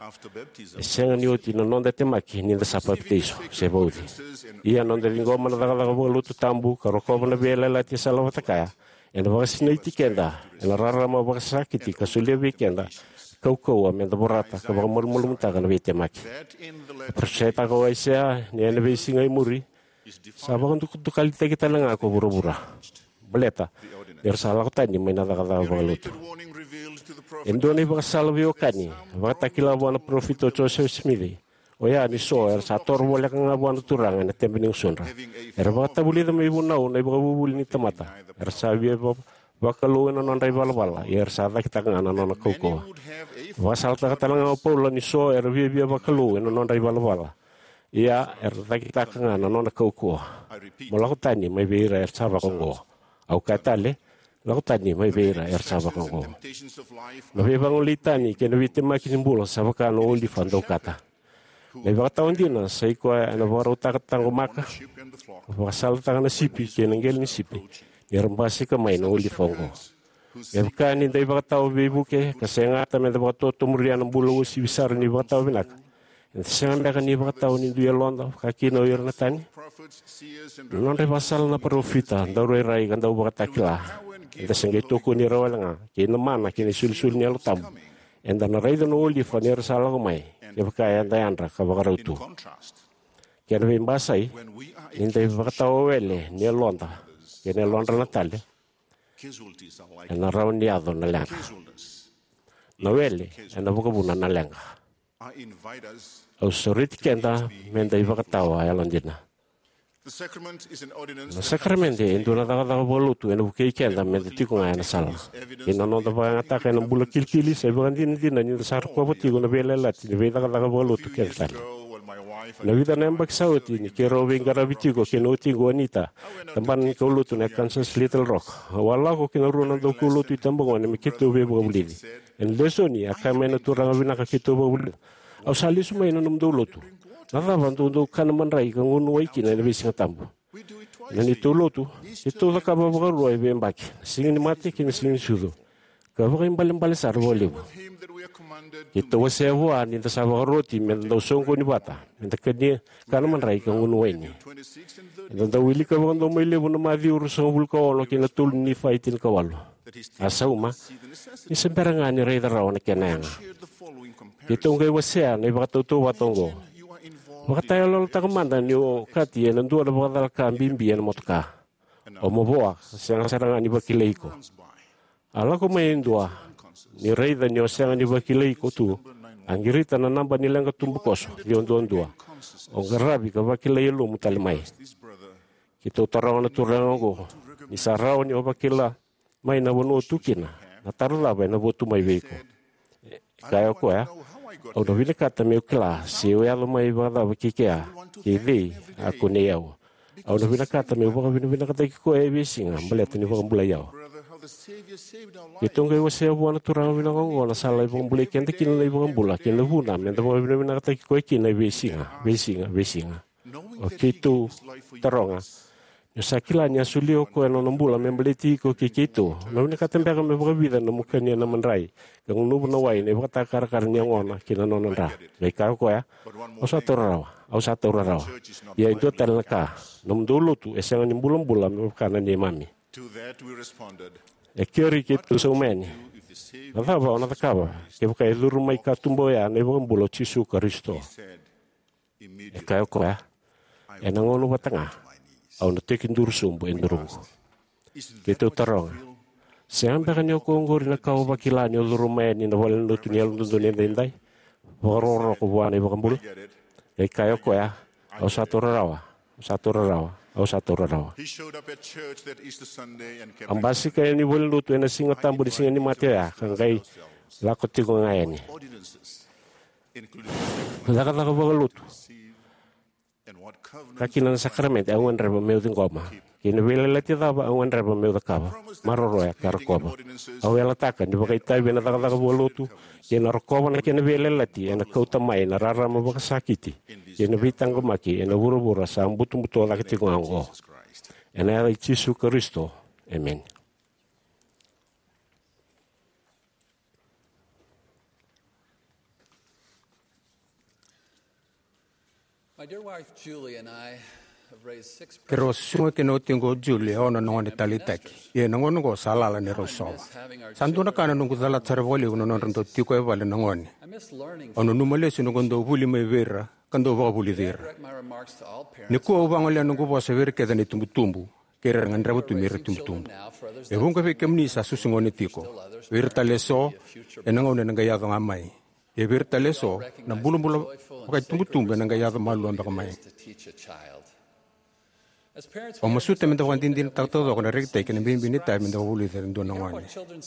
e sega ni oti na noda temaki ni da sa papitaiso se vauci. Ia noda ciqoma na cakacaka vakalotu tabu ka rokova na veiyalayalati e sala vata kaya, ena vakasinaiti keda ena rarama vakasakiti ka solia vei keda kaukauwa meda vorata ka vakamalumalumutaka na veitemaki. E parofisaitaka o Aisea ni ena veisiga e muri, sa vakadukadukalitaki tale ga ko vuravura. Baleta ni ra sa lako tani mai na cakacaka vakalotu. E dua na ivakasala veiwekani e vakatakila vua na parofita o Josefa Simici, oya ni so era sa toro voleka ga vua na Turaga ena tebe ni gusudra. Era vakatavulica me ivunau na ivakavuvuli ni tamata. Era sa via va- vakalou ena nodra ivalavala, ia era sa cakitaka ga na nona kaukauwa. Vakasalataka tale ga o Paula ni so era viavia vakalou ena nodra ivalavala, ia era cakitaka ga na nona kaukauwa. Mo lako tani mai vei ira era sa vakaoqo. Au kaya tale, lako tani mai vei ira era sa vakaoqo. Na veivagolei tani kei na veitemaki ni bula sa vaka na olifa daukata. Na ivakatawa dina sa i koya ena vakarautaka taqomaka, vakasalataka na sipi kei na qele ni sipi, ni ra basika mai na olifa oqo. Me vaka ni da ivakatawa veivuke ka segata meda vakatotomuria na bula uasivi sara ni vakatawa vinaka, eda sega beka ni vakatawa ni dui yaloda vaka kina o ira na tani? Na nodra ivakasala na parofita, daurairai ka dauvakatakila, eda se qai tokoni ira wale ga, kei na mana kei na isolisoli ni Yalo Tabu. Eda na raica na olifa ni ra sa lako mai, kevaka eda yadra ka vakarau tu. Kena veibasai, ni da ivakatawa wele ni yaloda kei na yalodra na tale, ena rawa ni yaco na leqa. Na wele ena vakavuna na leqa. Au sureti keda meda ivakatawa yalodina. Na sakaramede e dua na cakacaka vakalotu ena vukei keda meda tiko ga ena sala. Kei na noda vakayagataka ena bula kilikili, sa ivakadinadina ni da sa rokova tiko na veiyalayalati ni veicakacaka vakalotu kece tale. Na vica na yabaki sa oti, ni keirau veiqaravi tiko kei na watiqu o Anita, tabana ni kaulotu na Kansas Little Rock, au a lako kei na rua na daukaulotu itabagone me keitou veivakavulici. Ena lesoni, a kaya mai na turaga vinaka keitou vakavulica, "Au sa lesu mai na nomudou lotu. Na cava dou dau kana madrai ka gunu wai kina ena veisiga tabu?" Na neitou lotu, keitou cakava vakarua e veiyabaki, na Siga ni Mate kei na Siga ni Sucu. Ka vakaibalebale sara vakalevu. Keitou wasea vua ni da sa vakaroti meda dau soqoni vata, meda kania, kana madrai ka gunu waini. Eda dau wilika vakadomoi levu na Maciu ruasagavulu ka ono kei na tolu ni Nifai tinikawalu. A sauma, ni se bera ga ni raica rawa na kena yaga. Keitou qai wasea na ivakatautauvata oqo. Vakatayaloyalotaka mada ni o okati ena dua na vakacalaka bibi ena motoka. O mavoa, sega sara ga ni vakilai iko. A lako mai e dua, ni raica ni o sega ni vakilai iko tu, a qirita na naba ni leqa tubukoso, ciwa duadua. O qaravi ka vakilai yalomu tale mai. Keitou taroga na turaga oqo, ni sa rawa ni o vakila mai na vanua o tu kina, na taro cava ena votu mai vei iko? E kaya o koya, au na vinakata meu kila se o yaco mai vakacava kei kea, kei cei a kunei au. Au na vinakata meu vakavinavinakataki koya e veisiga baleta ni vakabulai au. Keitou qai wasea vua na turaga vinaka oqo na sala e vakabulai keda kina na iVakabula kei na vuna meda vakavinavinakataki koya kina e veisiga, veisiga, veisiga. O keitou taroga, ni o sa kila ni a solia o koya na nona bula me baleti iko kei keitou, o na vinakata beka me vakavica na nomu kania na madrai ka gunuva na wai na ivakatakarakara ni yagona kei na nona dra? Qai kaya o koya, au sa taura rawa, au sa taura rawa. Ia e dua tale na ka, nomudou lotu e sega ni bulabula me vaka na neimami. To that we responded, E keri keitou sauma yani. Na cava o na cakava kevaka e curu mai katuba oya na iVakabula o Jisu Karisito? E kaya o koya, ena gauna vata ga au na tekiduru sobu e duruqu. Keitou taroga, sega beka ni o koya oqori na ka o vakila ni o curu mai yani na valenilotu ni Yalododonu Edaidai, vakarokoroko vua na iVakabula? E kaya o koya, au sa taura rawa, au sa taura rawa, au sa taura rawa. A basika yani valenilotu ena Siga Tabu ni Siga ni Mate oya ka qai lako tiko ga yani. Cakacaka vakalotu, ka kina na sakaramede au gadreva meu ciqoma, kei na veiyalayalati cava au gadreva meu cakava, maroroya ka rokova. Au yalataka ni vakaitavi ena cakacaka vakalotu kei na rokova na kena veiyalayalati ena kauta mai na rarama vakasakiti kei na veitaqomaki ena vuravura sa butobuto cake tiko ga oqo. Ena yaca i Jisu Karisito, emeni. My dear wife Julie and I have raised six. Keirau a susuga kina watiqu o Julie e ono na gone taleitaki. Ia ena gauna oqo sa lala ni rau sova. Sa dua na ka na noqu calata sara vakalevu na nodra dau tiko e vale na gone. Au nanuma lesu noqu dau vuli mai vei ira ka dau vakavulici ira. Nikua au vagolea noqu vosa vei ira kece na itubutubu kei ira era gadreva tu me ra itubutubu. E vuqa vei kemuni sa susu gone tiko. Vei ira tale eso, ena gauna ena qai yaco ga mai. Ia vei ira tale eso, na bulabula vakaitubutubu ena qai yaco malua beka mai. Au masuta meda vakadinadinataka taucoko na rekitaki kei na bibi ni itavi meda vakavulici ira e dua na gone.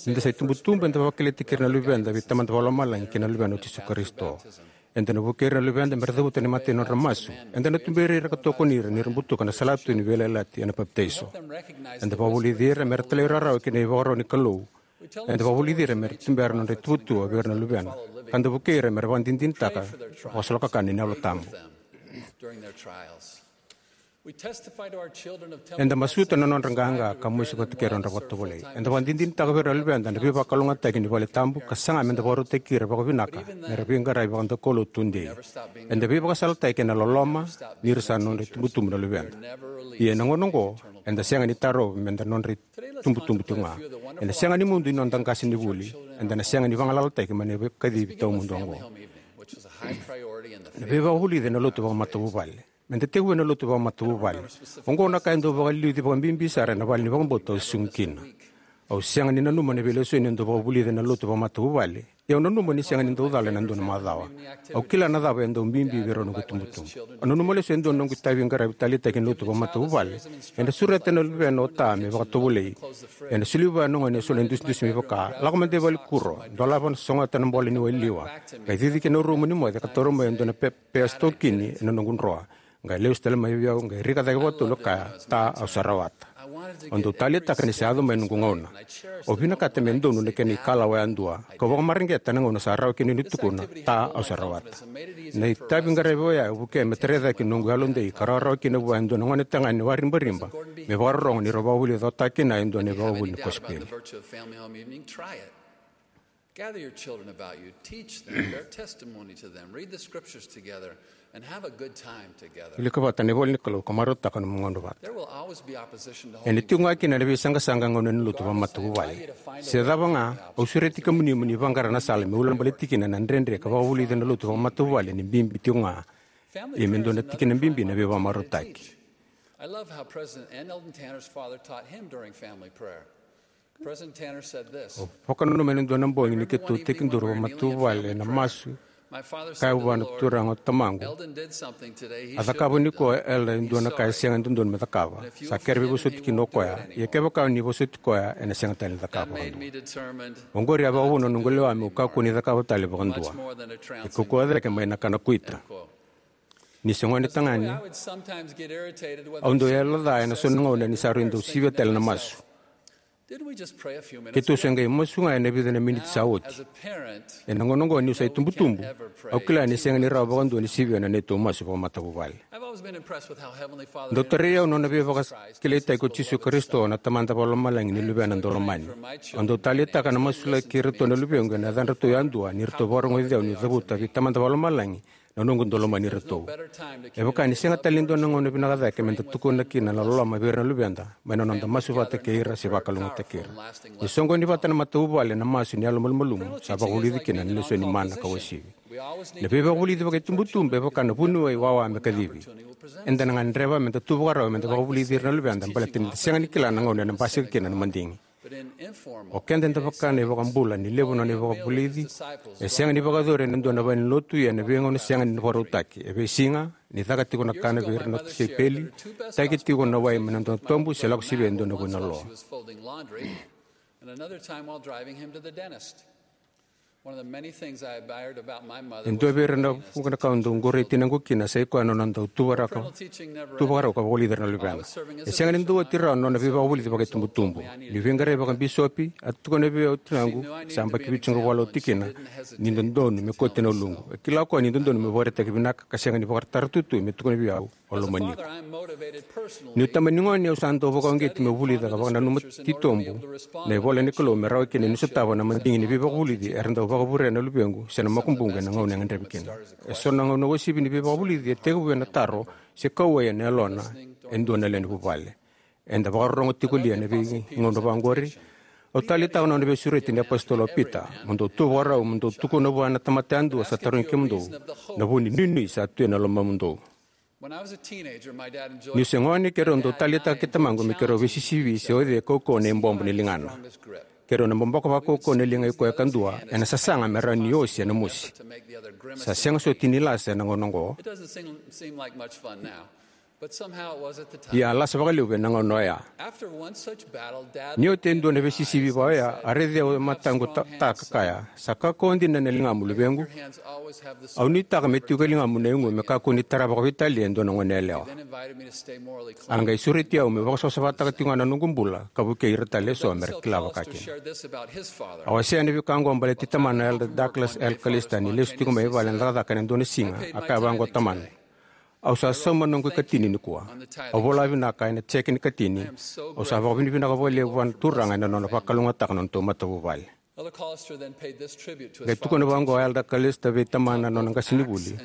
Nida sa itubutubu eda vakakilai tiko kina na luveda vei Tamada Vakalomalagi kei na Luvena o Jisu Karisito. Eda na vukei ira na luveda mera cavuta na imatai ni nodra masu. Eda na tuberi ira ka tokoni ira nira butuka na salatu ni veiyalayalati ena papitaiso. Eda vakavulici ira mera talairawarawa ki na ivakaro ni Kalou. Eda vakavulici ira mera tubera na nodra ituvatuva vei ira na luvena ka da vukei ira mera vakadinadinataka vakasolokakana ni Yalo Tabu. Eda masuta na nodra qaqa ka mosi vata kei ira na nodra vakatovolei. Eda vakadinadinataka vei ira na luveda na veivakalougatataki ni vale tabu ka saga meda vakarautaki ira vakavinaka mera veiqaravi vakadaukaulotu tudei. Eda veivakasalataki ena loloma nira sa nodra itubutubu na luveda. Ia ena gauna oqo eda sega ni tarova meda nodra itubutubu tiko ga. Ena sega ni mudu ni noda qasenivuli. Eda na sega ni vagalalataki mai na veikacivi tawamudu oqo. Na veivakavulici ena lotu vakamatavuvale. Meda tekivu ena lotu vakamatavuvale. Oqo na ka e dau vakaliuci vakabibi sara ena vale ni vakabauta au susugi kina. Au sega ni nanuma na veilesoni e dau vakavulici ena lotu vakamatavuvale. Ia au nanuma ni sega ni dau cala ena dua na macawa. Au kila na cava e dau bibi vei rau noqu itubutubu. Au nanuma lesu e dua na noqu itavi qaravi taleitaki ena lotu vakamatavuvale. Ena sureta na luvena o Ta me vakatovolei. Ena soli vua na gone e so na idusidusi me vaka, lako mada i valenikuro, dolava na sogota na bola ni wailiwa. Qai cici ki na rumu ni moce ka taura mai e dua na pe- pea sitokini ena noqu droa. Qai lesu tale mai vei au, qai rika cake vakatolu ka kaya, Ta, au sa rawata. Au dau taleitaka ni sa yaco mai noqu gauna. Au vinakata me donu na kena ikalawa yadua. Kau vakamareqeta na gauna sa rawa kina niu tukuna, Ta, au sa rawata. Na itavi qaravi oya e vukea me tarai cake noqu yalodei ka rawarawa kina vua e dua na gonetagane waribariba me vakarorogo ni rau vakavulica o Ta kina e dua na ivakavuvuli ni kosipeli. Gather your children about you, teach them, bear testimony to them, read the scriptures together, and have a good time together. Wilika vata na ivola ni Kalou ka marautaka nomu gauna vata. There will always be opposition to home. Ena tiko ga kina na veisaqasaqa gauna ni lotu vakamatavuvale. Se cava ga, au sureti kemuni mo ni vaqara na sala me ulabaleti kina na dredre ka vakavulici na lotu vakamatavuvale ni bibi tiko ga. Ia me dua na tikina bibi na veivakamarautaki. I love how President N. Eldon Tanner's father taught him during family prayer. President Tanner said this. Au vakananuma ena dua na bogi ni keitou tekiduru vakamatavuvale ena masu. Kaya vua na turaga o tamaqu, a cakava nikua o Elder e dua na ka e sega ni dodonu me cakava. Sa kere veivosoti kina o koya, ia kevaka o ni vosoti koya ena sega tale ni cakava vakadua. Oqori a vakavuna na noqu lewa meu kakua ni cakava tale vakadua. E kaukauwa cake mai na kana kuita. Ni se gone tagane, au dau yaloca ena so na gauna ni sa rui dau sivia tale na masu. Keitou se qai masu ga ena vica na miniti sa oti. Ena gauna oqo niu sa itubutubu, au kila ni sega ni rawa vakadua ni sivia na neitou masu vakamatavuvale. Dau tarai au na nona veivakakilaitaki ko Jisu Karisito na Tamada Vakalomalagi ni Luvena Daulomani. Au dau taleitaka na masulaki iratou na luvequ ena yacadratou yadua ni ratou vakarogoci au niu cavuta vei Tamada Vakalomalagi na noqu dau lomani iratou. E vaka ni sega tale ni dua na gauna vinaka cake me da tukuna kina na loloma vei ira na luveda mai na noda masu vata kei ira se vakalougatataki ira. Ni soqoni vata na matavuvale na masu ni yalomalumalumu, sa vakavulici kina na lesoni mana ka uasivi. Na veivakavulici vakaitubutubu e vaka na vuniwai wawa me kacivi. Eda na gadreva me da tu vakarau me da vakavulici ira na luveda baleta ni da sega ni kila na gauna ena basika kina na madigi. O keda eda vaka na iVakabula ni levu na nona ivakavulici. E sega ni vakayacori ena dua na valenilotu, ia ena veigauna sega ni vakarautaki. E veisiga, ni caka tiko na kana vei ira na tisaipeli, taki tiko na wai mai na dua na tobu, se lako sivia e dua na vunaloa. E dua vei ira na vuqa na ka au dau qorei tinaqu kina sa i koya na nona dau tu vakarau ka vakavulici ira na luvena. E sega ni dau oti rawa na nona veivakavulici vakaitubutubu. Niu veiqaravi vakabisopi, a tukuna vei au o tinaqu, sa yabaki vitusagavulu walu oti kina, ni dodonu me kauti na uluqu. E kila o koya ni dodonu meu vakaraitaki vinaka ka sega ni vakatara tu me tukuna vei au, au lomani iko. Niu tamani gone, au sa dau vakauqeti meu vulica ka vakananuma titobu na ivola ni Kalou me rawa kina niu sotava na madigi ni veivakavulici era dau vakavurea na luvequ se na makubuqu ena gauna e gadrevi kina. Eso na gauna uasivi ni veivakavulici e tekivu ena taro se kauwai ena yalona e dua na lewe ni vuvale. Eda vakarorogo tiko li ena veigauna vaqori? Au taleitaka na nona veisureti na iApositolo o Pita: Mo dou tu vakarau, mo dou tukuna vua na tamata yadua sa tarogi kemudou na vu ni nuinui sa tu ena lomamudou. Niu se gone, keirau dau taleitaka kei tamaqu me keirau veisisivi se o cei e kaukauwa na ibobo ni ligana. Keirau na boboka vakaukauwa na liga i koya kadua ena sasaga me rawa ni osi ena mosi. Sa sega soti ni lasa ena gauna oqo, ia a lasa vakalevu ena gauna oya. Ni oti e dua na veisisivi vaka oya, a raici au e mataqu ta, ta ka kaya: Sa kaukauwa dina na ligamu, luvequ. Au nuitaka me tiko e ligamu na igu me kakua ni tara vakaveitalia e dua na goneyalewa. A qai sureti au meu vakasavasavataka tiko ga na noqu bula ka vukei ira tale eso me ra kila vakakina. A wasea na veika oqo baleti tamana, o Elder Douglas L. Callister, ni lesu tiko mai vale ena cakacaka ena dua na siga. A kaya vaqo o tamana: Au sa sauma na noqu ikatini nikua. Au vola vinaka ena jeke ni katini. Au sa vakavinavinaka vakalevu vua na Turaga ena nona vakalougatataka na nodatou matavuvale. Qai tukuna vaqo o Elder Callister vei tamana, na nona qasenivuli.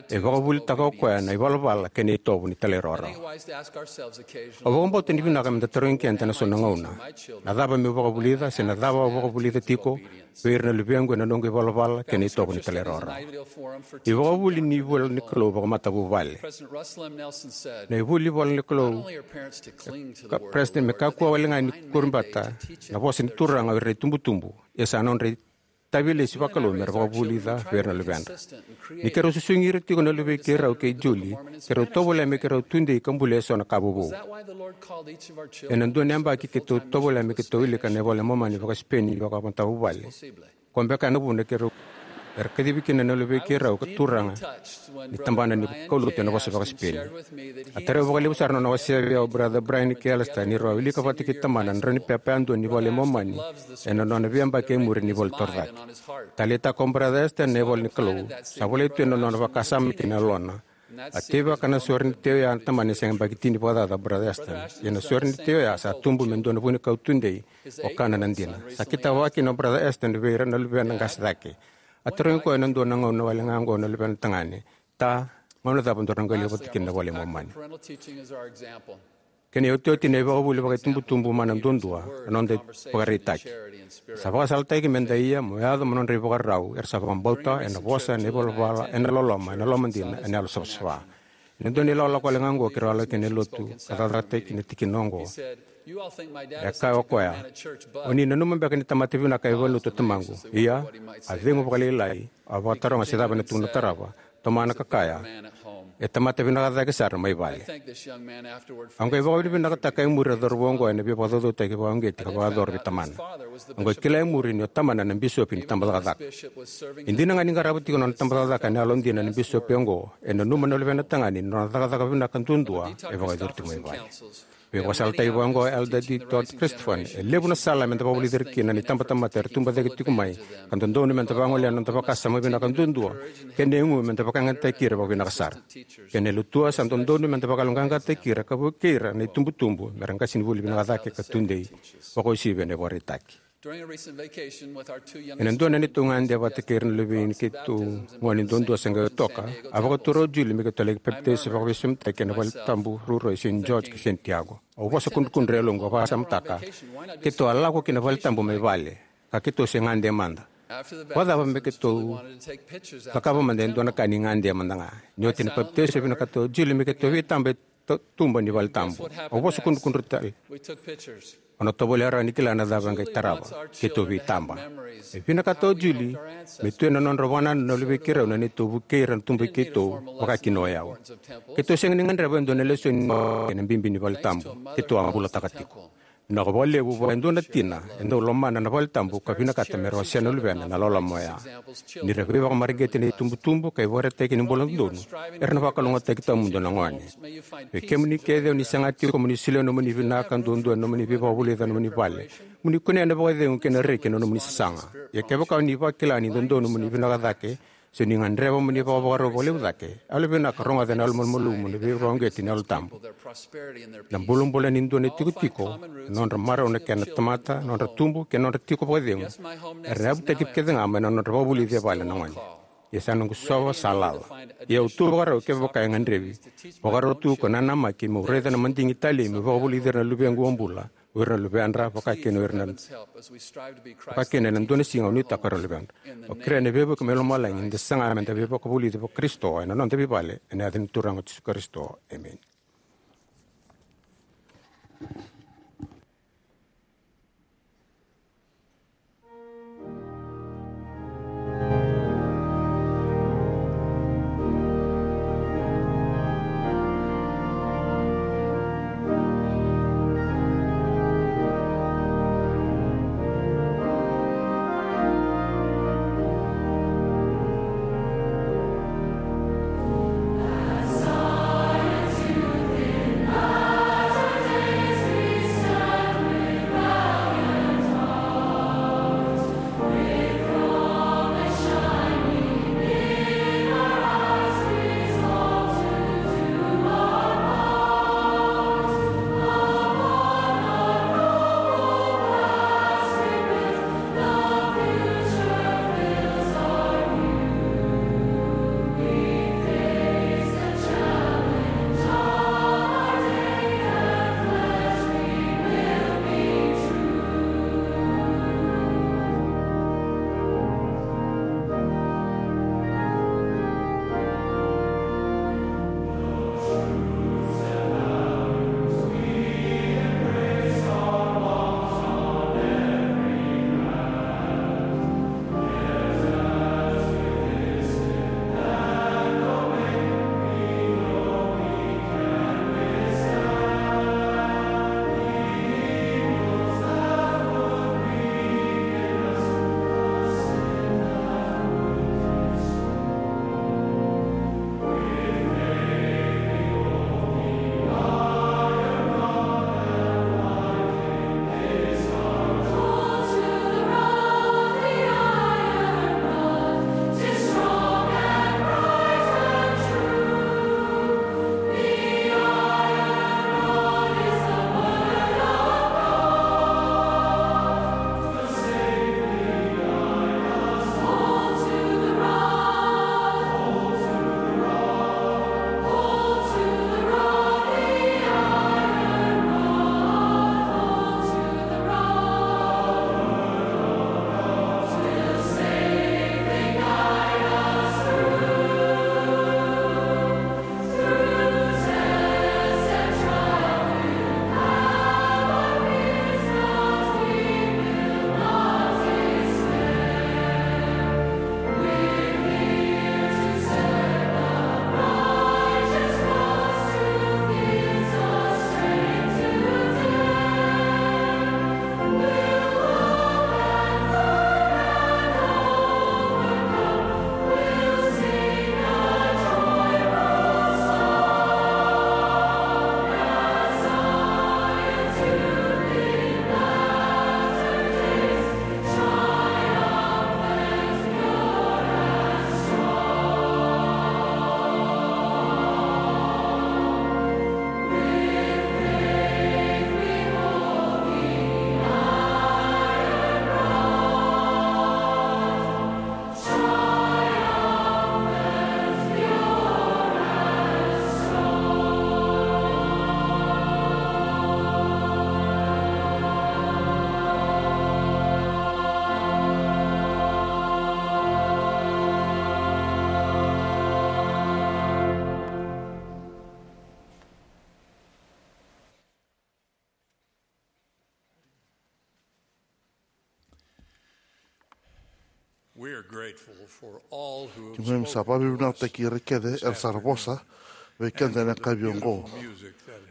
E vakavulitaka o koya na ivalavala kei na itovo ni talairawarawa. Au vakabauta ni vinaka me da tarogi keda ena so na gauna: Na cava meu vakavulica, se na cava au vakavulica tiko vei ira na luvequ ena noqu ivalavala kei na itovo ni talairawarawa? Ivakavuvuli ni ivola ni Kalou vakamatavuvale. Na ivuli ivola ni Kalou, ka, President, me kakua wale ga ni kurabata na vosa ni Turaga o ira na itubutubu, ia sa nodra itavilesi vakalou me ra vakavulica vei ira na luvedra. Ni keirau susugi ira tiko na luvei keirau kei Julie, keirau tovolea me keirau tudei ka bulia eso na ka vovou. Ena dua na yabaki keitou tovolea me keitou wilika na iVola i Momani vakaSipeni vakamatavuvale. Koya beka na vuna keirau, era kacivi kina na luvei keirau ka turaga ni tabana ni kaulotu ena vosa vakaSipeni. A tarai au vakalevu sara na nona wasea vei au o Brother Brian kei Alistair ni rau a wilika vata kei tamana na drau ni pepa yadua ni iVola i Momani ena nona veiyabaki e muri ni ivola torocake. Taleitaka o Brother Alistair na ivola ni Kalou. Sa volai tu ena nona vakasama kei na yalona. A teivaka na sorenitei oya na tamana ni se yabaki tini vakacaca o Brother Alistair. Ia na sorenitei oya sa tubu me dua na vunikau tudei, o kana na dina. Sa kitaka vakakina o Brother Alistair vei ira na luvena qase cake. A tarogi koya ena dua na gauna wale ga oqo na luvena tagane: Ta, gauna cava daru na qai lewai vata kina na iVola i Momani? Kena iotioti, na ivakavuvuli vakaitubutubu mana duadua, na noda ivakaraitaki. Sa vakasalataki me da ia mo yaco mo nodra ivakarau era sa vakabauta ena vosa, ena ivalavala, ena loloma, ena lomadina, ena yalosavasava. Ena dua na ilakolako wale ga oqo keirau a lako kina e lotu ka cakacakataki na tikina oqo. E kaya o koya: O ni nanuma beka ni tamata vinaka e valenilotu o tamaqu? Ia, a cegu vakalailai, a vakataroga se cava ena tukuna, tarava, tomana ka kaya: E tamata vinaka cake sara mai vale. Au qai vakavinavinakataka e muri na cauravou oqo ena veivakacaucautaki vakauqeti ka vakayacora vei tamana. Au qai kila e muri ni o tamana na bisopi ni tabacakacaka. E dina ga ni qarava tiko na nona tabacakacaka ena yalodina na bisopi oqo, e nanuma na luvena tagane ni nona cakacaka vinaka duadua e vakayacori tiko mai vale. Veivakasalataki vaqo o Elder D Todd Christofferson: E levu na sala me da vakavulici ira kina na itabatamata era tubu cake tiko mai, ka dodonu me da vagolea na noda vakasama vinaka duadua kei na igu me da vakayagataki ira vakavinaka sara. Kei na lotu, sa dodonu me da vakayaloqaqataki ira ka vukei ira na itubutubu me ra qasenivuli vinaka cake ka tudei, vakauasivi ena ivakaraitaki. During a recent vacation with our two youngest Ena dua na neitou gade vata kei ira na luvei keitou gone duadua se qai toka, a vakatura o Julie me keitou laki papitaiso vakaveisomitaki ena vale tabu ruarua e Saint George kei Santiago. Au vosa kudrukudru e yaloqu, au vakasamataka, keitou a lako ki na vale tabu mai vale, ka keitou se gade mada. Vakacava me keitou cakava mada e dua na ka ni gade mada ga? Ni oti na papitaiso, e vinakata o Julie me keitou veitaba e ta-, tuba ni vale tabu. Au vosa kudrukudru tale. Au na tovolea rawa ni kila na cava e qai tarava. Keitou veitaba. E vinakata o Julie me tu ena nodra vakanananu na luvei keirau na neitou vukei ira na tuba i keitou, vaka kina o yau. Keitou sega ni gadreva e dua na lesoni kei na bibi ni vale tabu. Keitou a bulataka tiko. Vinaka vakalevu vua e dua na tina e dau lomana na vale tabu ka vinakata me ra wasea na luvena na loloma oya. Ni ra veivakamareqeti na itubutubu ka ivakaraitaki ni bula dodonu, era na vakalougatataki tawamudu na gone. Vei kemuni kece o ni saga tiko mo ni solia na nomuni vinaka duadua ena nomuni veivakavulici ena nomuni vale, mo ni kunea na vakacegu kei na reki ena nomuni sasaga. Ia kevaka o ni vakila ni dodonu mo ni vinaka cake, se o ni gadreva mo ni vakavakarau vakalevu cake, yalovinaka rogoca ena yalomalumalumu na veivakauqeti ni Yalo Tabu. Na bulabula ni dua na itikotiko, na nodra marau na kena tamata, na nodra tubu kei na nodra tiko vakacegu, era na yavutaki kece ga mai na nodra vakavulici e vale na gone. Ia sa noqu sova sa lala. Ia au tu vakarau kevaka e gadrevi. Vakarau tu ko nanamaki meu raica na madigi talei meu vakavulici ira na luvequ o bula, o ira na luvedra, vaka kina o ira na, vaka kina ena dua na siga au nuitaka o ira na luvedra. Au kerea na veivuke mai lomalagi ni da saga me da veivakavulici vakarisito ena noda veivale, ena yaca ni Turaga o Jisu Karisito. Emeni. We are grateful for all who have Keimami sa spoken to us vakavinavinakataki ira kece era sa ra vosa vei keda ena yakavi oqo,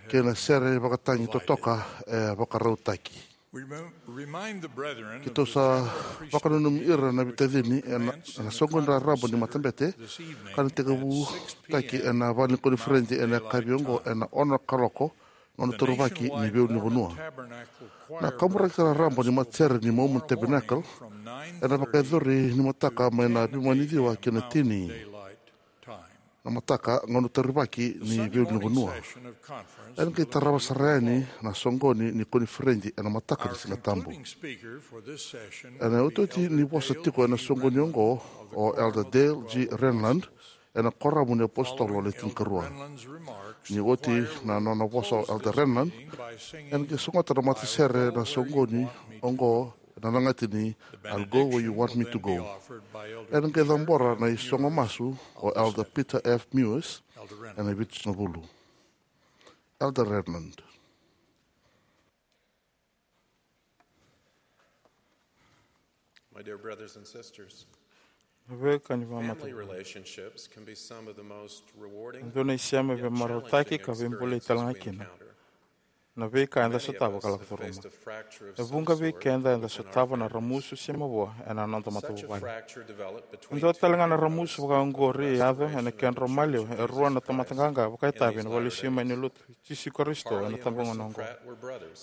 kei na sere vakatagi totoka e vakarautaki. We rem- remind the brethren of Keitou the sa special appreciation vakananumi ira na veitacini ena, events in ena the soqoni raraba ni matabete, this evening ka na at tekivutaki six p m ena vale ni koniferedi ena yakavi oqo ena ono na kaloko, gauna taurivaki ni veiulunivanua. Na kaburaki raraba ni matasere ni Mormon Tabernacle ena vakayacori ni mataka mai na veimama ni ciwa ki na tini na mataka, gauna taurivaki ni veiulunivanua. Ena qai tarava sara yani na soqoni ni koniferedi ena mataka ni Siga Tabu. Ena iotioti ni vosa tiko ena soqoni oqo o Elder Dale G. Renlund, ena Koramu ni iApositolo Le Tinikarua. Ni oti na nona vosa o Elder Renlund, ena qai sogota na matasere na soqoni oqo ena lagati ni I'll Go Where You Want Me to Go. Ena qai cabora na isogo masu o Elder Peter F. Mewis ena vitusagavulu. Elder Renlund. My dear brothers and sisters, Na veika ni family vakamatatataki. Relationships can be some of the most rewarding E dua na isema and yet veimarautaki challenging ka veibulai experiences talega we kina encounter. Na veika eda Many of sotava us ka have lako curuma. Faced a fracture of E some vuqa vei sort keda eda in our sotava na marriage. Ramusu se mavoa ena noda Such a matavuvale. Fracture developed between E dua talega na two ramusu vakaoqori e yaco ena kedrau maliwa e rua na tamata qaqa vakaitavi ena valesui mai ni lotu Jisu Karisito ena tabagauna oqo.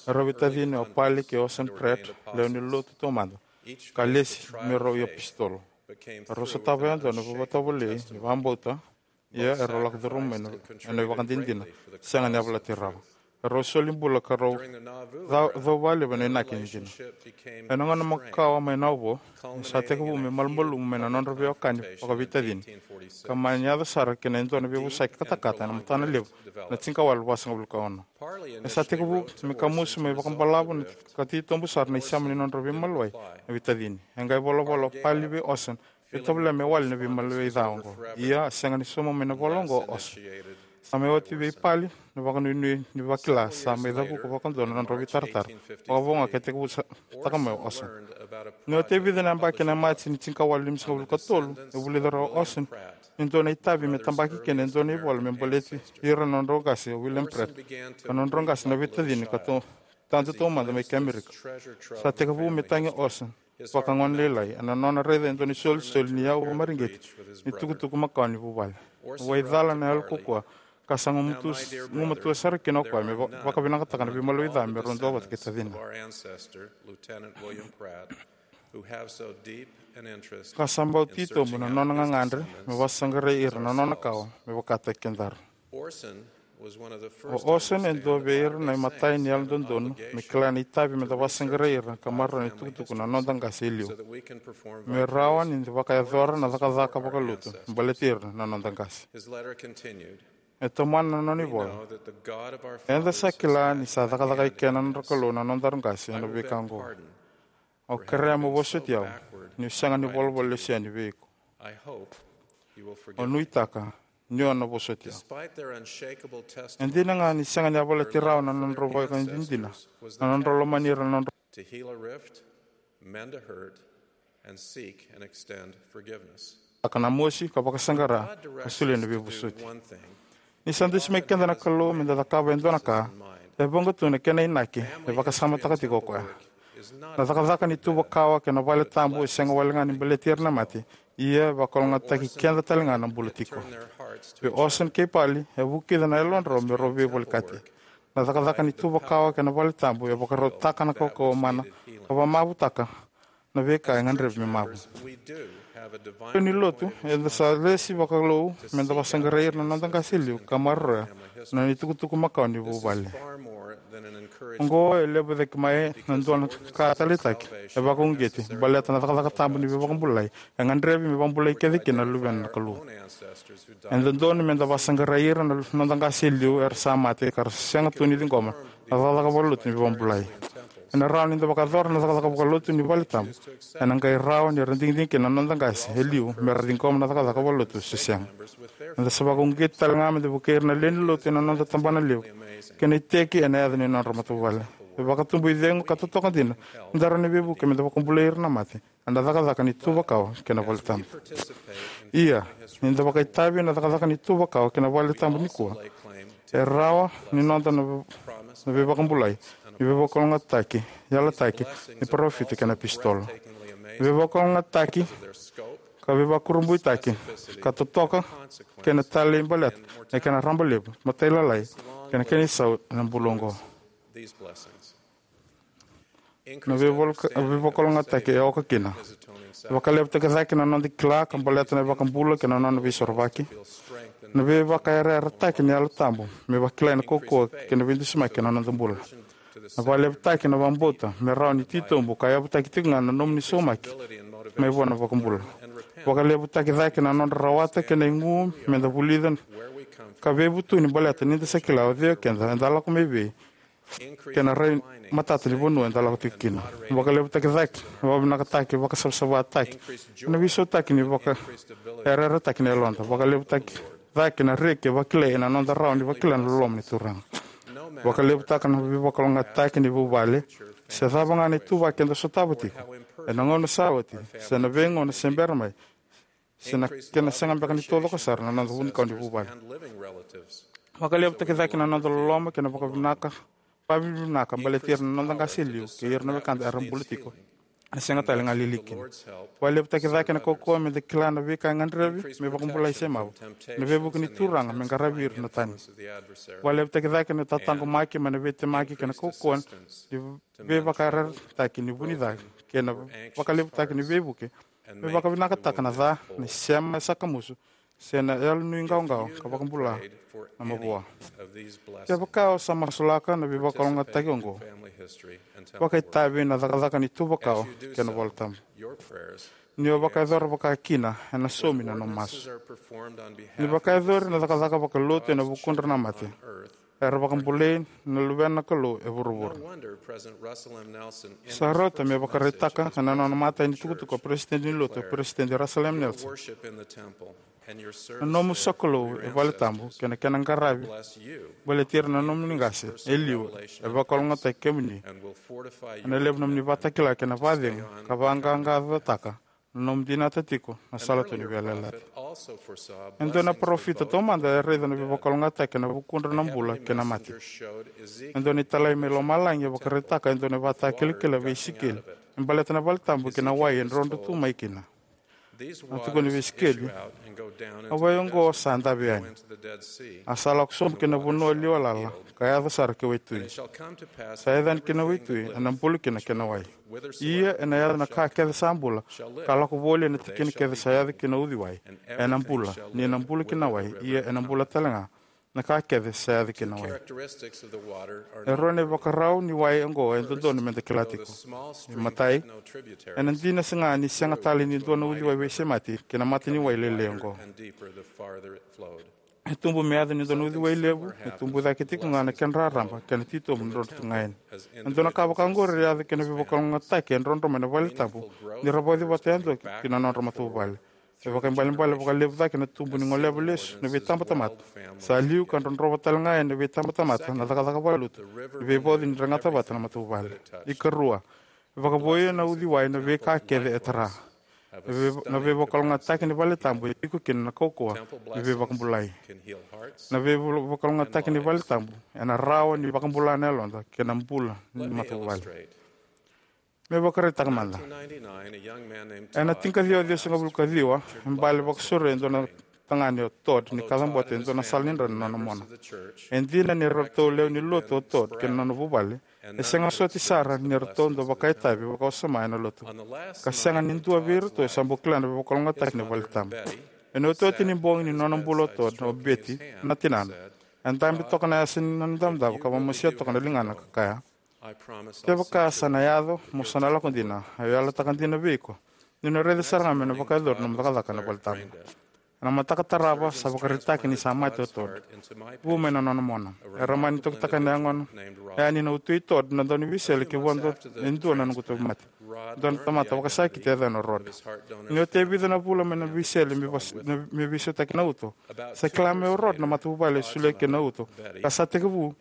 Erau veitacini o Parley kei Orson Pratt, lewe ni lotu taumada, ka lesi me rau iapositolo. Erau sotava yadua na veivakatovolei ni vakabauta, ia erau lako curuma mai na, ena ivakadinadina, sega ni yavalati rawa. Erau soli bula ka rau ca-, cau vakalevu ena inaki ni dina. Ena gauna makawa mai Nauvoo, sa tekivu me malumalumu mai na nodra veiwekani vakaveitacini, ka mani yaco sara ki na dua na veivosaki katakata ena matana levu ena tinikawalu vasagavulu ka ono. E sa tekivu me kamusu me vakabalavu ka titobu sara na isema ni nodra veimaliwai na veitacini. E qai volavola o Parley vei Orson, e tovolea me wali na veimaliwai ca oqo. Ia, a sega ni sauma mai na ivola oqo o Orson. Sa mai oti vei Parley na vakanuinui ni vakila sa mai cavuka vakadua na nodrau veitaratara. Vakavo ga ke tekivutaka mai o Orson. Ni oti e vica na yabaki ena Maji ni tinikawalu limasagavulu ka tolu, e vulica rau o Orson ni dua na itavi me tabaki kina e dua na ivola me baleti ira na nodrau qase o William Pratt, ka nodrau qase na veitacini ka tou-, tadu taumada mai ki Amerika. Sa tekivu me tagi o Orson vakagone lailai ena nona raica e dua na isolisoli ni yau vakamareqeti ni tukutuku makawa ni vuvale. Waicala na yalo kaukaua, ka sa gumatua, gumatua sara kina o koya me va-, vakavinakataka na veimaliwai ca me rau duavata kei tacina. Ka sa bau titobu na nona gagadre me vakasaqarai ira na nona kawa me vakataki kedaru. O Orson e dua vei ira na imatai ni yalododonu me kila na itavi meda vakasaqarai ira ka maroroya na itukutuku na noda qase e liu, me rawa ni da vakayacora na cakacaka vakalotu me baleti ira na noda qase. E tomana na nona ivola: Eda sa kila ni sa cakacaka eke na nodra Kalou na nodaru qase ena veika oqo. Au kerea mo vosoti au, niu sega ni volavola lesu yani vei iko. Au nuitaka ni o na vosoti au. E dina ga ni sega ni yavalati rawa na nodrau vakadinadina, na nodrau lomani ira na nodrau, aka na mosi ka vakasaqara ka solia na veivosoti. Ni sa dusi mai keda na Kalou meda cakava e dua na ka, e vuqa tu na kena inaki e vakasamataka tiko o koya. Na cakacaka ni tuva kawa kei na vale tabu e sega wale ga ni baleti ira na mate, ia e vakalougatataki keda tale ga na bula tiko. Vei Orson kei Parley, e vukica na yalodrau me rau veivolekati. Na cakacaka ni tuva kawa kei na vale tabu e vakarautaka na kaukauwa mana ka vakamavutaka na veika e gadrevi me mavu. Lewe ni lotu, eda sa lesi vakalou meda vakasaqarai ira na noda qase e liu ka maroroya na nona itukutuku makawa ni vuvale. Oqo e levu cake mai na dua na ka taleitaki e vakauqeti baleta na cakacaka tabu ni veivakabulai e gadrevi me vakabulai kece kina na luvena na Kalou. E dodonu meda vakasaqarai ira na noda qase e liu era sa mate ka ra sega tu ni ciqoma na cakacaka vakalotu ni veivakabulai. Ena rawa ni da vakayacora na cakacaka vakalotu ni vale tabu, ena qai rawa ni ra digidigi kina na noda qase e liu me ra ciqoma na cakacaka vakalotu se sega. Eda sa vakauqeti tale ga meda vukei ira na lewe ni lotu ena noda tabana levu kei na iteki ena yaca ni nodra matavuvale. E vakatubu icegu ka totoka dina ni da rawa ni veivuke meda vakabulai ira na mate ena cakacaka ni tuvakawa kei na valetabu. Ia, ni da vakaitavi ena cakacaka ni tuvakawa kei na valetabu nikua, e rawa ni noda na, na veivakabulai ni veivakalougatataki yalataki ni parofita kei na apositolo. Veivakalougatataki ka veivakurabuitaki ka totoka kei na talei baleta na kena raba levu, matailalai kei na kena isau ena bula oqo. Na veivakalougatataki e oka kina. Vakalevutaki cake na noda kila ka baleta na iVakabula kei na nona veisorovaki. Na veivakayarayarataki ni Yalo Tabu me vakilai na kaukauwa kei na veidusimaki ena noda bula. Na vakalevutaki na vakabauta me rawa ni titobu ka yavutaki tiko ga na nomuni saumaki mai vua na iVakabula. Vakalevutaki cake na nodra rawata kei na igu meda vulica ka veivutuni baleta ni da sa kila o cei o keda, eda lako mai vei, kei na rai matata ni vanua eda lako tiko kina. Vakalevutaki cake na vakavinakataki, vakasavasavataki, na veisautaki ni vakayarayarataki na yaloda. Vakalevutaki cake na reki e vakilai ena noda rawa ni vakila na loloma ni Turaga. Vakalevutaka na veivakalougatataki ni vuvale, se cava ga na ituvaki eda sotava tiko ena gauna sa oti, se na veigauna se bera mai, se na kena sega beka ni taucoko sara na noda vunikau ni vuvale. Vakalevutaki cake na noda loloma kei na vakavinaka, vakavinavinaka baleti ira na noda qase e liu kei ira na wekada era bula tiko ena sega tale ga lili kina. Vakalevutaki cake na kaukauwa meda kila na veika e gadrevi me vakabulai se mavu ena veivuke ni Turaga me qaravi ira na tani. Vakalevutaki cake na tataqomaki mai na veitemaki kei na kaukauwa ni veivakayarayarataki ni vu ni ca kei na vakalevutaki ni veivuke me vakavinakataka na ca, na isema e sakamusu, se na yalonuiqawaqawa ka vakabula na mavoa. Kevaka o sa masulaka na veivakalougatataki oqo, vakaitavi ena cakacaka ni tuvakawa kei na valetabu. Ni o vakayacora vaka kina, ena saumi na nomu masu. Ni vakayacori na cakacaka vakalotu ena vukudra na mate, era vakabulai na luvena na Kalou e vuravura. Sa rauta me vakaraitaka ena nona imatai ni tukutuku o Peresitedi ni Lotu, o Peresitedi Russell M. Nelson: Na nomu sokalou e valetabu kei na kena qaravi baleti ira na nomuni qase e liu e vakalougatataki kemuni. Ena levu na nomuni vakatakila kei na vakacegu ka vaqaqacotaka na nomu dinata tiko na sala tu ni veiyalayalati. E dua na parofita taumada e raica na veivakalougatataki ena vukudra na bula kei na mate. E dua na italai mai lomalagi e vakaraitaka e dua na ivakatakilakila vei Isikeli me baleta na valetabu kei na wai e drodro tu mai kina. A tukuna vei Isikeli: A wai oqo sa dave yani, a sa lako sobu ki na vanua liwa lala, ka yaco sara ki waitui. Sa yaco yani ki na waitui, ena bulu kina kei na wai. Ia ena yaco na ka kece sa bula, ka lako voli ena tikina kece sa yaco ki na uciwai, ena bula, ni na bulu ki na wai, ia ena bula talega na ka kece sa yaco ki na wai. E rua na ivakarau ni wai oqo e dodonu meda kila tiko. Imatai, ena dina sega ni sega tale ni dua na uciwai veisemati ki na mata ni wai lailai oqo. E tubu me yaco ni dua na uciwai levu, e tubu cake tiko ga na kena raraba kei na titobu drodro tu ga yani. E dua na ka vaka oqori e yaco kei na veivakalougatataki e drodro mai na valetabu ni ra vauci vata yadua ki na nodra matavuvale. E vakaibalebale vakalevu cake na tubu ni goleva lesu na veitabatamata sa liu, ka drodrova tale ga yani na veitabatamata na cakacaka vakalotu ni veivauci ni ra gata vata na matavuvale. Ikarua, e vakavouia na uciwai na veika kece e tara. Na vei-, na veivakalougatataki ni valetabu e tiko kina na kaukauwa ni veivakabulai. Na veivakalougatataki ni valetabu ena rawa ni vakabula na yaloda kei na bula ni matavuvale. Me vakaraitaka mada, ena tinikaciwa ciwasagavulu ka ciwa, e bale vakasauri e dua na tagane o Todd ni kacabote e dua na sala ni dra na nona mona. E dina ni ratou lewe ni lotu o Todd kei na nona vuvale, e sega soti sara ni ratou dau vakaitavi vakawasoma ena lotu, ka sega ni dua vei iratou e sa bau kila na veivakalougatataki ni valetabu. Ena iotioti ni bogi ni nona bula o Todd, o Betty, na tinana, e dabe toka na yasa ni nona idavodavo ka vakamosia toka na ligana ka kaya: Kevaka sa na yaco, mo sa na lako dina. Au yalataka dina vei iko, niu na raica sara ga me na vakayacori nomu cakacaka ena valetabu. Ena mataka tarava sa vakaraitaki ni sa mate o Todd. Vu mai na nona mona. Era mani tokitaka na yagona yani na uto i Todd na dauniveisele ki vua e dua na noqu tauvimate, dua na tamata vakasakiti e yacana o Rod. Ni oti e vica na vula mai na veisele me vas-, na, me veisautaki na uto, sa kila mai o Rod na matavuvale e solia kina na uto, ka sa tekivu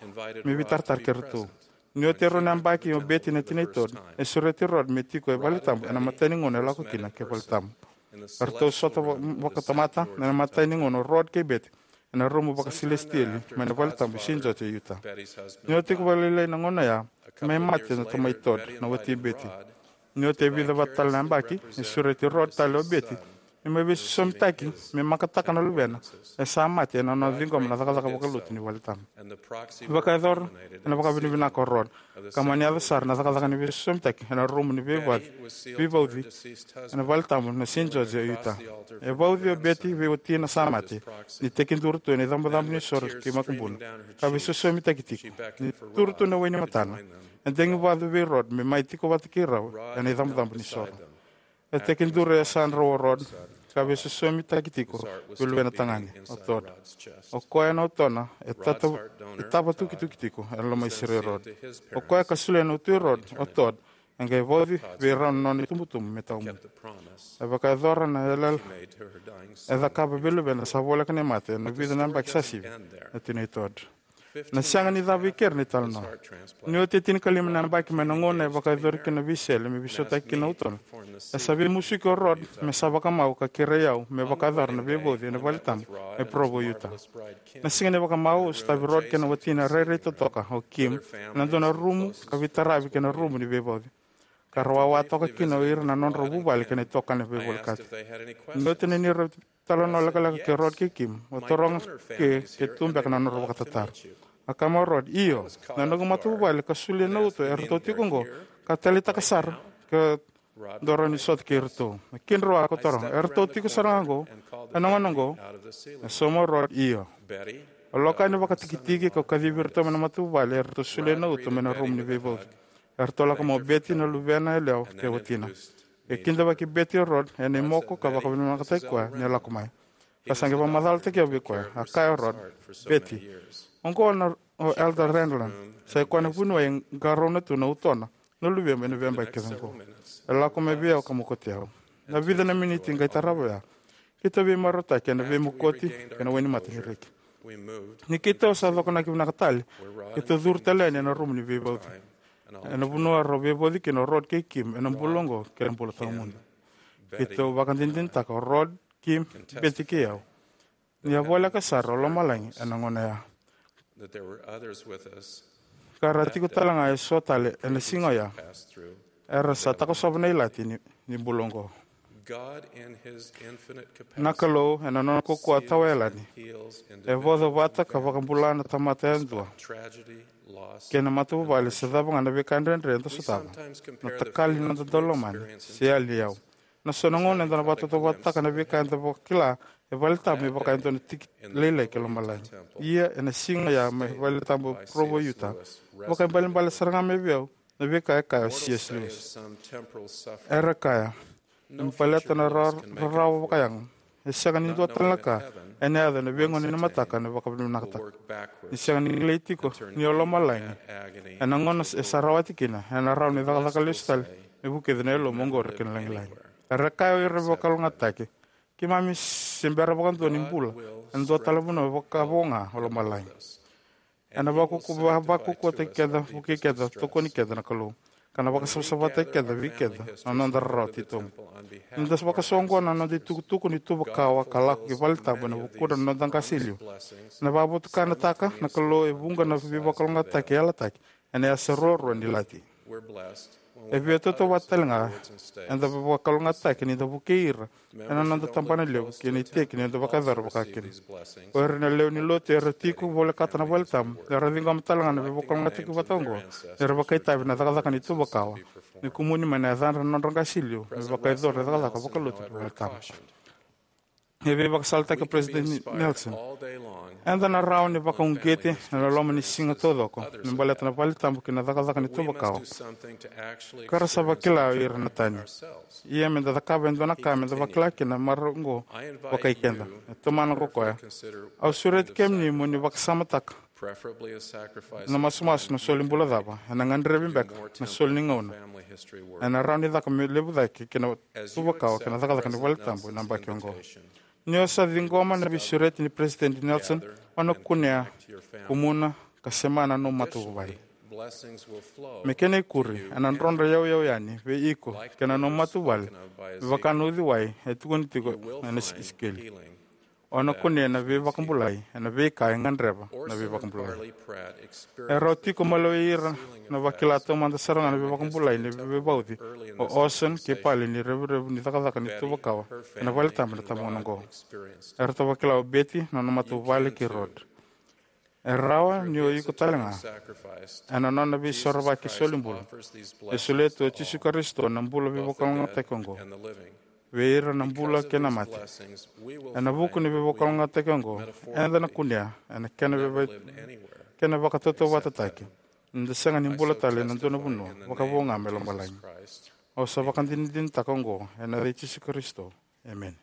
me veitaratara kei iratou. Ni oti e rua na yabaki o Betty na tinai Todd, e sureti Rod me tiko e valetabu ena imatai ni gauna e lako kina ki valetabu. Eratou sota vakatamata ena imatai ni gauna o Rod kei Betty ena rumu vakasilesitieli mai na valetabu e Saint George e Utah. Ni oti e vakalailai na gauna oya, mai mate na tamai Todd, na wati i Betty. Ni oti e vica vata tale na yabaki, e sureti Rod tale o Betty me mai veisosomitaki me makataka na luvena e sa mate ena nona ciqoma na cakacaka vakalotu ni valetabu. E vakayacora ena vakavinavinaka o Rod ka mani yaco sara na cakacaka ni veisosomitaki ena rumu ni veivauci ena valetabu na Saint George e Utah. E vauci o Betty vei watina sa mate ni tekiduru tu ena icabocabo ni soro ki makubuna ka veisosomitaki tiko. Ni turu tu na wainimatana, e degi vacu vei Rod me mai tiko vata kei rau ena icabocabo ni soro. E tekiduru e yasadrau o Rod ka veisosomitaki tiko vei luvena tagane o Todd. O koya na utona e tata- e tava tukituki tiko ena loma i sere i Rod. O koya ka solia na utu i Rod o Todd e qai vauci vei rau na nona itubutubu me tawamudu. E vakayacora na yalayala e cakava vei luvena sa voleka ni mate ena vica na yabaki sa sivi, na tinai Todd. Na sega ni cava i keri na italanoa. Ni oti e tinikalima na yabaki mai na gauna e vakayacori kina na veisele me veisautaki kina na utona, e sa veimusuki o Rod me sa vakamau ka kerei au me vakayacora na veivauci ena valetabu e Provo, Utah. Na siga ni vakamau, au sotavi Rod kei na watina rairai totoka o Kim ena dua na rumu ka veitaravi kei na rumu ni veivauci, ka ra wawa toka kina o ira na nodrau vuvale kei na itokani veivolekati. Ni oti na neirau italanoa lekaleka kei Rod kei Kim, au taroga ke ke tu beka na nodrau vakatataro. A kaya mai o Rod, "Io, na noqu matavuvale ka solia na uto eratou tiko oqo, ka taleitaka sara ke dou rawa ni sota kei iratou." A kedrau a kau taroga, "Eratou tiko sara ga oqo ena gauna oqo?" E sauma o Rod, "Io." Au lako yani vakatikitiki kau kacivi iratou mai na matavuvale eratou solia na uto mai na rumu ni veivauci. Eratou lako mai o Betty, na luvena yalewa kei watina. E kidavaki Betty o Rod ena imoko ka vakavinavinakataki koya ni a lako mai. Ka sa qai vakamacalataki au vei koya. A kaya o Rod, "Betty, oqo na o Elder Renlund, sa i koya na vuniwai e qarauna tu na utona na luvemu ena veiyabaki kece oqo. E lako mai vei au ka mokoti au." Na vica na miniti qai tarava oya, keitou veimarautaki ena veimokoti kei na wainimata ni reki. Ni keitou sa cokonaki vinaka tale, keitou curu tale yani ena rumu ni veivauci, ena vanua rau veivauci kina o Rod kei Kim ena bula oqo kei na bula tawamudu. Keitou vakadinadinataka o Rod, Kim, Betty kei au ni a voleka sara o lomalagi ena gauna oya, ka ra tiko tale ga eso tale ena siga oya era sa takosova na ilati ni, ni bula oqo. Na Kalou, ena nona kaukauwa tawayalani, e voca vata ka vakabula na tamata yadua kei na matavuvale se cava ga na veika dredre eda sotava, na takali ni noda daulomani se yali ni yau. Na so na gauna eda na vakatautauvatataka na veika eda vakila e valetabu me vaka e dua na tiki lailai ki lomalagi. Ia, ena siga oya mai valetabu Provo, Utah, vakaibalebale sara ga mai vei au na veika e kaya o C S Lewis. Era kaya, me baleta na ra- rarawa vakayago, e sega ni dua tale na ka ena yaco ena veigauna ni mataka ena vakavinavinakataka. Ni sega ni kilai tiko ni o lomalagi ena gauna e sa rawati kina, ena rawa ni cakacaka lesu tale me vukica na yalomu oqori ki na lagilagi. Era kaya o ira na veivakalougatataki, keimami se bera vakadua ni bula ena dua tale na vanua vakavo ga o lomalagi. Ena vakaukauwa- vakaukauwataki keda, vukei keda, tokoni keda na Kalou, ka na vakasavasavataki keda vei keda na noda rarawa titobu. Ni da vakasoqona na noda itukutuku ni tuva kawa ka lako ki valetabu ena vukudra na noda qase e liu, ena vakavotukanataka na Kalou e vuqa na veivakalougatataki e yalataki ena yasa ruarua ni ilati. E veitautauvata tale ga eda veivakalougatataki ni da vukei ira ena noda tabanalevu kei na iteki ni noda vakayacora vakakina. O ira na lewe ni lotu era tiko volekata na valetabu era ciqoma tale ga na veivakalougatataki vata oqo ni ra vakaitavi ena cakacaka ni tuva kawa, ni kumuni mai na yacadra na nodra qase e liu me vakayacori na cakacaka vakalotu ni valetabu. E veivakasalataki o Peresitedi Nelson, eda na rawa ni vakauqeti ena loma ni siga taucoko me baleta na valetabu kei na cakacaka ni tuva kawa, ka ra sa vakila o ira na tani. Ia, me da cakava e dua na ka me da vakila kina na marau oqo vakai keda. E tomana ko koya, au sureti kemuni mo ni vakasamataka na masumasu na soli bula cava ena gadrevi beka na soli ni gauna ena rawa ni caka me levu cake ki na tuva kawa kei na cakacaka ni valetabu ena yabaki oqo. Ni o sa ciqoma na veisureti ni Peresitedi Nelson, o na kunea, kumuna, ka semana na nomu matavuvale. Me kena ikuri, ena drodro yauyau yani vei iko kei na nomu matavuvale me vaka na uciwai e tukuni tiko ena Isikeli. O na kunea na veivakabulai ena veika e gadreva na veivakabulai. E rawa tiko maliwai ira na vakila taumada sara ga na veivakabulai ni veivauci o Orson kei Parley ni revurevu ni cakacaka ni tuvakawa ena valetabu ena tabagauna oqo. Eratou vakila o Betty, nona matavuvale, kei Rod. E rawa ni o iko tale ga ena nona veisorovaki solibula e solia tu o Jisu Karisito na bula veivakalougatataki oqo vei ira na bula kei na mate. Ena vuku ni veivakalougatataki oqo, eda na kunea ena kena veivai, kena vakatautauvatataki ni da sega ni bula tale ena dua na vanua vakavo ga mai lomalagi. Au sa vakadinadinataka oqo ena yaca i Jisu Karisito. Emeni.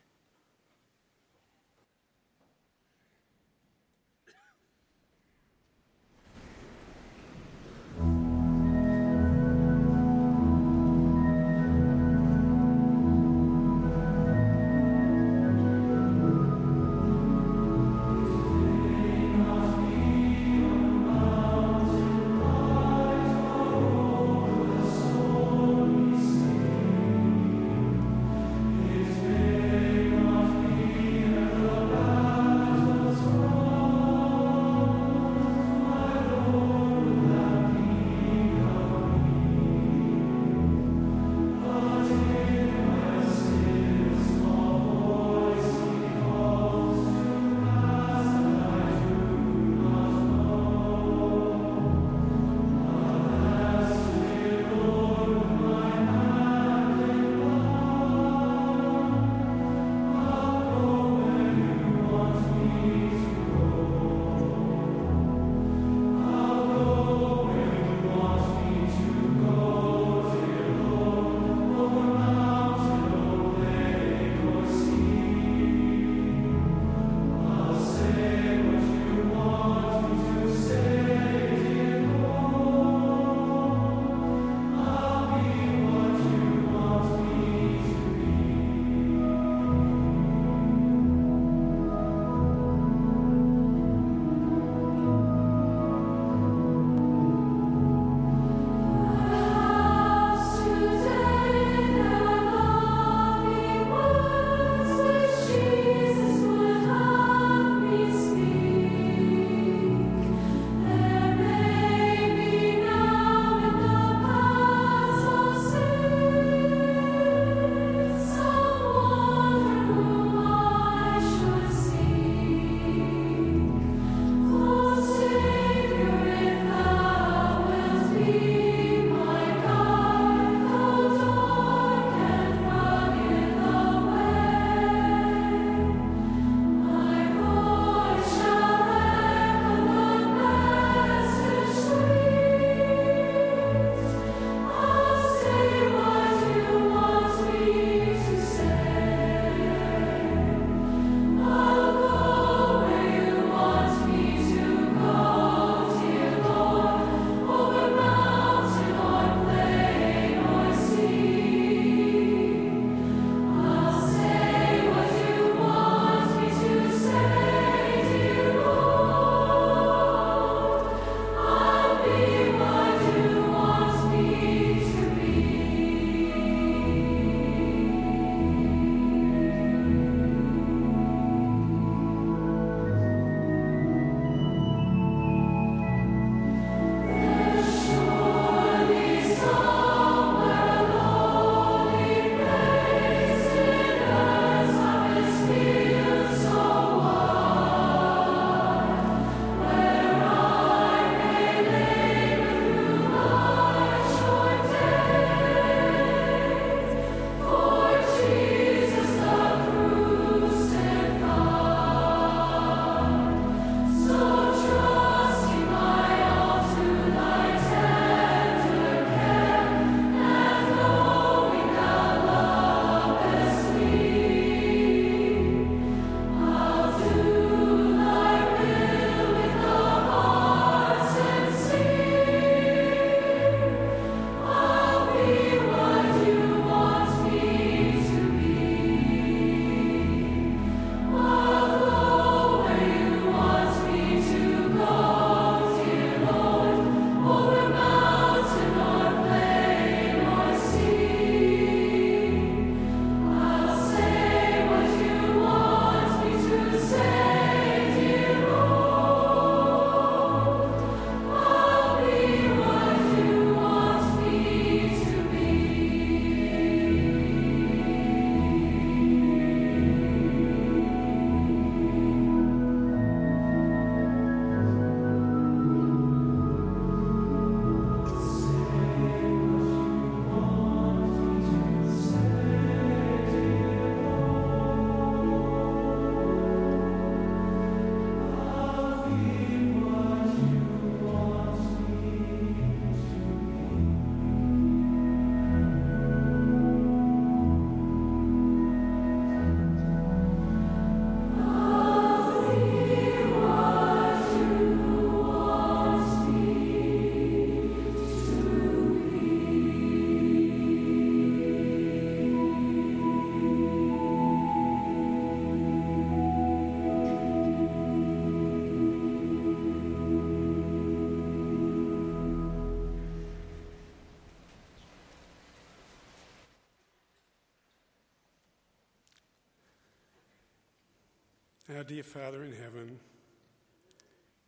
Our dear Father in heaven,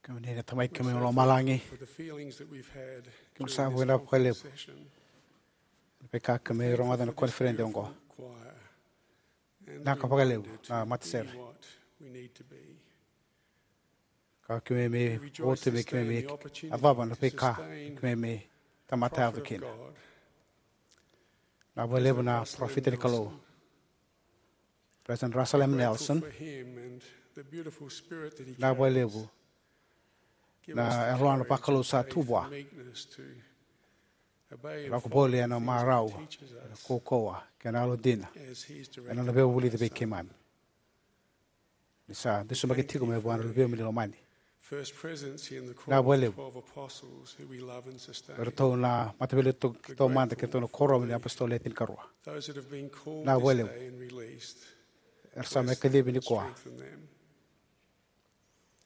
kemuni na Tamai kemuni mai lomalagi, for the feelings that we've had kemuni sa during this vakavinavinaka vakalevu session. Veika kemuni rogoca na koniferedi oqo. Choir. Vinaka vakalevu na matasere. Ka kemuni mai votu me kemuni mai yacova na veika kemuni mai tamata yaco kina. Vinaka vakalevu na parofita ni Kalou, President Russell M. Nelson. Vinaka vakalevu na yalona vakalou sa tu vua. Lako voli ena marau, ena kaukauwa kei na yalodina ena nona veivulici vei keimami. Ni sa dusimaki tiko mai vua na Luvemu ni lomani. Vinaka vakalevu. Eratou na mataveiliutaki taumada kei ratou na kuoramu ni apositolo e tinikarua. Vinaka vakalevu. Era sa mai kacivi nikua.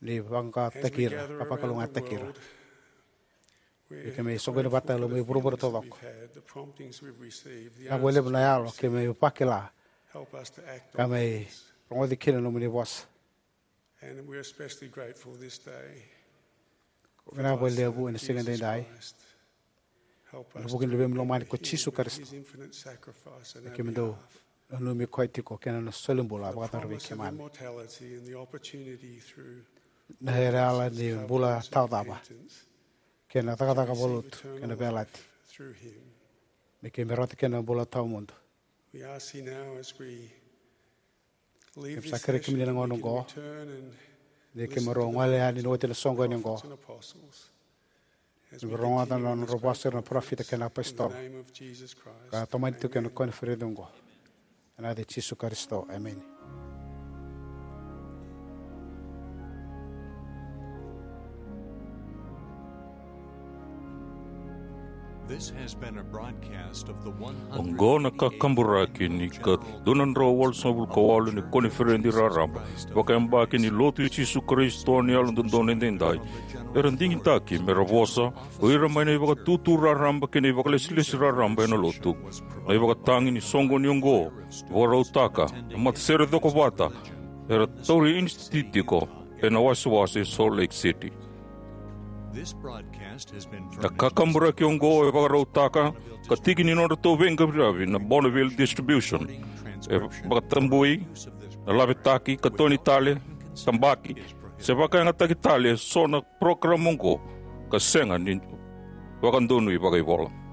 Ni vaqaqataki ira ka vakalougatataki ira. Ni keimami soqoni vata e loma ni vuravura taucoko. Vinaka vakalevu na yalo keimami vakila ka mai rogoci kina na nomuni vosa. Vinaka vakalevu ena siga edaidai. Ena vuku ni Luvemu lomani ko Jisu Karisito. Keimami dau nanumi koya tiko kei na nona solibula vakacavara vei keimami. Na yalayala ni bula tawacava kei na cakacaka vakalotu kei na veiyalayalati me keimami rawata kina na bula tawamudu. Keimami sa kerei kemuni ena gauna oqo ni keimami rau gole yani ni oti na soqoni oqo. Keimami rogoca na nodra vosa ira na parofita kei na apositolo ka tomani tiko ena koniferedi oqo. Ena yaca i Jisu Karisito, emeni. Oqo na kakaburaki ni ka dua na drau walusagavulu ka walu ni koniferedi raraba vakayabaki ni Lotu i Jisu Karisito ni Yalododonu Edaidai. Era digitaki mera vosa o ira mai na ivakatutu raraba kei na ivakalesilesi raraba ena Lotu. Na ivakatagi ni soqoni oqo, vakarautaka na matasere cokovata era tauri inisititiko ena wasewase Salt Lake City. Na kakaburaki oqo e vakarautaka ka tiki ni nodratou veiqaravi na Bonneville Distribution. E vakatabui na lavetaki, katoni tale, tabaki se vakayagataki tale eso na parokaramu oqo ka sega ni vakadonui vakaivola.